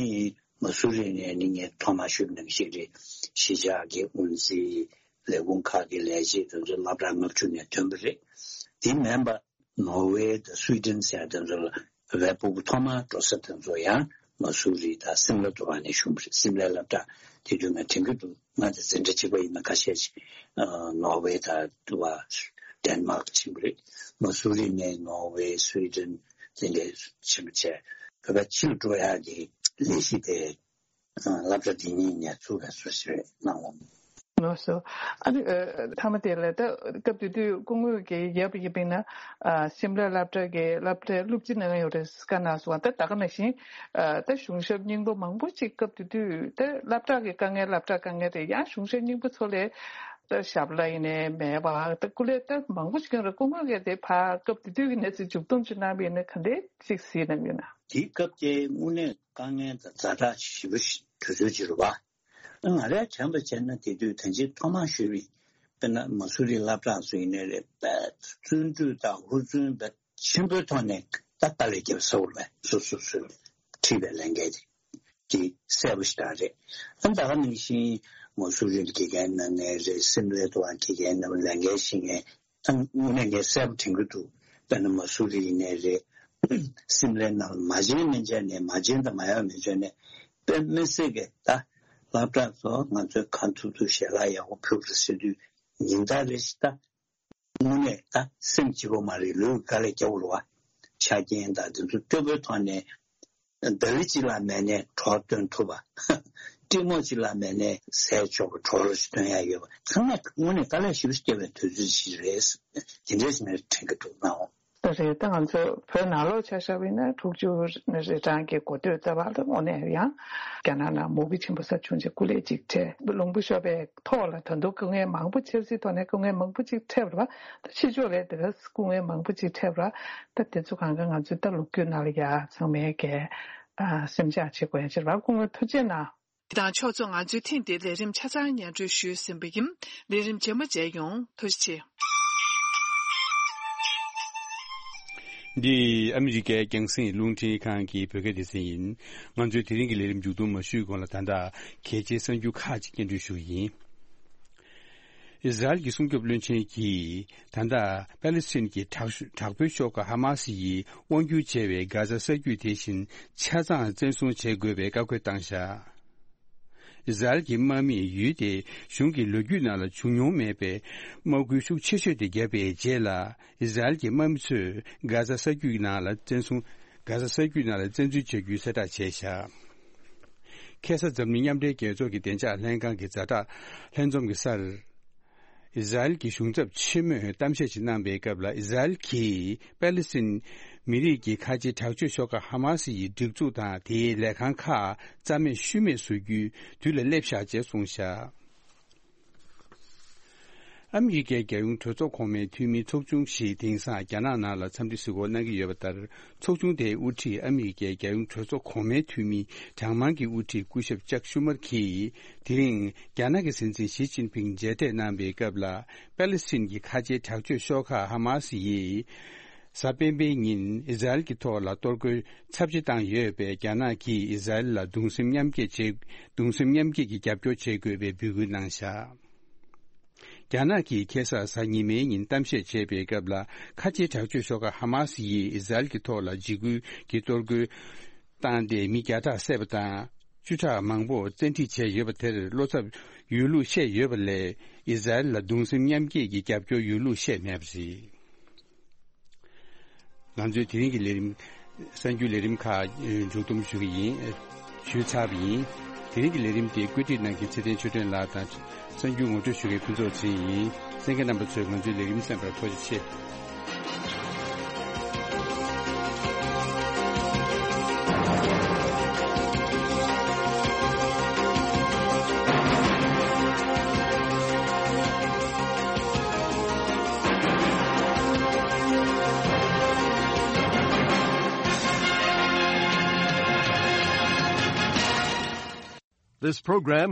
མ་སུ་རི་ནས་ནི་ངས་ཐོག་མར་ཞུས་པ་ནང་བཞིན་རེད། གཞིས་ཆགས་ཀྱི་དབུ་འཛིན་ལས་ཁུངས་ཁག་གི་ལས་བྱེད་དེ་ཚོ་སློབ་གྲྭ་ལྔ་བཅུ་ནས་ཐོན་པ་རེད། དེ་མིན་པ་ནོར་ཝེ་དང་སུའི་ཌེན་ཟེར་ཡ་དེ་ཚོ་ལ་བའི་སྤུ་གུ་ཐོག་མར་འགྲོ་ས་དེ་ཚོ་ཡང་མ་སུ་རི་དང་སིམ་ལ་དུ་བ་ནས་བྱུང་བ་རེད། སིམ་ལའི་སློབ་གྲྭ་དེ་དུས་ང་དྲན་གྱི་འདུག་ང་དང་འཛིན་གྲྭ་གཅིག་པ་ཡིན་ན་ཁ་ཤས་ཤིག་ཨ་ནོར་ཝེ་དང་དུ་བ་ཌེན་མཱག་ཕྱིན་པ་རེད། མ་སུ་རི་ནས་ནོར་ཝེ་སུའི་ཌེན་དེ་འདྲ་ཕྱིན་པ་བྱས། བོད་པ་ཕྱི་ལ་འགྲོ་ཡག་གི་ལས་གཞི་དེ་སློབ་གྲྭ་འདི་གཉིས་ནས་ཚུགས་པའི་བཟོ་ཞིག་རེད་གནང་འོང་། ལགས་སོ། ཨ་ནི་ཨ་མཐའ་མ་དེ་ལ་ད་སྐབས་དེ་དུས་སྐུ་ངོ་གིས་ཡབ་ཡིན་པས་ན། ཨ་སིམ་ལ་སློབ་གྲྭ་གི་སློབ་གྲྭའི་སློབ་སྤྱི་གནང་ཡོད་རེད་བཀའ་གནང་སོང་བ། ད་ད་ག་ནང་བཞིན་ཨ་ད་གཞུང་ཞབས་རྙིང་པ་མང་པོ་ཅིག་སྐབས་དེ་དུས་ད་སློབ་གྲྭ་གི་དཀའ་ངལ་སློབ་གྲྭ་དཀའ་ངལ་རེད། ཡང་གཞུང་ཞབས་རྙིང་པ་ཚོ་ལས་ད་ཞབས་ལ་ཡིན་ནའི་མེད་པ་ད་སྐུ་ལས་ད་མང་པོ་ཅིག་ཡོད་རེད། སྐུ་ངོ་གིས་དེ་ཕར་སྐབས་དེ་དུས་ཀྱི་གནས་ཚུལ་མཇུག་སྡོམ་ཅིག་གནང་བ་ཡིན་ན་ག་འདྲས་ཅིག་གཟིགས་གནང་གི་ཡོད་ན། དེའི་སྐབས་དེ་དངོས་གནས་དཀའ་ངལ་དང་ཛ་དྲག་ཞེ་པོ་ཞིག་དུས་ཚོད་ཅིག་རེད་བ། ང་རས་དྲན་པ་བྱས་ན་དེ་དུས་ད་ཅི་ཐོག་མར་ཞུས་པའི་དཔེར་ན་མ་སུ་རི་སློབ་གྲྭ་ཚོ་ཡིན་ནའི་རེད། དཔེ་བརྩོན་འགྲུས་དང་ཧུར་བརྩོན་དཔེ་ཆེན་པོའི་ཐོག་ནས་ད་དཀའ་ལས་བརྒྱབ་ས་བོར་བས་སོ་སོ་སོས་ཁྲིད་པའི་ལས་འགན་དེ་གི་གསལ་པོ་ཞིག་རང་རེད། ཨ་ད་ག་ནང་བཞིན་མ་སུ་རི་ལ་དགེ་རྒན་གནང་མཁན་རེད། སིམ་ལའི་ཐོག་དགེ་རྒན་གནང་ལས་འགན་བཞེས་མཁན། ད་དངོས་གནས་ངས་གསལ་པོ་དྲན་གྱི་འདུག་དཔེར་ན་མ་སུ་རི་ཡིན་ནའི་རེད། སིམ་ལའི་ནང་ལ་མ་བྱན་མི་བྱན་ནས་མ་བྱན་དང་མ་ཡོང་མི་བྱོན་ནས་དཔེ་མི་སྲིད་ཀྱི་ད་སློབ་གྲྭ་ཚོ་ང་ཚོས་གང་ཐུབ་ཐུབ་ཞལ་ལག་ཡག་པོ་ཕུལ་དགོས་ཟེར་དུས་ཉིན་ལྟར་རེ་ཞིག་ད་དངོས་གནས་ད་སེམས་སྐྱིད་པོ་མ་རེད། ལུས་དཀའ་ལས་རྒྱག་དགོས་རེད་བ། ཆ་རྐྱེན་དང་དེ་ཚོ་སྤྲོ་པོའི་ཐོག་ནས། ཟླ་བ་གཅིག་ལ་མེད་ནས་གྲོགས་སྟོན་ཐུབ་པ། ཀྲིན་མོག་གཅིག་ལ་མེད་ནས་ཟས་མཆོག་གི་གྲོགས་རོ་ཞིག་སྟོན་ཡ་ཡོད་པ། ཚང་མས་དངོས་གནས་དཀའ་ལས་ཞེ་པོ་ཞིག་བརྒྱབ་པའི་དུས་ཚོད་ཞིག་རེད། དེ་འདྲས་ཞིག་ནས་དྲན་གྱི་འདུག་ནའོ། ད་རེད། ད་ང་ཚོ་བོད་ནང་ལོགས་ཆ་བཞག་པ་ཡིན་ན་དྲུག་ཅུ་རེ་གྲངས་ཀྱི་འགོ་སྟོད་རྩ་བར་དུ་དངོས་གནས་ཡང་རྒྱ་ནག་ནང་མུ་གེ་ཆེན་པོ་ས་བྱུང་རྗེས་སྐུ་ལས་གཅིག་ཁྲལ་ལུང་པ་ཤོར་བའི་ཐོག་ལ་ད་དུང་སྐུ་ངལ་མང་པོ་འཆར་སྲིད་ཐོག་ནས་སྐུ་ངལ་མང་པོ་ཅིག་འཕྲད་པ་རེད་བ། ད་ཕྱི་ཕྱོགས་ལ་དེ་ག་སྐུ་ངལ་མང་པོ་ཅིག་འཕྲད་པ་རེད། ད་དེ་ཚོ་གང་ག་ང་ཚོའི་ད་ལོ་རྒྱུས་ནང་ལ་ཡ་ཚང་མས་ཀྱི་ཨ་སེམས་ཆགས་བྱེད་དགོས་ཡ་ཅིག་རེད་བ། སྐུ་ངོ་ཐུགས་རྗེ་གནང་། དང་ཕྱོགས་གཙོ་ང་ཚོའི་ཐེངས་འདིའི་ལས་རིམ་ཆ་ཚང་སྙན་སྒྲོན་ཞུས་ཟིན་པ་ཡིན། ལས་རིམ་རྗེས་མ་མཇལ་ཡོང་། ཐུགས་རྗེ་ཆེ། འདི་ཨ་མི་རི་ཀའི་རྒྱང་སྲིང་རླུང་འཕྲིན་ཁང་གི་བོད་སྐད་སྡེ་ཚན་ཡིན། ང་ཚོའི་དེ་རིང་གི་ལས་རིམ་མཇུག་སྡོམ་མ་ཞུས་གོང་ལ་ད་ལྟ་གལ་ཆེའི་གསར་འགྱུར་ཁག་ཅིག་སྙན་སྒྲོན་ཞུ་གི་ཡིན། ཨི་ཟ་རེལ་གྱི་སྲུང་སྐྱོབ་བློན་ཆེན་གྱིས་ད་ལྟ་པ་ལི་སི་ཐན་གྱི་དྲག་ཤོས་དྲག་པོའི་ཤོག་ཁག་ཧ་མ་སི་ཡིས་དབང་སྒྱུར་བྱས་པའི་གྷ་ཛ་ས་རྒྱུད་དེ་བཞིན་ཆ་ཚང་བཙན་བཟུང་བྱེད་དགོས་པའི་བཀའ་བཀོད་བཏང་བཞག་ཨི་ཟ་རེལ་གྱི་དམག་མིས་ཡུལ་དེའི་གཞུང་གི་ལོ་རྒྱུས་ནང་ལ་བྱུང་མྱོང་མེད་པའི་དམག་འཁྲུག་ཤུགས་ཆེ་ཤོས་དེ་བརྒྱབ་པའི་རྗེས་ལ། ཨི་ཟ་རེལ་གྱི་དམག་མི་ཚོས་གྷ་ཛ་ས་རྒྱུད་ནང་ལ་བཙན་བཟུང་། གྷ་ཛ་ས་རྒྱུད་ནང་ལ་བཙན་འཛུལ་བྱ་རྒྱུའི་གསལ་བསྒྲགས་བྱས་བཞག་ཁ་སང་འཛམ་གླིང་མཉམ་འབྲེལ་རྒྱལ་ཚོགས་ཀྱི་བདེ་འཇགས་ལྷན་ཁང་གི་ཛ་དྲག་ལྷན་འཛོམས་ཀྱི་སར། ཨི་ཟ་རེལ་གྱི་གཞུང་ཚབ་ཆེན་མོས་གཏམ་བཤད་ཅིག་གནང་པའི་སྐབས་ལ། ཨི་ཟ་རེལ་གྱིས་པ་ལི་སི་ཐན་མི་རིགས་ཀྱི་ཁ་ཆེའི་དྲག་སྤྱོད་ཤོག་ཁག་ཧ་མ་སི་ཡི་སྒྲིག་འཛུགས་དང་དེའི་ལས་ཁང་ཁག་རྩ་མེད་ཤུལ་མེད་བཟོ་རྒྱུའི་དུས་ལ་སླེབས་བཞག་ཅེས་གསུངས་བཞག་ཨ་མི་རི་ཀའི་རྒྱལ་ཡོངས་གྲོས་ཚོགས་གོང་མའི་འཐུས་མིའི་ཚོགས་ཆུང་ཞིག་དེང་སང་རྒྱ་ནག་ནང་ལ་འཚམས་འདྲི་གཟིགས་སྐོར་གནང་གི་ཡོད་པ་ལྟར། ཚོགས་ཆུང་དེའི་དབུ་ཁྲིད་ཨ་མི་རི་ཀའི་རྒྱལ་ཡོངས་གྲོས་ཚོགས་གོང་མའི་འཐུས་མི་གྲངས་མང་གི་དབུ་ཁྲིད་སྐུ་ཞབས་ཅག་ཤུ་མར་གྱིས། དེ་རིང་རྒྱ་ནག་གི་སྲིད་འཛིན་ཞི་ཅིན་ཕིང་མཇལ་འཕྲད་གནང་པའི་སྐབས་ལ། པ་ལི་སི་ཐན་གྱི་ཁ་ཆེའི་དྲག་སྤྱོད་ཤོག་ཁག་ཧ་མ་སི་ཡིས། གཟའ་སྤེན་པའི་ཉིན་ཨི་ཟ་རེལ་གྱི་ཐོག་ལ་གཏོར་རྒོལ་ཚབས་ཆེ་བཏང་ཡོད་པས། རྒྱ་ནག་གིས་ཨི་ཟ་རེལ་ལ་གདུང་སེམས་མཉམ་སྐྱེད་བྱེད། གདུང་སེམས་མཉམ་སྐྱེད་ཀྱི་རྒྱབ་སྐྱོར་བྱེད་དགོས་པའི་འབོད་སྐུལ་གནང་བཞག་རྒྱ་ནག་གིས་ཁ་སང་གཟའ་ཉི་མའི་ཉིན་གཏམ་བཤད་བྱས་པའི་སྐབས་ལ། ཁ་ཆེའི་དྲག་སྤྱོད་ཤོག་ཁག་ཧ་མ་སི་ཡིས་ཨི་ཟ་རེལ་གྱི་ཐོག་ལ་འཇིགས་སྐུལ་གྱི་གཏོར་རྒོལ་བཏང་སྟེ་མི་བརྒྱ་ཕྲག་བསད་པ་དང་། བཅུ་ཕྲག་མང་པོ་བཙན་ཁྲིད་བྱས་ཡོད་པ་དེར་བློ་འཚབ་ཡོད་ལུགས་བཤད་ཡོད་པ་ལས། ཨི་ཟ་རེལ་ལ་གདུང་སེམས་མཉམ་སྐྱེད་ཀྱི་རྒྱབ་སྐྱོར་ཡོད་ལུགས་བཤད་མེད་པ་རེད། ང་ཚོས་དེ་རིང་གི་ལས་རིམ། གསར་འགྱུར་ལས་རིམ་ཁག་མཇུག་སྡོམ་ཞུ་གི་ཡིན། ཞུས་ཚར་བ་ཡིན། དེ་རིང་གི་ལས་རིམ་དེ་བཀོད་སྒྲིག་གནང་མཁན་ཚེ་བརྟན་ཆོས་སྒྲོན་ལགས་དང་། གསར་འགྱུར་ངོ་སྤྲོད་ཞུ་མཁན་ཕུན་ཚོགས་ཚེ་རིང་ཡིན། གསན་མཁན་རྣམ་པ་ཚོས་ང་ཚོའི་ལས་རིམ་གསན་པར་ཐུགས་རྗེ་ཆེ། This program